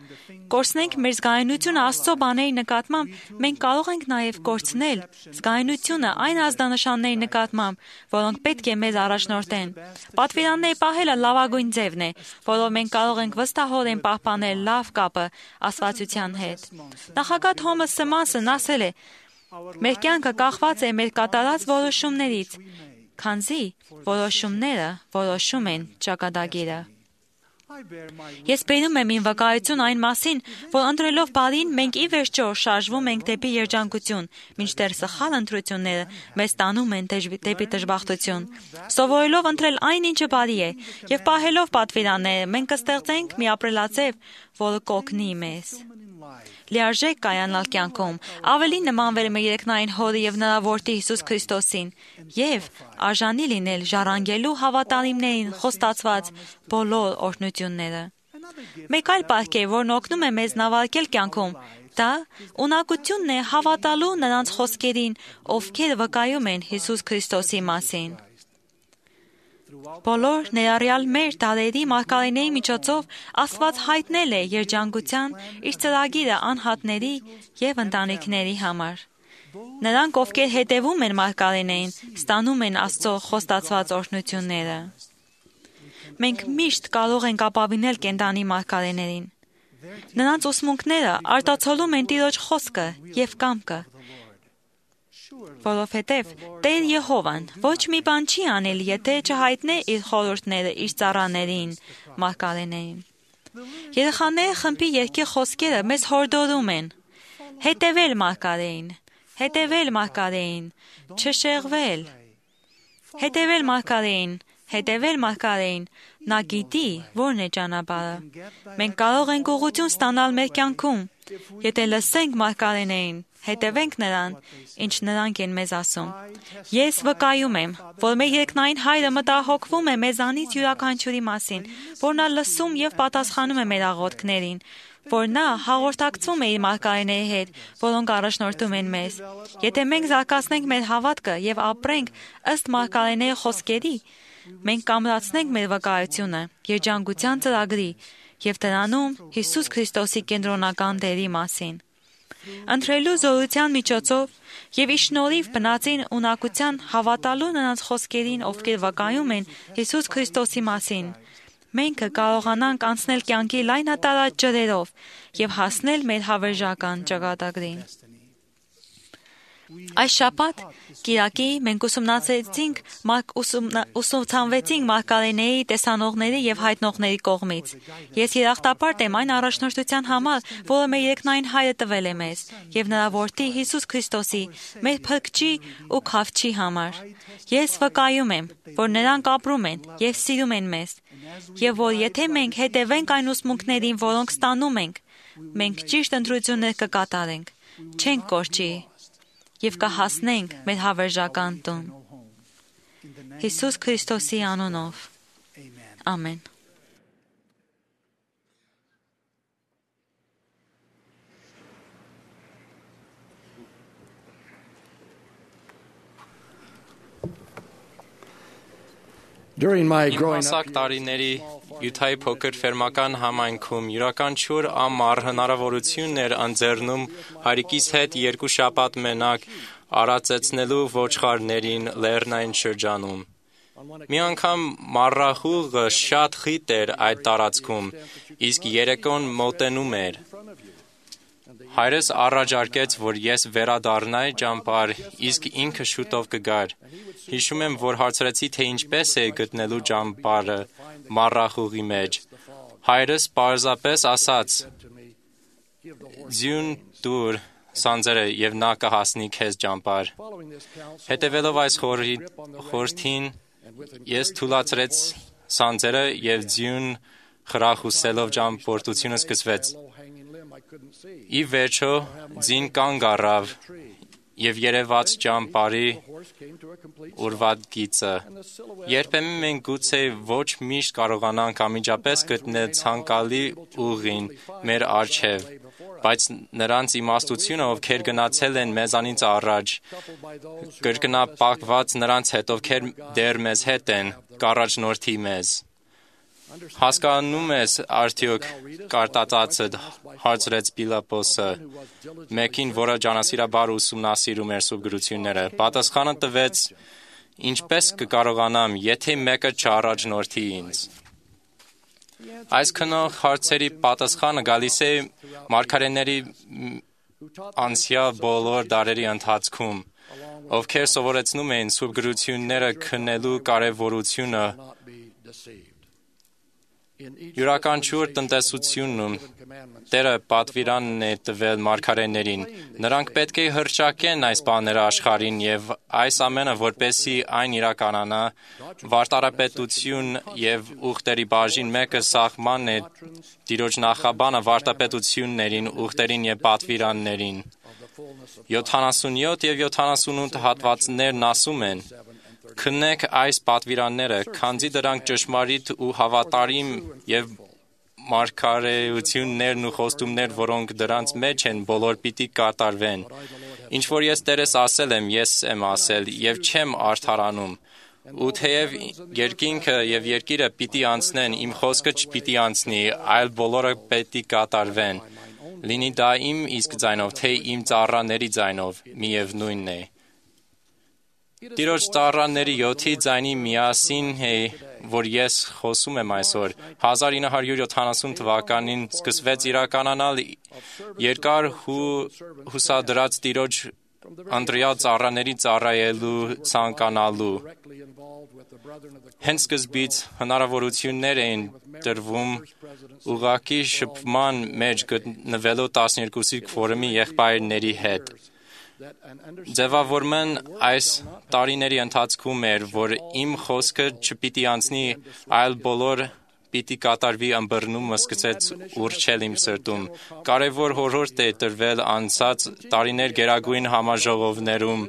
կորցնենք մեր զգայունությունը Աստծո բաների նկատմամբ, մենք կարող ենք նաև կորցնել զգայունությունը այն ազդանշանների նկատմամբ, որոնք պետք է մեզ առաջնորդեն։ Պատվիրաններ պահելը լավագույն ձևն է, որով մենք կարող ենք վստահորեն պահպանել լավ կապը Աստվածության հետ։ Նախագահ Թոմաս Սմասն ասել է. «Մեր կյանքը կախված է մեր կատարած որոշումներից, քանզի որոշումները որոշում են ճակատագիրը»։ Ես բերում եմ իմ վկայություն այն մասին, որ ընտրելով բարին մենք ի վերջո շարժվում ենք դեպի երջանկություն, մինչդեռ սխալ ընտրությունները մեզ տանում են դեպի դժբախտություն։ Սովորելով ընտրել այն, ինչը բարի է, եւ պահելով պատվիրանները, մենք կստեղծենք մի ապրելաձև, որը կօգնի մեզ։ Լիարժեք կայանալ կյանքում, ավելի նմանվել մեր երկնային Հորի եւ նրա որդի Հիսուս Քրիստոսին եւ արժանի լինել ժառանգելու հավատարիմներին խոստացված բոլոր օրհնությունները։ Մեկ այլ պարգև, որն օգնում է մեզ նավարկել կյանքում, դա ունակությունն է հավատալու նրանց խոսքերին, ովքեր վկայում են Հիսուս Քրիստոսի մասին։ Բոլոր ներառյալ մեր դարերի մարգարեների միջոցով Աստված հայտնել է երջանկության իր ծրագիրը անհատների եւ ընտանիքների համար։ Նրանք, ովքեր հետևում են մարգարեներին, ստանում են Աստծո խոստացված օրհնությունները։ Մենք միշտ կարող ենք ապավինել կենդանի մարգարեներին։ Նրանց ուսմունքները արտացոլում են Տիրոջ խոսքը եւ կամքը։ Որովհետև Տեր Եհովան ոչ մի բան չի անել, եթե չհայտնե իր խորհուրդները իր ծառաներին, մարգարեներին։ Երեխաների խմբի երգի խոսքերը մեզ հորդորում են. հետևել մարգարեին, հետևել մարգարեին, չշեղվել, հետևել մարգարեին, հետևել մարգարեին, նա գիտի, որն է ճանապարհը։ Մենք կարող ենք ուղղություն ստանալ մեր կյանքում, եթե լսենք մարգարեներին, հետևենք նրան, ինչ նրանք են մեզ ասում։ Ես վկայում եմ, որ մեր երկնային Հայրը մտահոգվում է մեզանից յուրաքանչյուրի մասին, որ նա լսում եւ պատասխանում է մեր աղոթքներին, որ նա հաղորդակցվում է իր մարգարեների հետ, որոնք առաջնորդում են մեզ։ Եթե մենք զարգացնենք մեր հավատքը եւ ապրենք ըստ մարգարեների խոսքերի, մենք կամրացնենք մեր վկայությունը երջանկության ծրագրի եւ դրանում Հիսուս Քրիստոսի կենտրոնական դերի մասին։ Ընտրելու զորության միջոցով եւ ի շնորհիվ բնածին ունակության հավատալու նրանց խոսքերին, ովքեր վկայում են Հիսուս Քրիստոսի մասին, մենք կարողանանք անցնել կյանքի լայնատարած ջրերով եւ հասնել մեր հավերժական ճակատագրին։ Այս շաբաթ կիրակի մենք ուսումնասիրեցինք ուսումնասիրեցինք մարգարեների, տեսանողների եւ հայտնողների կողմից։ Ես երախտապարտ եմ այն առաջնորդության համար, որը մեր երկնային Հայրը տվել է մեզ, եւ նրա որդի Հիսուս Քրիստոսի, մեր փրկչի ու քավչի համար։ Ես վկայում եմ, որ նրանք ապրում են եւ սիրում են մեզ, եւ որ եթե մենք հետևենք այն ուսմունքներին, որոնք ստանում ենք, մենք ճիշտ ընտրություններ կկատարենք, չենք կորչի եւ կհասնենք մեր հավերժական տուն։ Հիսուս Քրիստոսի անունով։ Ամեն։ During my Իմ growing հասակ up, տարիների Յուտայի փոքր ֆերմական համայնքում յուրաքանչյուր ամառ հնարավորություն էր ընձեռնում հայրիկիս հետ երկու շաբաթ մենակ արածեցնելու ոչխարներին լեռնային շրջանում։ Մի անգամ մառախուղը շատ խիտ էր այդ տարածքում, իսկ երեկոն մոտենում էր։ Հայրս առաջարկեց, որ ես վերադառնայի ճամբար, իսկ ինքը շուտով կգար։ Հիշում եմ, որ հարցրեցի, թե ինչպես է գտնելու ճամբարը մառախուղի մեջ։ Հայրս պարզապես ասաց. «Ձյուն դուր սանձերը եւ նա կհասնի քեզ ճամբար»։ Հետևելով այս խորհրդին, ես թուլացրեց սանձերը եւ ձյուն խրախուսելով ճամփորդությունը սկսվեց։ Ի վերջո ձին կանգ առավ եւ երևաց ճամբարի ուրվատ գիծը։ Երբեմն մենք գուցե ոչ միշտ կարողանանք անմիջապես գտնել ցանկալի ուղին մեր առջև, բայց նրանց իմաստությունը, ովքեր գնացել են մեզանից առաջ, կրկնապատկված նրանց հետ, ովքեր դեռ մեզ հետ են, կառաջնորդի մեզ։ Հասկանում ես արդյոք կարտածածդ, հարցրեց Պիլապոսը, մեկին, որը ջանասիրաբար ուսումնասիրում էր սուրբ գրությունները։ Պատասխանը տվեց. ինչպես կկարողանամ, եթե մեկը չառաջնորդի ինձ։ Այս քնող հարցերի պատասխանը գալիս է մարգարեների անցյալ բոլոր դարերի ընթացքում, ովքեր սովորեցնում էին սուրբ գրությունները քննելու կարևորությունը։ Յուրաքանչյուր տնտեսությունում Տերը պատվիրանն է տվել մարգարեներին։ Նրանք պետք է հռչակեն այս բաները աշխարհին եւ այս ամենը, որպեսզի այն իրականանա, վարտարապետություն եւ ուխտերի բաժին մեկը սահմանն է Տիրոջ նախաբանը վարտապետություններին, ուխտերին եւ պատվիրաններին։ յոթանասունյոթ եւ յոթանասունութ հատվածներն ասում են. Քննեք այս պատվիրանները, քանզի դրանք ճշմարիտ ու հավատարիմ եւ մարգարեություններն ու խոստումներ, որոնք դրանց մեջ են, բոլոր պիտի կատարվեն։ Ինչ որ ես Տերես ասել եմ, ես եմ ասել եւ չեմ արդարանում։ Ու թեև երկինքը եւ երկիրը պիտի անցնեն, իմ խոսքը չպիտի անցնի, այլ բոլորը պիտի կատարվեն։ Լինի դա իմ իսկ ձայնով, թե իմ ծառաների ձայնով, միևնույնն է։ Տիրոջ ծառաների յոթի ձայնի միասին է, որ ես խոսում եմ այսօր։ հազար ինը հարյուր յոթանասուն թվականին սկսվեց իրականանալ երկար հուսադրած Տիրոջ ընտրյալ ծառաների ծառայելու ցանկանալու։ Հենց սկզբից հնարավորություններ էին տրվում ուղղակի շփման մեջ գտնվելու տասներկուսի քվորումի եղբայրների հետ։ Ձևավորման այս տարիների ընթացքում էր, որ իմ խոսքը չպիտի անցնի, այլ բոլոր պիտի կատարվի ըմբռնումը սկսեց ուռչել իմ սրտում։ Կարևոր խորհուրդ է տրվել անցած տարիներ գերագույն համաժողովներում,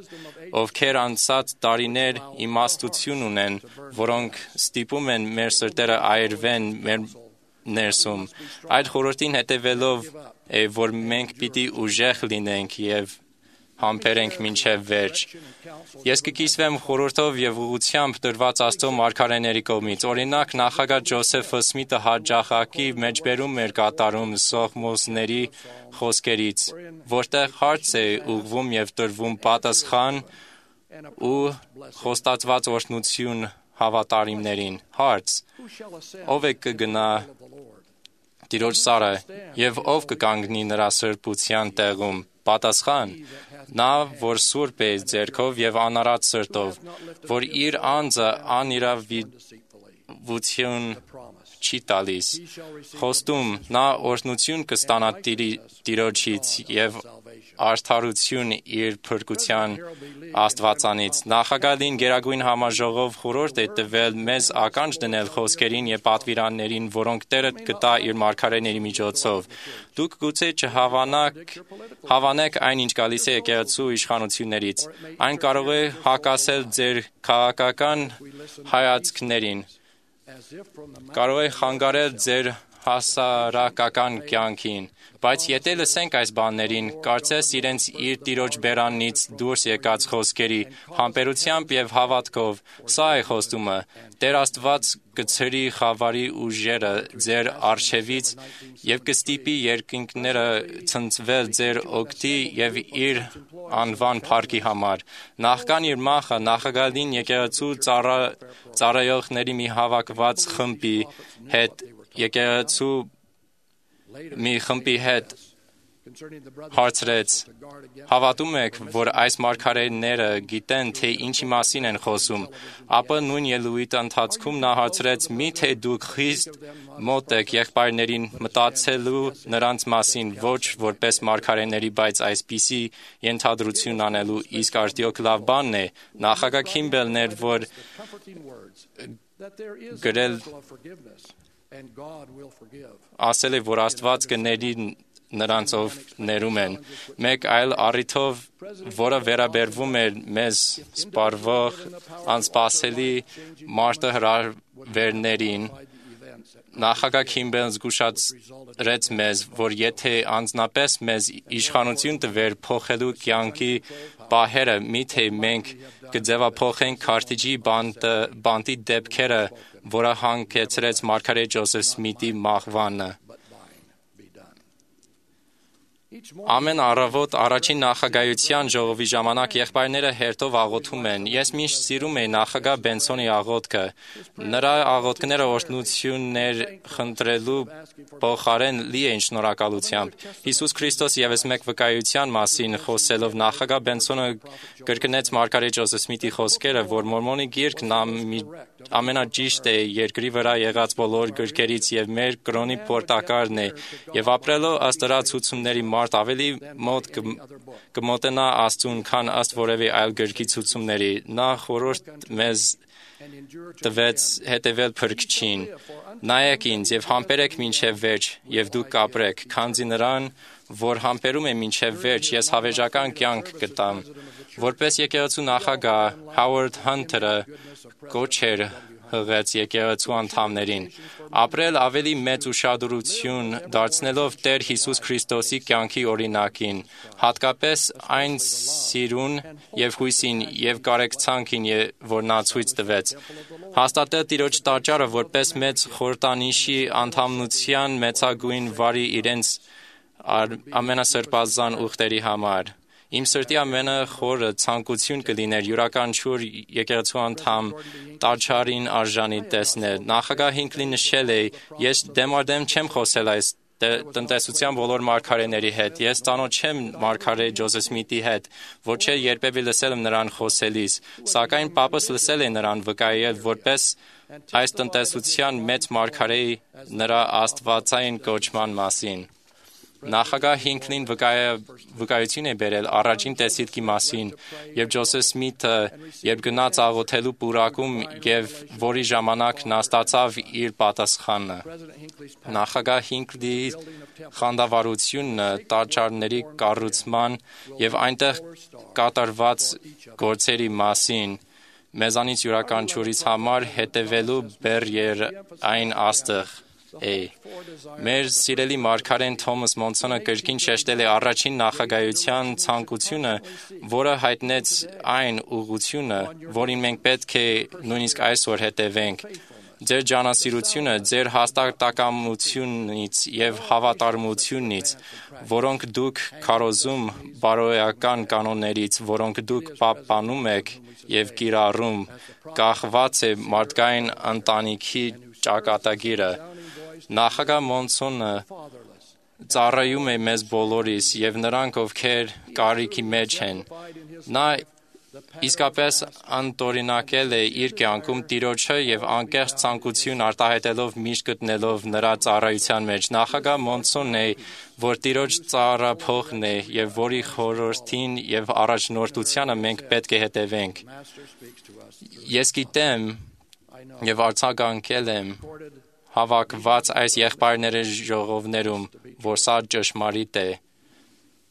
ովքեր անցած տարիներ իմաստություն ունեն, որոնք ստիպում են մեր սրտերը այրվեն մեր ներսում։ Այդ խորհրդին հետևելով է, որ մենք պիտի ուժեղ լինենք եւ համբերենք մինչև վերջ։ Ես կկիսվեմ խորհրդով եւ ուղղությամբ տրված Աստծո մարգարեների կողմից։ Օրինակ, նախագահ Ջոսեֆ Սմիթը հաճախակի մեջբերում էր կատարում սողմոսների խոսքերից, որտեղ հարց է ուղղվում եւ տրվում պատասխան ու խոստացված օրհնություն հավատարիմներին։ Հարց. ով է կգնա Տիրոջ սարը եւ ով կկանգնի նրա սրբության տեղում։ Պատասխան. նա, որ սուրբ է ձեռքով եւ անարատ սրտով, որ իր անձը անիրավություն չի տալիս։ Խոստում. նա օրհնություն կստանա Տիրոջից եւ արդարություն իր փրկության Աստվածանից։ Նախագահին գերագույն համաժողով խորհուրդ է տվել մեզ ականջ դնել խոսքերին եւ պատվիրաններին, որոնք Տերը կտա իր մարգարեների միջոցով։ Դուք գուցե չհավանաք, հավանեք այն, ինչ գալիս է եկեղեցու իշխանություններից։ Այն կարող է հակասել ձեր քաղաքական հայացքներին, կարող է խանգարել ձեր հասարակական կյանքին, բայց եթե լսենք այս բաներին, կարծես իրենց իր տիրոջ բերանից դուրս եկած խոսքերի համբերությամբ եւ հավատքով, սա է խոստումը. Տեր Աստված կցրի խավարի ուժերը ձեր արշևից եւ կստիպի երկինքները ցնցվել ձեր օգտի եւ իր անվան փառքի համար։ Նախքան իր մահը նախագահին եկեղեցու ծառա, ծառայողների մի հավաքված խմբի հետ եկեղեցու մի խմբի հետ հարցրեց. հավատում եք, որ այս մարգարեները գիտեն, թե ինչի մասին են խոսում, ապա նույն ելույթի ընթացքում նա հարցրեց. միթե դուք խիստ մոտ եք եղբայրներին մտածելու նրանց մասին, ոչ որպես մարգարեների, բայց այսպիսի ենթադրություն անելու, իսկ արդյոք լավ բանն է։ Նախագահ Քիմբելն էր, որ գրել ասել է, որ Աստված կների նրանց, ով ներում են։ Մեկ այլ առիթով, որը վերաբերվում էր մեզ սպառվող անսպասելի մարտահրավերներին, նախագահ Քիմբելն զգուշացրեց մեզ, որ եթե անձնապես մեզ իշխանություն տվեր փոխելու կյանքի պահերը, միթե մենք կձևափոխենք Քարթիջի բանտի դեպքերը, որը հանգեցրեց մարգարե Ջոզեֆ Սմիթի մահվանը։ Ամեն առավոտ առաջին նախագահության ժողովի ժամանակ եղբայրները հերթով աղոթում են։ Ես միշտ սիրում էի նախագահ Բենսոնի աղոթքը։ Նրա աղոթքները օրհնություններ խնդրելու փոխարեն լի էին շնորհակալությամբ։ Հիսուս Քրիստոս ևս մեկ վկայության մասին խոսելով նախագահ Բենսոնը կրկնեց մարգարե Ջոզեֆ Սմիթի խոսքերը, որ Մորմոնի գիրքն ամենաճիշտ է երկրի վրա եղած բոլոր գրքերից եւ մեր կրոնի պորտակարն է, եւ ապրելով ըստ դրա ցուցումների մարդ ավելի մոտ կմոտենա Աստծուն, քան ըստ որևէ այլ գրքի ցուցումների։ Նա խորհուրդ մեզ տվեց հետևել Փրկչին. նայեք ինձ եւ համբերեք մինչեւ վերջ, եւ դուք կապրեք, քանզի նրան, որ համբերում է մինչեւ վերջ, ես հավերժական կյանք կտամ։ Որպես եկեղեցու նախագահ Հովարդ Հանթերը կոչ էր հղեց եկեղեցու անդամներին ապրել ավելի մեծ ուշադրություն դարձնելով Տեր Հիսուս Քրիստոսի կյանքի օրինակին, հատկապես այն սիրուն եւ հույսին եւ կարեկցանքին, որ նա ցույց տվեց։ Հաստատել Տիրոջ տաճարը որպես մեծ խորհրդանիշի անդամնության մեծագույն վարի իրենց ամենասրբազան ուխտերի համար։ Իմ սրտի ամենախորը ցանկություն կլիներ յուրաքանչյուր եկեղեցու անդամ տաճարին արժանի տեսնել։ Նախագահ Հինքլի նշել է. ես դեմադեմ չեմ խոսել այս տնտեսության բոլոր մարգարեների հետ։ Ես ծանոթ չեմ մարգարե Ջոզեֆ Սմիթի հետ, ոչ չէ երբևէ լսել եմ նրան խոսելիս, սակայն պապս լսել է նրան վկայել որպես այս տնտեսության մեծ մարգարեի նրա աստվածային կոչման մասին։ Նախագահ Հինքլին վկայություն է բերել առաջին տեսիլքի մասին, եւ Ջոզեֆ Սմիթը, երբ գնաց աղոթելու պուրակում եւ որի ժամանակ նա ստացավ իր պատասխանը։ Նախագահ Հինքլի խանդավառությունը տաճարների կառուցման եւ այնտեղ կատարված գործերի մասին մեզանից յուրաքանչյուրիս համար հետևելու բեռ այն աստղ է։ Մեր սիրելի մարգարեն Թոմաս Մոնսոնը կրկին շեշտել է առաջին նախագահության ցանկությունը, որը հայտնեց այն ուղղությունը, որին մենք պետք է նույնիսկ այսօր հետևենք։ Ձեր ջանասիրությունը, ձեր հաստատակամությունից եւ հավատարմությունից, որոնք դուք քարոզում բարոյական կանոններից, որոնք դուք պահպանում եք եւ կիրառում, կախված է մարդկային ընտանիքի ճակատագիրը։ Նախագահ Մոնսոնը ծառայում է մեզ բոլորիս եւ նրանք, ովքեր կարիքի մեջ են։ Նա իսկապես անտորինակել է իր կյանքում Տիրոջը եւ անկեղծ ցանկություն արտահայտելով միշտ գտնելով նրա ծառայության մեջ։ Նախագահ Մոնսոնն է, որ Տիրոջ ծառափողն է եւ որի խորհրդին եւ առաջնորդությանը մենք պետք է հետևենք։ Ես գիտեմ եւ արձագանքել եմ հավաքված այս եղբայրների ժողովներում, որ սա ճշմարիտ է։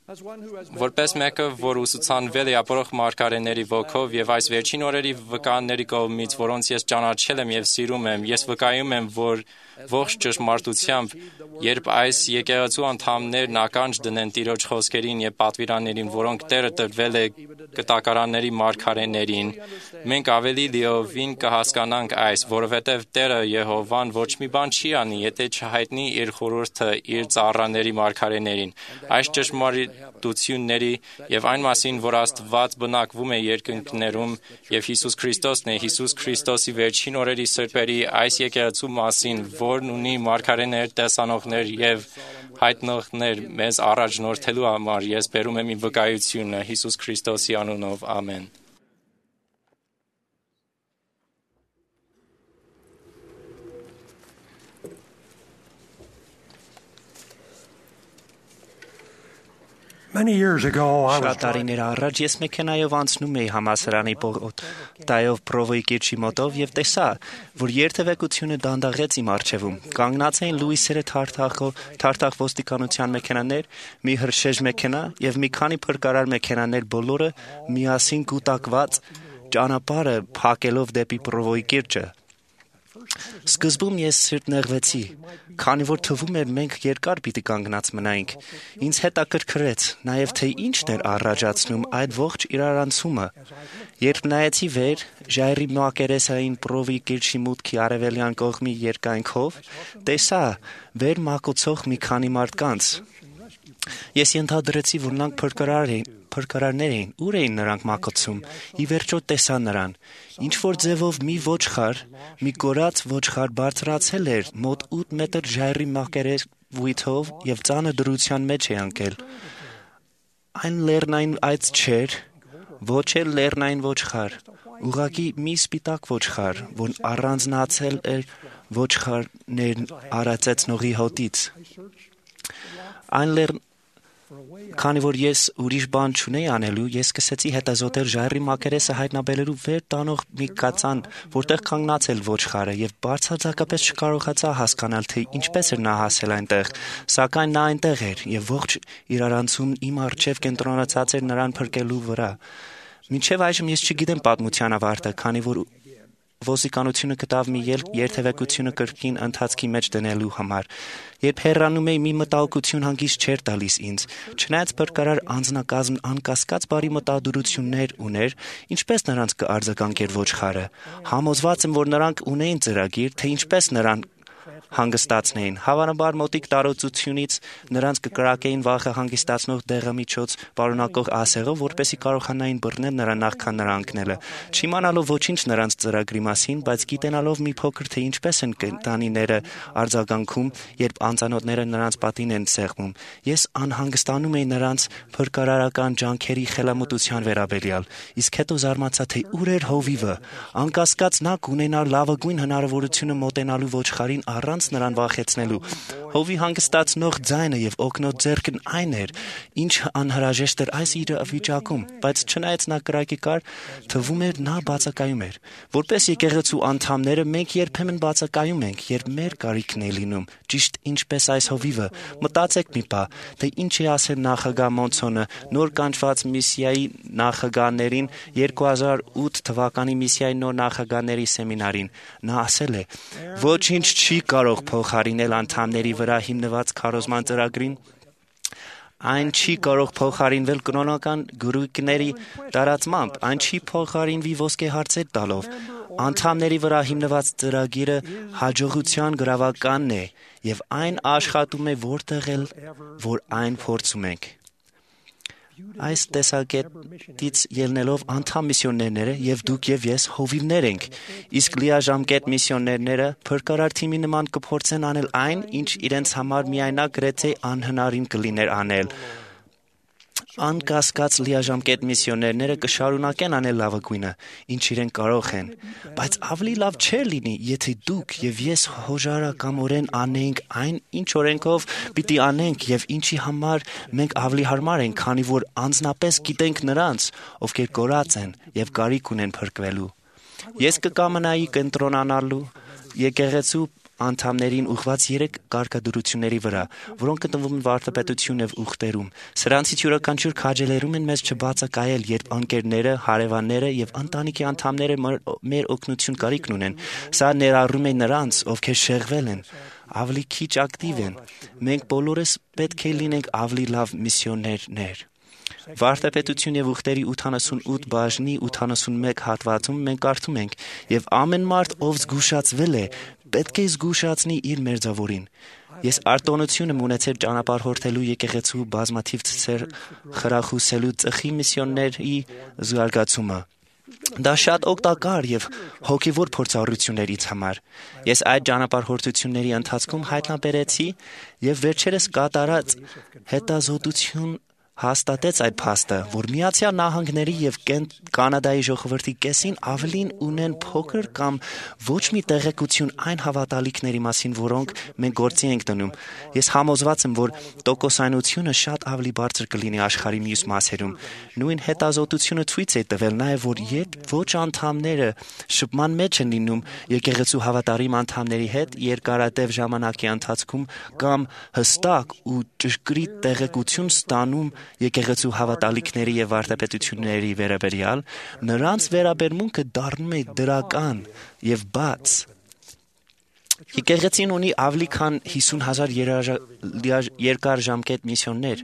Որպես մեկը, որ ուսուցանվել է ապրող մարգարեների ոգով եւ այս վերջին օրերի վկաների կողմից, որոնց ես ճանաչել եմ եւ սիրում եմ, ես վկայում եմ, որ ողջ ճշմարտությամբ, երբ այս եկեղեցու անդամներն ականջ դնեն Տիրոջ խոսքերին եւ պատվիրաններին, որոնք Տերը տրվել է կտակարանների մարգարեներին, մենք ավելի լիովին կհասկանանք այս, որովհետեւ Տերը Եհովան ոչ մի բան չի անի, եթե չհայտնի իր խորհուրդը իր ծառաների մարգարեներին։ Այս ճշմարտությունների եւ այն մասին, որ Աստված բնակվում է երկնքներում եւ Հիսուս Քրիստոսն է, Հիսուս Քրիստոսի վերջին օրերի սրբերի այս եկեղեցու մասին, որն ունի մարգարեներ, տեսանողներ եւ հայտնողներ մեզ առաջնորդելու համար, ես բերում եմ իմ վկայությունը Հիսուս Քրիստոսի անունով, ամեն։ Շատ տարիներ առաջ ես մեքենայով անցնում էի համալսարանի պորտայով Պրովոյի կիրճի մոտով եւ տեսա, որ երթևեկությունը դանդաղեց իմ առջևում։ Կանգնած էին լուիսերը թարթախ ոստիկանության մեքենաներ, մի հրշեջ մեքենա եւ մի քանի փրկարար մեքենաներ, բոլորը միասին կուտակված ճանապարհը փակելով դեպի Պրովոյի կիրճը։ Սկզբում ես սրտնեղվեցի, քանի որ թվում էր մենք երկար պիտի կանգնած մնայինք։ Ինձ հետաքրքրեց նաև թե ինչն էր առաջացնում այդ ողջ իրարանցումը։ Երբ նայեցի վեր, ժայռի մակերեսային Պրովոյի կիրճի մուտքի արևելյան կողմի երկայնքով, տեսա վեր մակոցող մի քանի մարդկանց։ Ես ենթադրեցի, որ նրանք փրկարար էին, փրկարարներ էին, ուր էին նրանք մակոցում։ Ի վերջո տեսա նրան։ Ինչ որ ձևով մի ոչխար, մի կորած ոչխար բարձրացել էր մոտ ութ մետր ժայռի մակերեսվույթով եւ ծանր դրության մեջ է ընկել։ Այն լեռնային այծ չէր, ոչ էլ լեռնային ոչխար, ուղղակի մի սպիտակ ոչխար, որն առանձնացել էր ոչխարներն արածեցնողի հոտից։ Այն լեռ Քանի որ ես ուրիշ բան չունեի անելու, ես սկսեցի հետազոտել ժայռի մակերեսը հայտնաբերելու վեր տանող մի կածան, որտեղ կանգնացել ոչխարը, եւ բարձրացակապես չկարողացա հասկանալ, թե ինչպես էր նա հասել այնտեղ, սակայն նա այնտեղ էր եւ ողջ իրարանցում իմ առջև կենտրոնացած էր նրան փրկելու վրա։ Մինչեւ այժմ ես չգիտեմ պատմության ավարտը, քանի որ ոստիկանությունը գտավ մի ելք երթևեկությունը կրկին ընթացքի մեջ դնելու համար։ Երբ հեռանում էի, մի մտահոգություն հանգիստ չէր տալիս ինձ։ Չնայած փրկարար անձնակազմն անկասկած բարի մտադրություններ ուներ, ինչպես նրանց կարձագանքեր ոչխարը։ Համոզված եմ, որ նրանք ունեին ծրագիր, թե ինչպես նրան հանգստացնեին։ Հավանաբար մոտիկ տարածությունից նրանց կկրակեին վախը հանգստացնող դեղամիջոց պարունակող ասեղով, որպեսզի կարողանային բռնել նրան նախքան նրա ընկնելը։ Չիմանալով ոչինչ նրանց ծրագրի մասին, բայց գիտենալով մի փոքր թե ինչպես են կենտանիները արձագանքում, երբ անծանոթները նրանց պատին են սեղմում, ես անհանգստանում էի նրանց փրկարարական ջանքերի խելամտության վերաբերյալ։ Իսկ հետո զարմացա, թե ուր էր հովիվը։ Անկասկած նա կունենար լավագույն հնարավորությունը մոտենալու ոչխարին առանց նրան վախեցնելու։ Հովի հանգստացնող ձայնը եւ օգնոտ ձեռքն այն էր, ինչ անհրաժեշտ էր այս իրավիճակում, բայց չնայած նա կրակի կար, թվում էր նա բացակայում էր։ Որպես եկեղեցու անդամները մենք երբեմն բացակայում ենք, երբ մեր կարիքն է լինում, ճիշտ ինչպես այս հովիվը։ Մտածեք մի պահ, թե ինչ է ասել նախագահ Մոնսոնը նոր կանչված միսիայի նախագահներին երկու հազար ութ թվականի միսիայի նոր նախագահների սեմինարին։ Նա ասել է. «Ոչինչ չի կարող փոխարինել անդամների վրա հիմնված քարոզման ծրագրին։ Այն չի կարող փոխարինվել կրոնական գրույկների տարածմամբ, այն չի փոխարինվի ոսկե հարցեր տալով։ Անդամների վրա հիմնված ծրագիրը հաջողության գրավականն է եւ այն աշխատում է որտեղ էլ որ այն փորձում ենք»։ Այս տեսակետից ելնելով անդամ միսիոներները եւ դուք եւ ես հովիվներ ենք, իսկ լիաժամկետ միսիոներները փրկարար թիմի նման կփորձեն անել այն, ինչ իրենց համար միայնակ գրեթե անհնարին կլիներ անել։ Անկասկած լիաժամկետ միսիոներները կշարունակեն անել լավագույնը, ինչ իրենք կարող են, բայց ավելի լավ չէր լինի, եթե դուք եւ ես հոժարակամորեն անեինք այն, ինչ օրենքով պիտի անենք եւ ինչի համար մենք ավելի հարմար ենք, քանի որ անձնապես գիտենք նրանց, ովքեր կորած են եւ կարիք ունեն փրկվելու։ Ես կկամենայի կենտրոնանալու եկեղեցու անդամներին ուղղված երեք կարգադրությունների վրա, որոնք գտնվում են վարդապետություն եւ ուխտերում։ Սրանցից յուրաքանչյուր քաջալերում են մեզ չբացակայել, երբ անկերները, հարևանները եւ ընտանիքի անդամները մեր օգնություն կարիքն ունեն։ Սա ներառում է նրանց, ովքեր շեղվել են, ավելի քիչ ակտիվ են։ Մենք բոլորս պետք է լինենք ավելի լավ միսիոներներ։ Վարդապետություն եւ ուխտերի ութանասունութ բաժնի ութանասունմեկ հատվածում մենք կարդում ենք. «Եվ ամեն մարդ, ով զգուշացվել է, պետք է զգուշացնի իր մերձավորին»։ Ես արտոնություն եմ ունեցել ճանապարհորդելու եկեղեցու բազմաթիվ ցեր խրախուսելու ծխի միսիոներների զարգացումը։ Դա շատ օգտակար եւ հոգեվոր փորձառություն էր ինձ համար։ Ես այդ ճանապարհորդությունների ընթացքում հայտնաբերեցի եւ վերջերս կատարած հետազոտություն հաստատեց այդ փաստը, որ Միացյալ Նահանգների եւ Կանադայի ժողովրդի կեսին ավելին ունեն փոքր կամ ոչ մի տեղեկություն այն հավատալիքների մասին, որոնք մենք գործի ենք դնում։ Ես համոզված եմ, որ տոկոսայնությունը շատ ավելի բարձր կլինի աշխարհի մյուս մասերում։ Նույն հետազոտությունը ցույց է տվել նաեւ, որ երբ ոչ անդամները շփման մեջ են լինում եկեղեցու հավատարիմ անդամների հետ երկարատև ժամանակի ընթացքում կամ հստակ ու ճշգրիտ տեղեկություն ստանում եկեղեցու հավատալիքների եւ վարդապետությունների վերաբերյալ, նրանց վերաբերմունքը դառնում է դրական եւ բաց։ Եկեղեցին ունի ավելի քան հիսուն հազար երկարաժամկետ միսիոներ։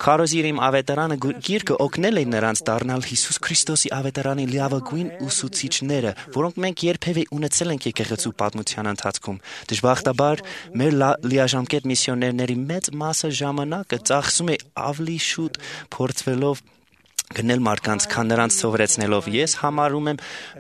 Քարոզիրիմ ավետարանը գիրքը օգնել է նրանց դառնալ Հիսուս Քրիստոսի ավետարանի լիավագույն ուսուցիչները, որոնք մենք երբևէ ունեցել ենք եկեղեցու պատմության ընթացքում։ Դժբախտաբար, մեր լիաժամկետ միսիոներների մեծ մասը ժամանակը ծախսում է ավելի շուտ փորձվելով գնել մարդկանց, քան նրանց սովորեցնելով։ Ես համարում եմ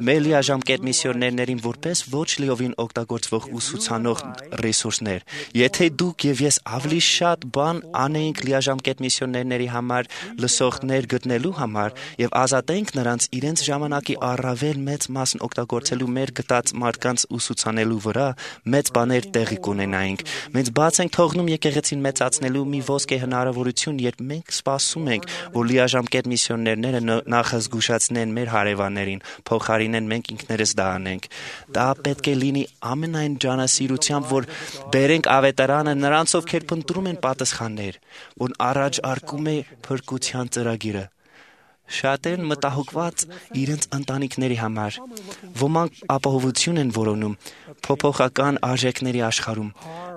մեր լիաժամկետ միսիոներներին որպես ոչ լիովին օգտագործվող ուսուցանող ռեսուրսներ։ Եթե դուք եւ ես ավելի շատ բան անեինք լիաժամկետ միսիոներների համար, լսողներ գտնելու համար եւ ազատենք նրանց իրենց ժամանակի առավել մեծ մասն օգտագործելու մեր գտած մարդկանց ուսուցանելու վրա, մեծ բաներ տեղի կունենայինք։ Մենք բաց ենք թողնում եկեղեցին մեծացնելու մի ոսկե հնարավորություն, երբ մենք սպասում ենք, որ լիաժամկետ միսիոներները նախազգուշացնեն մեր հարևաններին, փոխարինեն մենք ինքներս դա անենք։ Դա պետք է լինի ամենայն ջանասիրությամբ, որ բերենք ավետարանը նրանց, ովքեր փնտրում են պատասխաններ, որ առաջ արկում է փրկության ծրագիրը։ Շատերն մտահոգված իրենց ընտանիքների համար, ոմանք ապահովություն են որոնում փոփոխական արժեքների աշխարհում։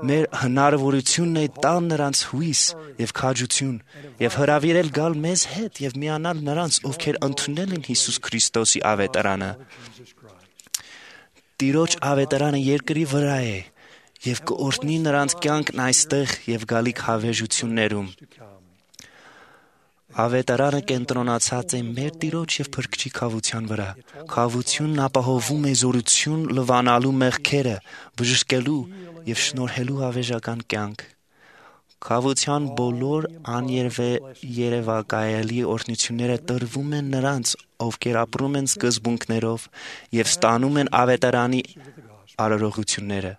Մեր հնարավորությունն է տալ նրանց հույս եւ քաջություն եւ հրավիրել գալ մեզ հետ եւ միանալ նրանց, ովքեր ընդունել են Հիսուս Քրիստոսի ավետարանը։ Տիրոջ ավետարանը երկրի վրա է եւ կօրհնի նրանց կյանքն այստեղ եւ գալիք հավերժություններում։ Ավետարանը կենտրոնացած է մեր Տիրոջ եւ Փրկչի քավության վրա։ Քավությունն ապահովում է զորություն լվանալու մեղքերը, բժշկելու եւ շնորհելու ավեժական կյանք։ Քավության բոլոր աներևակայելի օրհնությունները տրվում են նրանց, ովքեր ապրում են սկզբունքներով եւ ստանում են ավետարանի արարողությունները։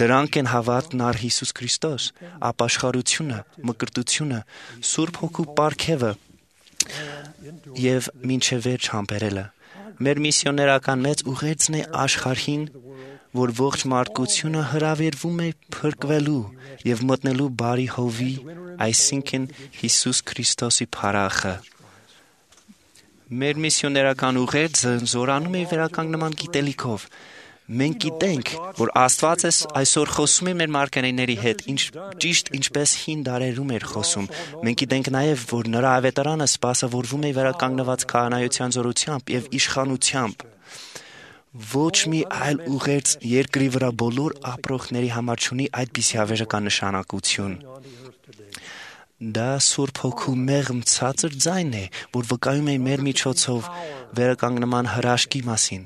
Դրանք են հավատն առ Հիսուս Քրիստոս, ապաշխարությունը, մկրտությունը, Սուրբ Հոգու պարգևը եւ մինչեւ վերջ համբերելը։ Մեր միսիոներական մեծ ուղերձն է աշխարհին, որ ողջ մարդկությունը հրավիրվում է փրկվելու եւ մտնելու բարի հովի, այսինքն Հիսուս Քրիստոսի փառախը։ Մեր միսիոներական ուղերձը զորանում է վերականգնման գիտելիքով։ Մենք գիտենք, որ Աստված այսօր խոսում է մեր մարգարեների հետ, ինչ, ճիշտ ինչպես հին դարերում էր խոսում։ Մենք գիտենք նաև, որ նրա ավետարանը սպասավորվում է վերականգնված քահանայության զորությամբ եւ իշխանությամբ։ Ոչ մի այլ ուղերձ երկրի վրա բոլոր ապրողների համար չունի այդպիսի հավերժական նշանակություն։ Դա Սուրբ Հոգու մեղմ ցածր ձայն է, որ վկայում է մեր միջոցով վերականգնման հրաշքի մասին,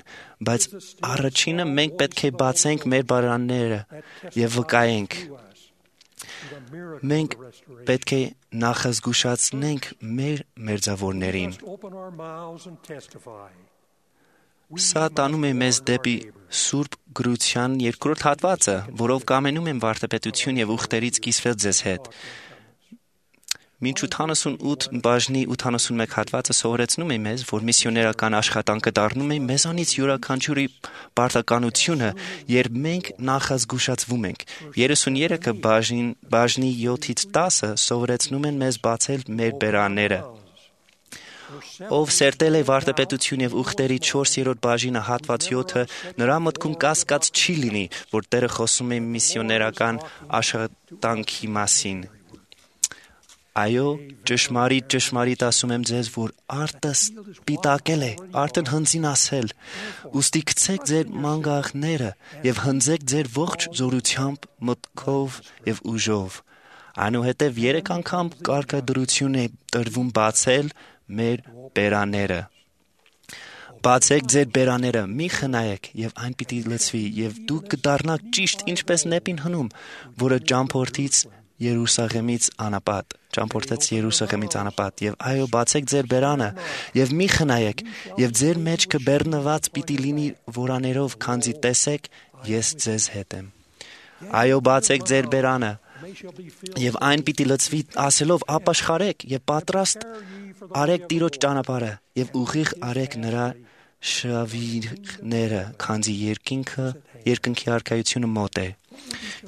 բայց առաջինը մենք պետք է բացենք մեր բարանները եւ վկայենք։ Մենք պետք է նախազգուշացնենք մեր մերձավորներին։ Սա տանում է մեզ դեպի Սուրբ գրության երկրորդ հատվածը, որով կամենում եմ վարդապետություն եւ ուխտերից կիսվել ձեզ հետ։ Մինչ ութանասունութ բաժնի ութանասունմեկ հատվածը սովորեցնում է մեզ, որ միսիոներական աշխատանքը դառնում է մեզանից յուրաքանչյուրի պարտականությունը, երբ մենք նախազգուշացվում ենք։ երեսուներեքը բաժին, բաժնի յոթից տասը սովորեցնում են մեզ բացել մեր բերանները։ Ով սերտել է վարդապետություն եւ ուխտերի չորսերորդ բաժինը հատված յոթը, նրա մտքում կասկած չի լինի, որ Տերը խոսում է միսիոներական աշխատանքի մասին։ Այո, ճշմարիտ, ճշմարիտ ասում եմ ձեզ, որ արտը սպիտակել է, արտն հնձին ասել, ուստի գցեք ձեր մանգաղները եւ հնձեք ձեր ողջ զորությամբ, մտքով եւ ուժով։ Այնուհետև երեք անգամ կարգադրություն է տրվում բացել մեր բերաները։ Բացեք ձեր բերաները, մի խնայեք, եւ այն պիտի լցվի, եւ դուք կդառնաք ճիշտ ինչպես նեպին հնում, որը ճամփորդից Երուսաղեմից անապատ, ճամփորդեց Երուսաղեմից անապատ, եւ այո, բացեք ձեր բերանը, եւ մի խնայեք, եւ ձեր մեջքը բեռնված պիտի լինի որաներով, քանզի տեսեք, ես ձեզ հետ եմ։ Այո, բացեք ձեր բերանը, եւ այն պիտի լցվի ասելով ապաշխարեք եւ պատրաստ արեք Տիրոջ ճանապարհը եւ ուղիղ արեք նրա շավիղները, քանզի երկինքը երկնքի արքայությունը մոտ է։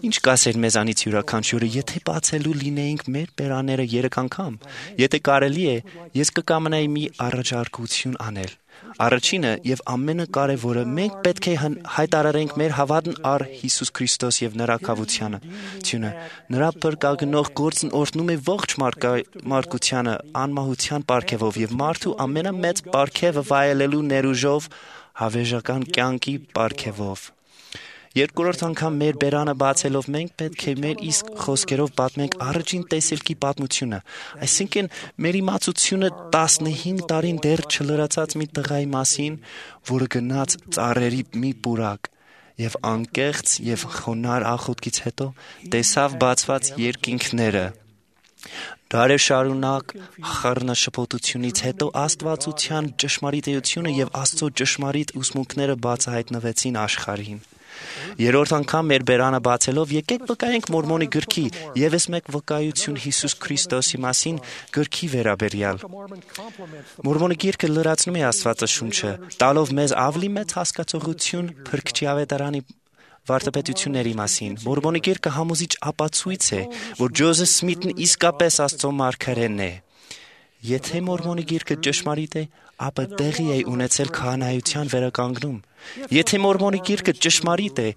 Ինչ կասեր մեզանից յուրաքանչյուրը, եթե բացելու լինեինք մեր բերաները երեք անգամ։ Եթե կարելի է, ես կկամենայի մի առաջարկություն անել։ Առաջինը եւ ամենակարևորը, մենք պետք է հայտարարենք մեր հավատն առ Հիսուս Քրիստոս եւ նրա կավությանը։ Նրա փրկագնող գործն օրհնում է ողջ մարդկությանը անմահության պարգևով եւ մարդու ամենամեծ պարգևը վայելելու ներուժով հավերժական կյանքի պարգևով։ Երկրորդ անգամ մեր բերանը բացելով մենք պետք է մեր իսկ խոսքերով պատմենք առաջին տեսիլքի պատմությունը, այսինքն մեր իմացությունը տասնհինգ տարին դեռ չլրացած մի տղայի մասին, որը գնաց ծառերի մի պուրակ եւ անկեղծ եւ խոնար աղոթքից հետո տեսավ բացված երկինքները։ Դարեր շարունակ խառնաշփոթությունից հետո աստվածության ճշմարիտությունը եւ Աստծո ճշմարիտ ուսմունքները բացահայտվեցին աշխարհին։ Երրորդ անգամ մեր բերանը բացելով եկեք վկայենք Մորմոնի գրքի եւս մեկ վկայություն Հիսուս Քրիստոսի մասին գրքի վերաբերյալ։ Մորմոնի գիրքը լրացնում է Աստվածաշունչը, տալով մեզ ավելի մեծ հասկացողություն Փրկչի ավետարանի վարդապետությունների մասին։ Մորմոնի գիրքը համոզիչ ապացույց է, որ Ջոզեֆ Սմիթն իսկապես Աստծո մարգարեն է։ Եթե Մորմոնի գիրքը ճշմարիտ է, ապա տեղի է ունեցել քահանայության վերականգնում։ Եթե Մորմոնի գիրքը ճշմարիտ է,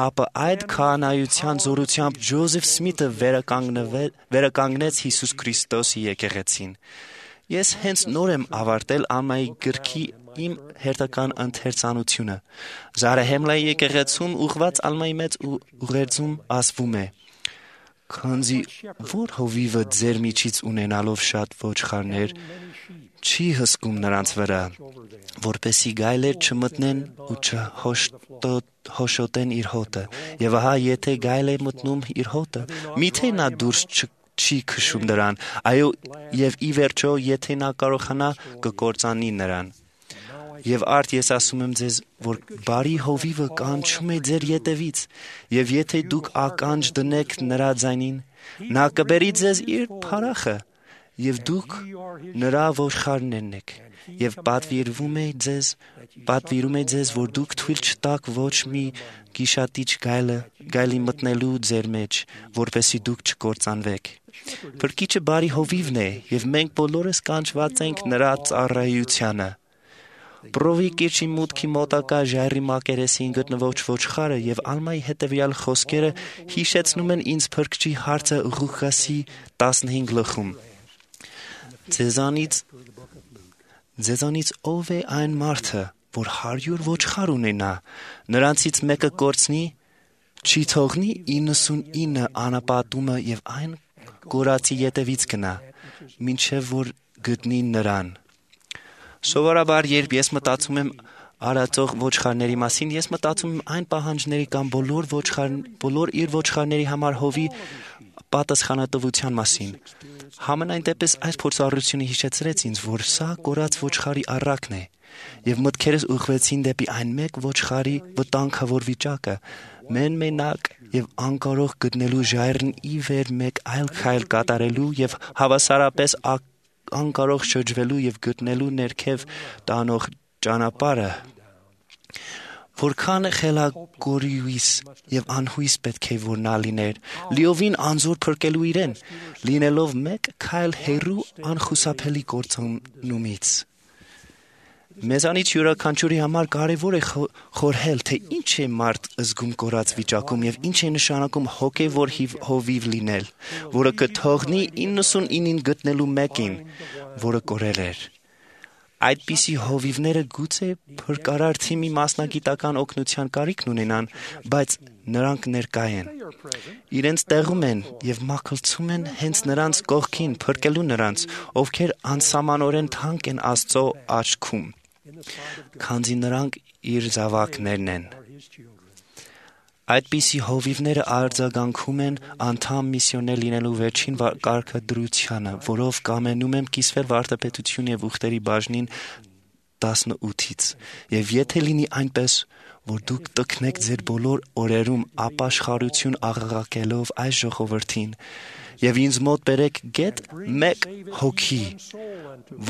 ապա այդ քահանայության զորությամբ Ջոզեֆ Սմիթը վերականգնեց Հիսուս Քրիստոսի եկեղեցին։ Ես հենց նոր եմ ավարտել Ամայի գրքի իմ հերթական ընթերցանությունը։ Զարահեմլայի եկեղեցում ուղված Ալմայի մեծ ուղերձում ասվում է. Քանզի որ հովիվը ձեր միջից ունենալով շատ ոչխարներ չի հսկում նրանց վրա, որպեսի գայլեր չմտնեն ու չհոշոտեն իր հոտը, եւ ահա եթե գայլ է մտնում իր հոտը, միթե նա դուրս չի քշում նրան, այո, եւ ի վերջո եթե նա կարողանա կկործանի նրան։ Եվ արդ ես ասում եմ ձեզ, որ բարի հովիվը կանչում է ձեր ետևից, եւ եթե դուք ականջ դնեք նրա ձայնին, նա կբերի ձեզ իր փարախը, եւ դուք նրա ոչխարներն եք, եւ պատվիրվում է ձեզ, պատվիրում է ձեզ, որ դուք թույլ չտաք ոչ մի գիշատիչ գայլը, գայլի մտնելու ձեր մեջ, որպեսզի դուք չկործանվեք։ Փրկիչը բարի հովիվն է, եւ մենք բոլորս կանչված ենք նրա ծառայությանը։ Պրովի կիրճի մուտքի մոտակա ժայռի մակերեսին գտնվող ոչխարը եւ Ալմայի հետեւյալ խոսքերը հիշեցնում են ինձ Փրկչի հարցը Ղուկասի տասնհինգ գլխում։ Ձեզանից ձեզանից ով է այն մարդը, որ հարյուր ոչխար ունենա, նրանցից մեկը կորցնի, չի թողնի իննսունինը անապատումը եւ այն կորածի ետևից գնա, մինչեւ որ գտնի նրան։ Սովորաբար, երբ ես մտածում եմ արածող ոչխարների մասին, ես մտածում եմ այն պահանջների կամ բոլոր ոչխար, բոլոր իր ոչխարների համար հովի պատասխանատվության մասին։ Համենայն դեպս այս փորձառությունը հիշեցրեց ինձ, որ սա կորած ոչխարի առակն է, եւ մտքերս ուղղվեցին դեպի այն մեկ ոչխարի վտանգավոր վիճակը, մեն մենակ եւ անկարող գտնելու ժայռն ի վեր մեկ այլ քայլ կատարելու եւ հավասարապես անկարող շրջվելու եւ գտնելու ներքև տանող ճանապարհը որքան խելագորույս եւ անհույս պետք է որ նա լիներ լիովին անզոր փրկելու իրեն լինելով մեկ քայլ հեռու անխուսափելի կործանումից Մեզանից յուրաքանչյուրի համար կարևոր է խորհել թե ինչ է մարդ զգում կորած վիճակում եւ ինչ է նշանակում հոգեվոր հովիվ լինել որը կթողնի իննսունինին գտնելու մեկին որը կորել էր Այդպիսի հովիվները գուցե փրկարար թիմի մասնագիտական օգնության կարիքն ունենան, բայց նրանք ներկա են։ Իրենց տեղում են եւ մաքրցում են հենց նրանց կողքին փրկելու նրանց, ովքեր անսահմանորեն թանկ են Աստծո աչքում, քանզի նրանք իր զավակներն են։ Այդպիսի հովիվները արձագանքում են անդամ միսիոներ լինելու վերջին կարգադրությանը, որով կամենում եմ կիսվել վարդապետություն եւ ուխտերի բաժնին տասնութից։ Եվ եթե լինի այնպես, որ դուք տքնեք ձեր բոլոր օրերում ապաշխարություն աղաղակելով այս ժողովրդին, եւ ինձ մոտ բերեք գետ մեկ հոգի,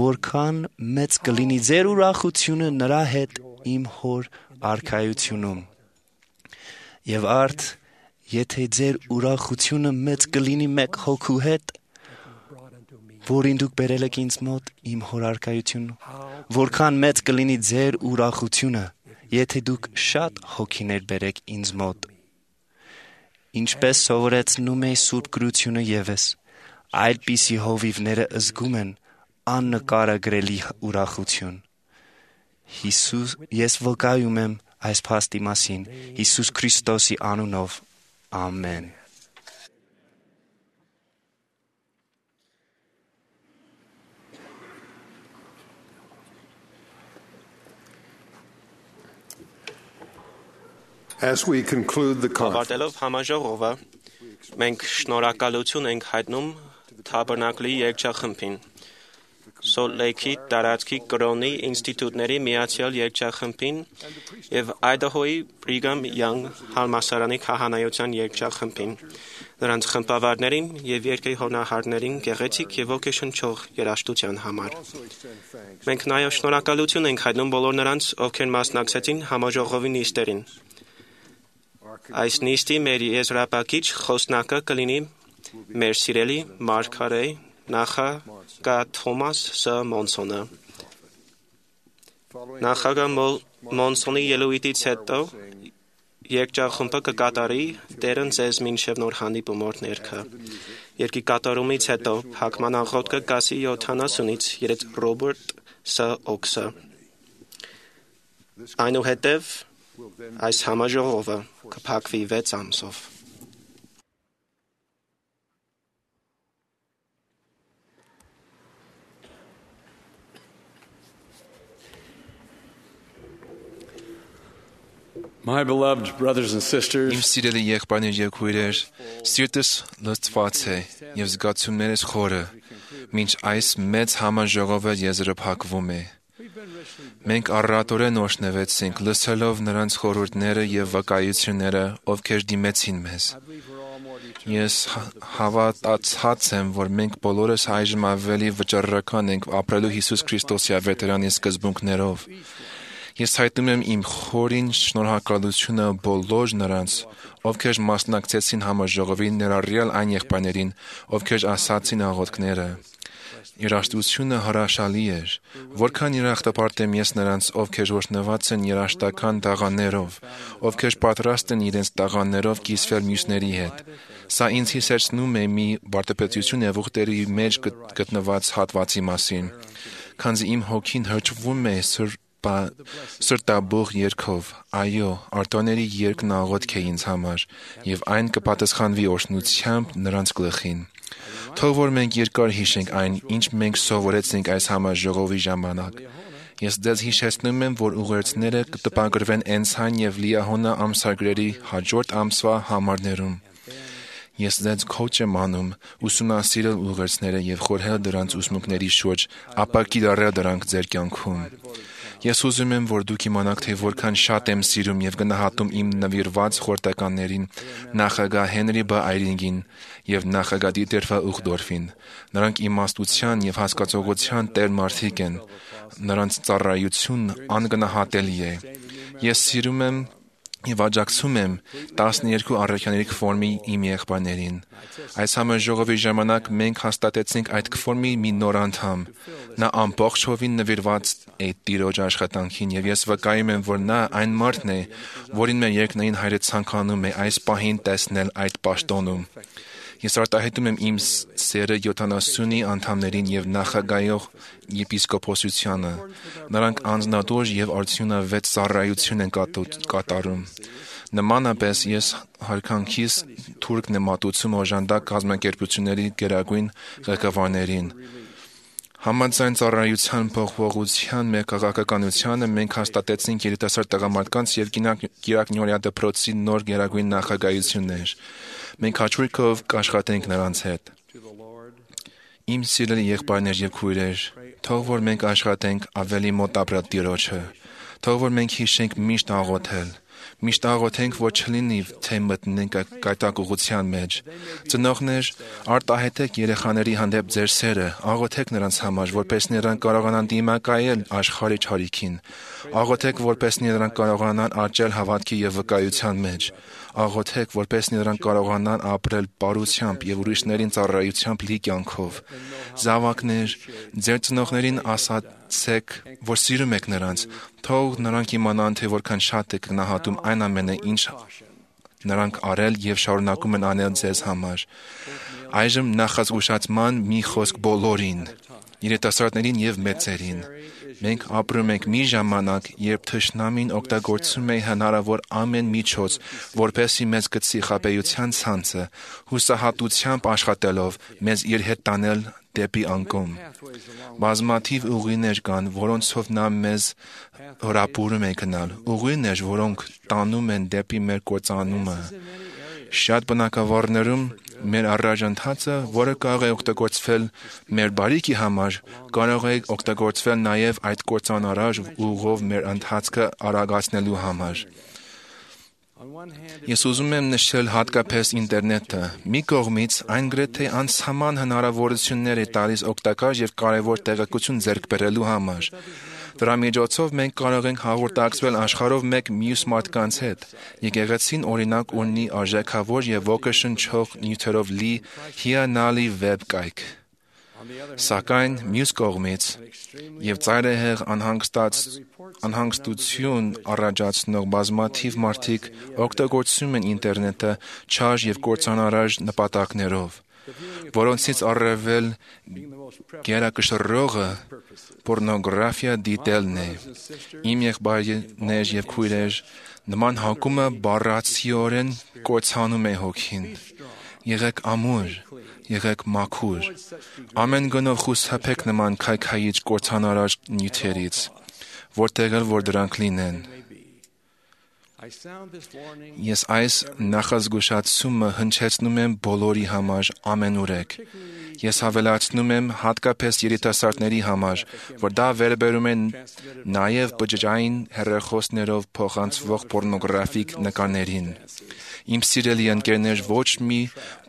որքան մեծ կլինի ձեր ուրախությունը նրա հետ իմ հոր արքայությունում։ Եվ արդ, եթե ձեր ուրախությունը մեծ կլինի մեկ հոգու հետ, որին դուք բերել եք ինձ մոտ իմ հորարկայություն, որքան մեծ կլինի ձեր ուրախությունը, եթե դուք շատ հոգիներ բերեք ինձ մոտ։ Ինչպես սովորեցնում է Սուրբ Գրությունը ևս, այդպիսի հովիվները զգում են աննկարագրելի ուրախություն։ Հիսուս, ես վկայում եմ այս փաստի մասին Հիսուս Քրիստոսի անունով ամեն As we conclude the conference համաժողովը մենք շնորհակալություն ենք հայտնում Թաբերնակլի երգչախմբին Salt Lake-ի տարածքի կրոնի ինստիտուտների միացյալ երգչախմբին եւ Idaho-ի Brigham Young համալսարանի քահանայության երգչախմբին, նրանց խմբավարներին եւ երկրի հոնահարներին գեղեցիկ եւ ոգեշնչող երաժշտության համար։ Մենք նաեւ շնորհակալություն ենք հայտնում բոլոր նրանց, ովքեր մասնակցեցին համաժողովի նիստերին։ Այս նիստի մեր եզրափակիչ խոսնակը կլինի մեր սիրելի Մարգարե նախագահ Թոմաս Ս. Մոնսոնը։ Նախագահ Մոնսոնի ելույթից հետո երգչախումբը կկատարի «Տերն ձեզ մինչև նոր հանդիպումոր ներքը»։ Երգի կատարումից հետո փակման աղոթքը կասի յոթանասունից երեց Ռոբերտ Ս. Օքսը։ Այնուհետև այս համաժողովը կփակվի վեց ամսով։ My beloved brothers and sisters, Իմ սիրելի եղբայրներ եւ քույրեր, սիրտս լցված է եւ զգացումներս խորը, մինչ այս մեծ համաժողովը եզրափակվում է։ Մենք առատորեն օրհնվեցինք լսելով նրանց խորհուրդները եւ վկայությունները, ովքեր դիմեցին մեզ։ Ես հավատացած եմ, որ մենք բոլորս այժմ ավելի վճռական ենք ապրելու Հիսուս Քրիստոսի ավետարանի սկզբունքներով։ Ես հայտնում եմ իմ խորին շնորհակալությունը բոլոր նրանց, ովքեր մասնակցեցին համաժողովին, ներառյալ այն եղբայրներին, ովքեր ասացին աղոթքները։ Երաժշտությունը հրաշալի էր, որքան երախտապարտ եմ ես նրանց, ովքեր օրհնված են երաժշտական տաղաններով, ովքեր պատրաստ են իրենց տաղաններով կիսվել մյուսների հետ։ Սա ինձ հիշեցնում է մի վարդապետություն եւ ուխտերի մեջ գտնված հատվածի մասին, քանզի իմ հոգին հրճվում է սրբ սրտաբող երգով, այո, արտոների երգն աղոթք է ինձ համար, եւ այն կպատասխանվի օրհնությամբ նրանց գլխին։ Թող որ մենք երկար հիշենք այն, ինչ մենք սովորեցինք այս համաժողովի ժամանակ։ Ես ձեզ հիշեցնում եմ, որ ուղերձները կտպագրվեն Էնսայն եւ Լիահոնա ամսագրերի հաջորդ ամսվա համարներում։ Ես ձեզ քոչ եմ անում ուսումնասիրել ուղերձները եւ խորհել դրանց ուսմունքների շուրջ, ապա կիրառել դրանք ձեր կյանքում։ Ես ուզում եմ, որ դուք իմանաք, թե որքան շատ եմ սիրում եւ գնահատում իմ նվիրված խորհրդականներին, նախագահ Հենրի Բ. Այրինգին եւ նախագահ Դիտեր Վ. Ուխդորֆին։ Նրանք իմաստության եւ հասկացողության տեր մարդիկ են։ Նրանց ծառայությունն անգնահատելի է։ Ես սիրում եմ եւ աջակցում եմ տասներկու առաքյաների կֆորմի իմ եղբայրներին։ Այս համաժողովի ժամանակ մենք հաստատեցինք այդ կֆորմի մի նոր անդամ։ Նա ամբողջովին նվիրված է Տիրոջ աշխատանքին եւ ես վկայում եմ, որ նա այն մարդն է, որին մեր երկնային Հայրը ցանկանում է այս պահին տեսնել այդ պաշտոնում։ Ես արտահայտում եմ իմ սերը յոթանասունի անդամներին եւ նախագահող եպիսկոպոսությանը։ Նրանք անձնատուր եւ արդյունավետ ծառայություն են կատարում։ Նմանապես ես հարկանքիս թուրքն եմ մատուցում օժանդակ կազմակերպությունների գերագույն ղեկավարներին։ Համաձայն ծառայության փոխողության մեր քաղաքականությանը մենք հաստատեցինք երիտասարդ տղամարդկանց եւ կիրակնյորյա դպրոցի նոր գերագույն նախագահություններ։ Մենք հաճույքով կաշխատենք նրանց հետ։ Իմ սիրելի եղբայրներ եւ քույրեր, թող որ մենք աշխատենք ավելի մոտ ապրել Տիրոջը։ Թող որ մենք հիշենք միշտ աղոթել։ Միշտ աղոթենք, որ չլինի, թե մտնենք կայտակուղության մեջ։ Ծնողներ, արտահայտեք երեխաների հանդեպ ձեր սերը, աղոթեք նրանց համար, որպես նրանք կարողանան դիմակայել աշխարհի չարիքին։ Աղոթեք, որպես նրանք կարողանան աճել հավատքի եւ վկայության մեջ։ Աղոթեք, որպես նրանք կարողանան ապրել բարությամբ եւ ուրիշներին ծառայությամբ լի կյանքով։ Զավակներ, ձեր ծնողներին ասացեք, որ սիրում եք նրանց, թող նրանք իմանան, թե որքան շատ եք գնահատում այն ամենը, ինչ նրանք արել եւ շարունակում են անել ձեզ համար։ Այժմ նախազգուշացման մի խոսք բոլորին, երիտասարդներին եւ մեծերին։ Մենք ապրում ենք մի ժամանակ, երբ թշնամին օգտագործում է հնարավոր ամեն միջոց, որպեսզի մեզ գցի խաբեության ցանցը, հուսահատությամբ աշխատելով մեզ իր հետ տանել դեպի անկում։ Բազմաթիվ ուղիներ կան, որոնցով նա մեզ հրապուրում է գնալ, ուղիներ, որոնք տանում են դեպի մեր կործանումը։ Շատ բնակավարներում մեր առանջանցածը, որը կարող է օգտագործվել մեր բարիքի համար, կարող է օգտագործվել նաև այդ կործանարար ուղով մեր ընթացքը արագացնելու համար։ Ես ուզում եմ նշել հատկապես ինտերնետը։ Մի կողմից այն գրեթե անսահման հնարավորություններ է տալիս օգտակար եւ կարեւոր տեղեկություն ձեռք բերելու համար։ Դրա միջոցով մենք կարող ենք հաղորդակցվել աշխարհով մեկ մյուս մարդկանց հետ։ Եկեղեցին օրինակ ունի արժեքավոր եւ ոգեշնչող նյութերով լի հիանալի վեբ կայք։ Սակայն մյուս կողմից եւ ծայրահեղ անհանգստություն առաջացնող բազմաթիվ մարդիկ օգտագործում են ինտերնետը չար եւ կործանարար նպատակներով, որոնցից առավել գերակշռողը պորնոգրաֆիա դիտելն է։ Իմ եղբայրներ եւ քույրեր, նման հակումը բառացիորեն կործանում է հոգին։ Եղեք ամուր, եղեք մաքուր։ Ամեն գնով խուսափեք նման քայքայիչ կործանարար նյութերից, որտեղ էլ որ դրանք լինեն։ Ես այս նախազգուշացումը հնչեցնում եմ բոլորի համար ամենուրեք։ Ես հավելացնում եմ հատկապես երիտասարդների համար, որ դա վերաբերում է նաև բջջային հեռախոսներով փոխանցվող պորնոգրաֆիկ նկարներին։ Իմ սիրելի ընկերներ, ոչ մի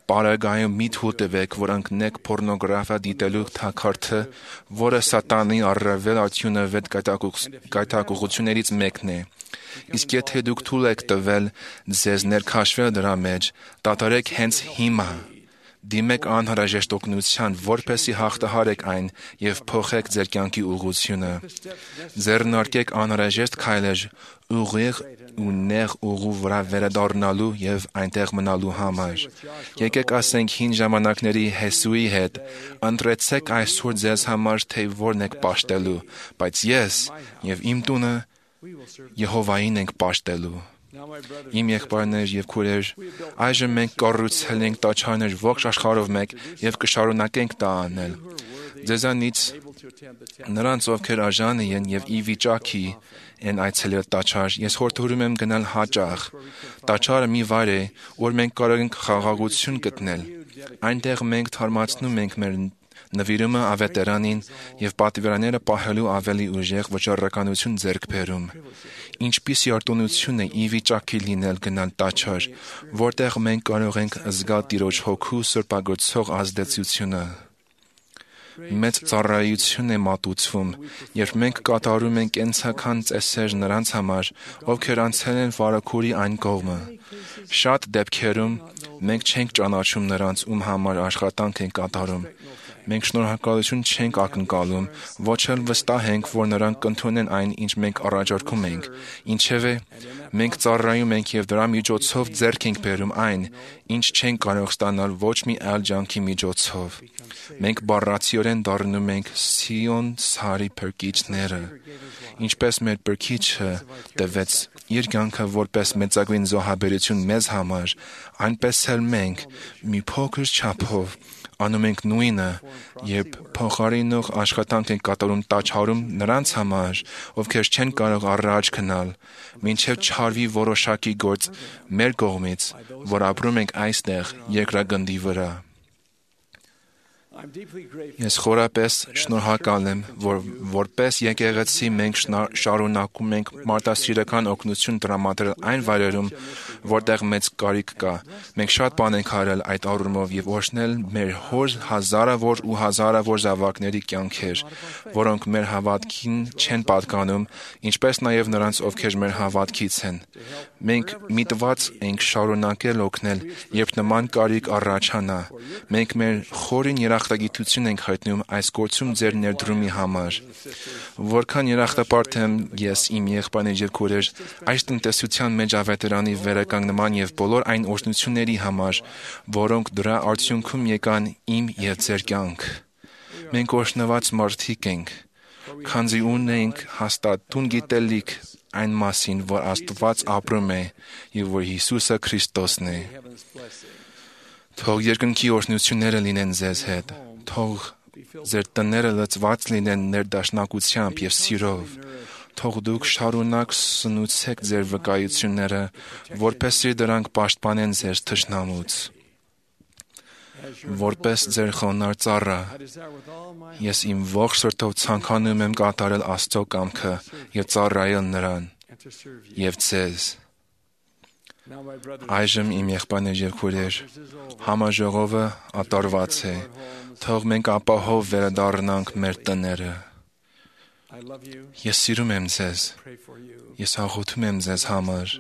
պարագայում մի թույլ տվեք, որ ընկնեք պորնոգրաֆիա դիտելու թակարդը, որը սատանի առավել արդյունավետ գայթակղություններից մեկն է։ Իսկ եթե դուք թույլ եք տվել ձեզ ներքաշվել դրա մեջ, դադարեք հենց հիմա։ Դիմեք անհրաժեշտ օգնության, որպեսզի հաղթահարեք այն եւ փոխեք ձեր կյանքի ուղղությունը։ Ձեռնարկեք անհրաժեշտ քայլեր ուղիղ ու նեղ ուղու վրա վերադառնալու եւ այնտեղ մնալու համար։ Եկեք ասենք հին ժամանակների Հեսուի հետ, ընտրեցեք այսօր ձեզ համար, թե որն եք պաշտելու, բայց ես եւ իմ տունը Եհովային ենք պաշտելու։ Իմ եղբայրներ եւ քույրեր, այժմ մենք կառուցել ենք տաճարներ ողջ աշխարհով մեկ եւ կշարունակենք դա անել։ Ձեզանից նրանց, ովքեր արժանի են եւ ի վիճակի են այցելել տաճար, ես խորհուրդ եմ գնալ հաճախ։ Տաճարը մի վայր է, որ մենք կարող ենք խաղաղություն գտնել։ Այնտեղ մենք թարմացնում ենք մեր նվիրումը ավետարանին եւ պատվիրանները պահելու ավելի ուժեղ վճռականություն ձեռք բերում։ Ինչպիսի արտոնություն է ի վիճակի լինել գնալ տաճար, որտեղ մենք կարող ենք զգալ Տիրոջ հոգու սրբագործող ազդեցությունը։ Մեծ ծառայություն է մատուցվում, երբ մենք կատարում ենք կենսական ծեսեր նրանց համար, ովքեր անցել են վարագուրի այն կողմը։ Շատ դեպքերում մենք չենք ճանաչում նրանց, ում համար աշխատանք են կատարում։ Մենք շնորհակալություն չենք ակնկալում, ոչ էլ վստահ ենք, որ նրանք կընդունեն այն, ինչ մենք առաջարկում ենք։ Ինչևէ, մենք ծառայում ենք եւ դրա միջոցով ձեռք ենք բերում այն, ինչ չենք կարող ստանալ ոչ մի այլ ջանքի միջոցով։ Մենք բառացիորեն դառնում ենք Սիոն սարի փրկիչները։ Ինչպես մեր Փրկիչը տվեց իր կյանքը որպես մեծագույն զոհաբերություն մեզ համար, այնպես էլ մենք մի փոքր չափով անում ենք նույնը, երբ փոխարինող աշխատանք ենք կատարում տաճարում նրանց համար, ովքեր չեն կարող առաջ գնալ, մինչև չարվի որոշակի գործ մեր կողմից, որ ապրում ենք այստեղ երկրագնդի վրա։ Ես խորապես շնորհակալ եմ, որ որպես եկեղեցի մենք շարունակում ենք մարդասիրական օգնություն տրամադրել այն վայրերում, որտեղ մեծ կարիք կա։ Մենք շատ բան ենք արել այդ առումով եւ օրհնել մեր հոր հազարավոր ու հազարավոր զավակների կյանքեր, որոնք մեր հավատքին չեն պատկանում, ինչպես նաեւ նրանց, ովքեր մեր հավատքից են։ Մենք միտված ենք շարունակել օգնել, երբ նման կարիք առաջանա։ Մենք մեր խորին երախտագիտություն ենք հայտնում այս գործում ձեր ներդրումի համար։ Որքան երախտապարտ եմ ես իմ եղբայրներ եւ քույրեր այս տնտեսության մեջ ավետարանի վերականգնման եւ բոլոր այն օրհնությունների համար, որոնք դրա արդյունքում եկան իմ եւ ձեր կյանք։ Մենք օրհնված մարդիկ ենք, քանզի ունենք հաստատ տուն գիտելիք այն մասին, որ Աստված ապրում է եւ որ Հիսուսը Քրիստոսն է։ Թող երկնքի օրհնությունները լինեն ձեզ հետ։ Թող ձեր տները լցված լինեն ներդաշնակությամբ եւ սիրով։ Թող դուք շարունակ սնուցեք ձեր վկայությունները, որպեսզի դրանք պաշտպանեն ձեր թշնամուց։ Որպես ձեր խոնարհ ծառա, ես իմ ողջ սրտով ցանկանում եմ կատարել Աստծո կամքը եւ ծառայել նրան եւ ձեզ։ Այժմ իմ եղբայրներ եւ քույրեր, համաժողովը ատարված է։ Թող մենք ապահով վերադառնանք մեր տները։ Ես սիրում եմ ձեզ։ Ես աղոթում եմ ձեզ համար։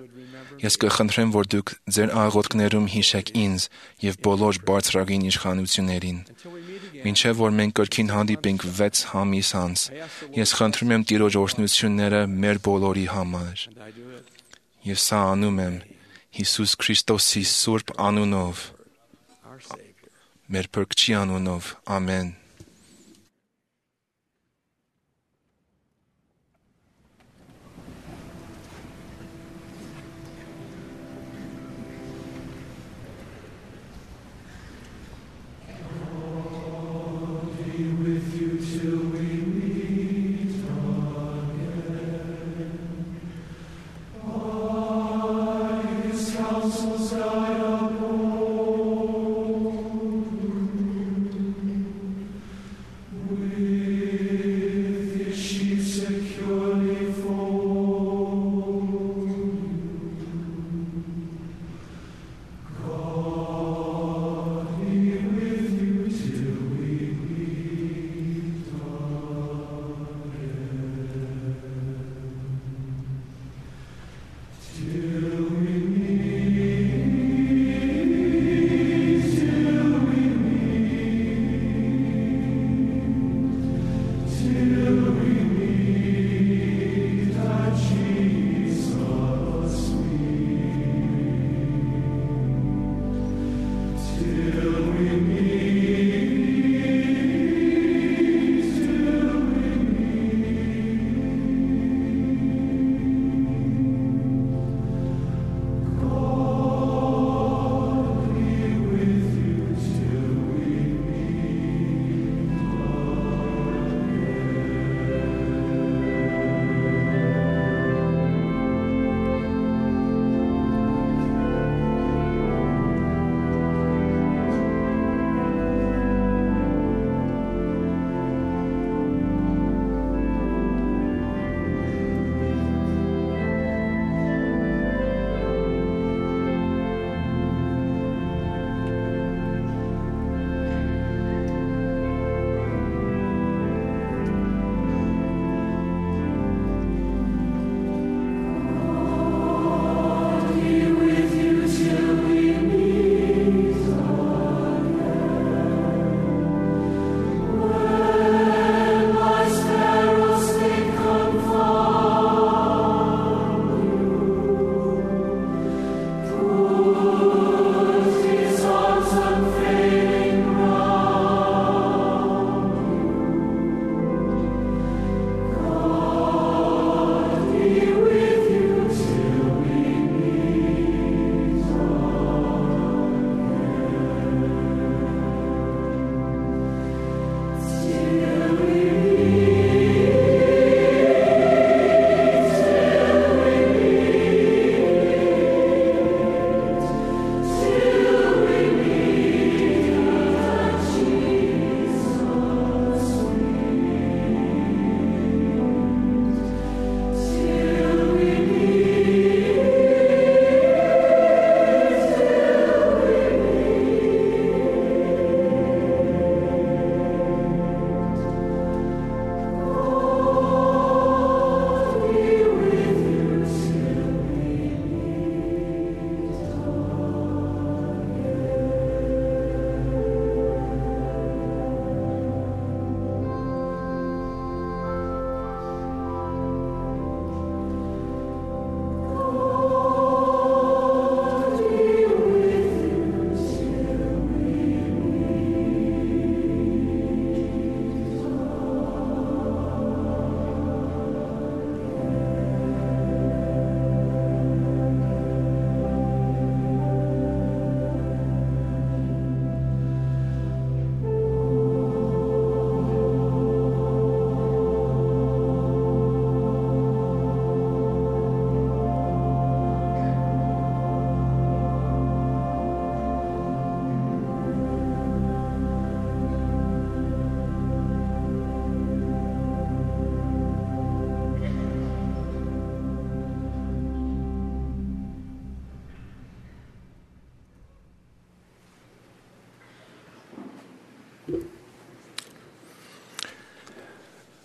Ես կխնդրեմ, որ դուք ձեր աղոթքներում հիշեք ինձ եւ բոլոր բարձրագույն իշխանություններին։ Մինչև որ մենք կրկին հանդիպենք վեց ամիս անց, ես խնդրում եմ Տիրոջ օրհնությունները մեր բոլորի համար։ Եվ սա անում եմ Հիսուս Քրիստոսի սուրբ անունով, մեր Փրկչի անունով, ամեն։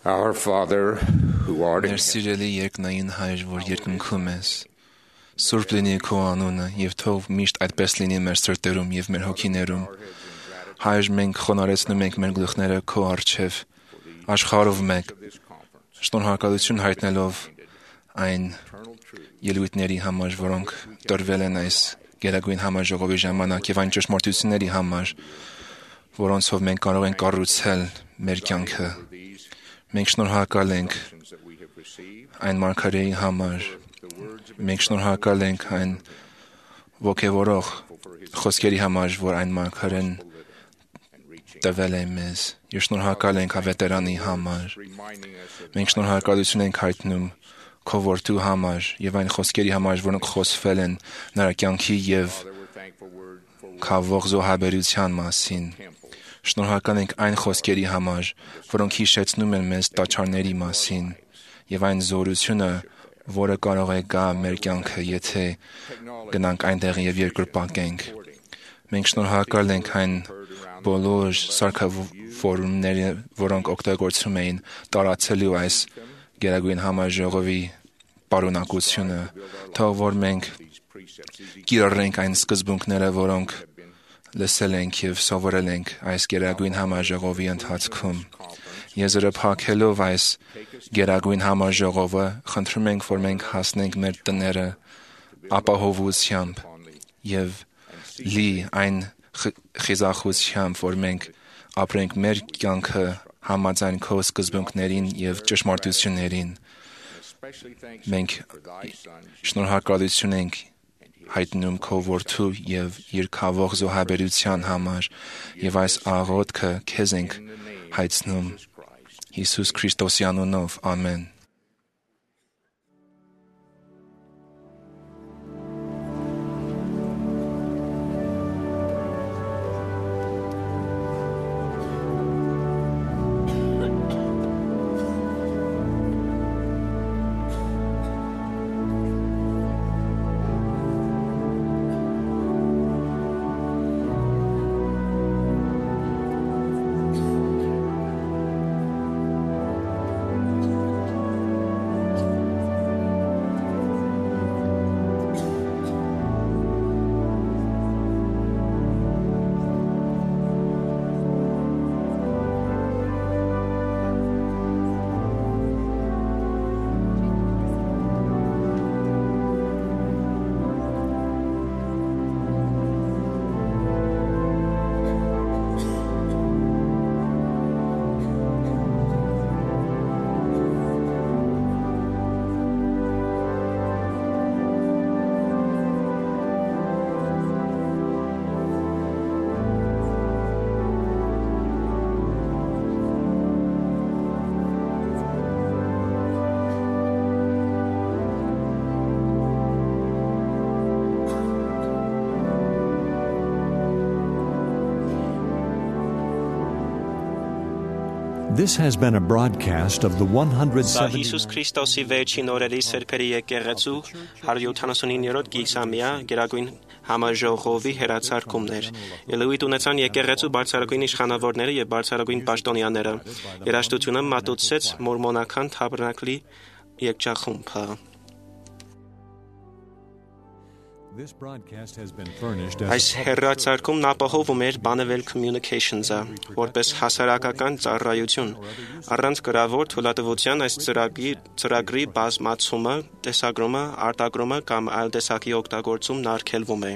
Our Father, who art in Մեր սիրելի երկնային Հայր, որ երկնքում ես, սուրբ լինի քո անունը, եւ թող միշտ այդպես լինի մեր սրտերում եւ մեր հոգիներում։ Հայր, մենք խոնարհեցնում ենք մեր գլուխները քո առջև, աշխարհով մեկ, շնորհակալություն հայտնելով այն ելույթների համար, որոնք տրվել են այս Գերագույն համաժողովի ժամանակ եւ այն ճշմարտությունների համար, որոնցով մենք կարող ենք կառուցել մեր կյանքը։ Մենք շնորհակալ ենք այն մարգարեի համար։ Մենք շնորհակալ ենք այն ոգևորող խոսքերի համար, որ այն մարգարեն տվել է մեզ։ Եվ շնորհակալ ենք ավետարանի համար։ Մենք շնորհակալություն ենք հայտնում քո որդու համար եւ այն խոսքերի համար, որոնք խոսվել են նրա կյանքի եւ քավող զոհաբերության մասին։ Շնորհակալ ենք այն խոսքերի համար, որոնք հիշեցնում են մեզ տաճարների մասին եւ այն զորությունը, որը կարող է գա մեր կյանքը, եթե գնանք այնտեղ եւ երկրպագենք։ Մենք շնորհակալ ենք այն բոլոր սարքավորումները, որոնք օգտագործում էին տարածելու այս Գերագույն համաժողովի պարունակությունը, թող որ մենք կիրառենք այն սկզբունքները, որոնք լսել ենք եւ սովորել ենք այս Գերագույն համաժողովի ընթացքում։ Եզրը փակելով այս Գերագույն համաժողովը, խնդրում ենք, որ մենք հասնենք մեր տները ապահովությամբ եւ լի այն խիզախությամբ, որ մենք ապրենք մեր կյանքը համաձայն քո սկզբունքներին եւ ճշմարտություններին։ Մենք շնորհակալություն ենք հայտնում քո որդու եւ իր քավող զոհաբերության համար եւ այս աղոթքը քեզ ենք հայցնում Հիսուս Քրիստոսի անունով, ամեն։ This has been a broadcast of the one hundred seventy Հիսուս Քրիստոսի վերջին օրերի սրբերի եկեղեցու հարյուր յոթանասունիններորդ գիսամյա Գերագույն համաժողովի հեռացարկումներ։ Ելույթ ունեցան եկեղեցու բարձրագույն իշխանավորները եւ բարձրագույն պաշտոնյաները։ Երաժշտությունը մատուցեց մորմոնական թաբերնակլի եկեղեցախումբը։ Այս հեռարձակումն ապահովում էր Bonneville Communications-ը, որպես հասարակական ծառայություն, առանց գրավոր թույլատվության այս ծրագրի, ծրագրի բազմացումը, տեսագրումը, արտագրումը կամ այլ տեսակի օգտագործումն արգելվում է։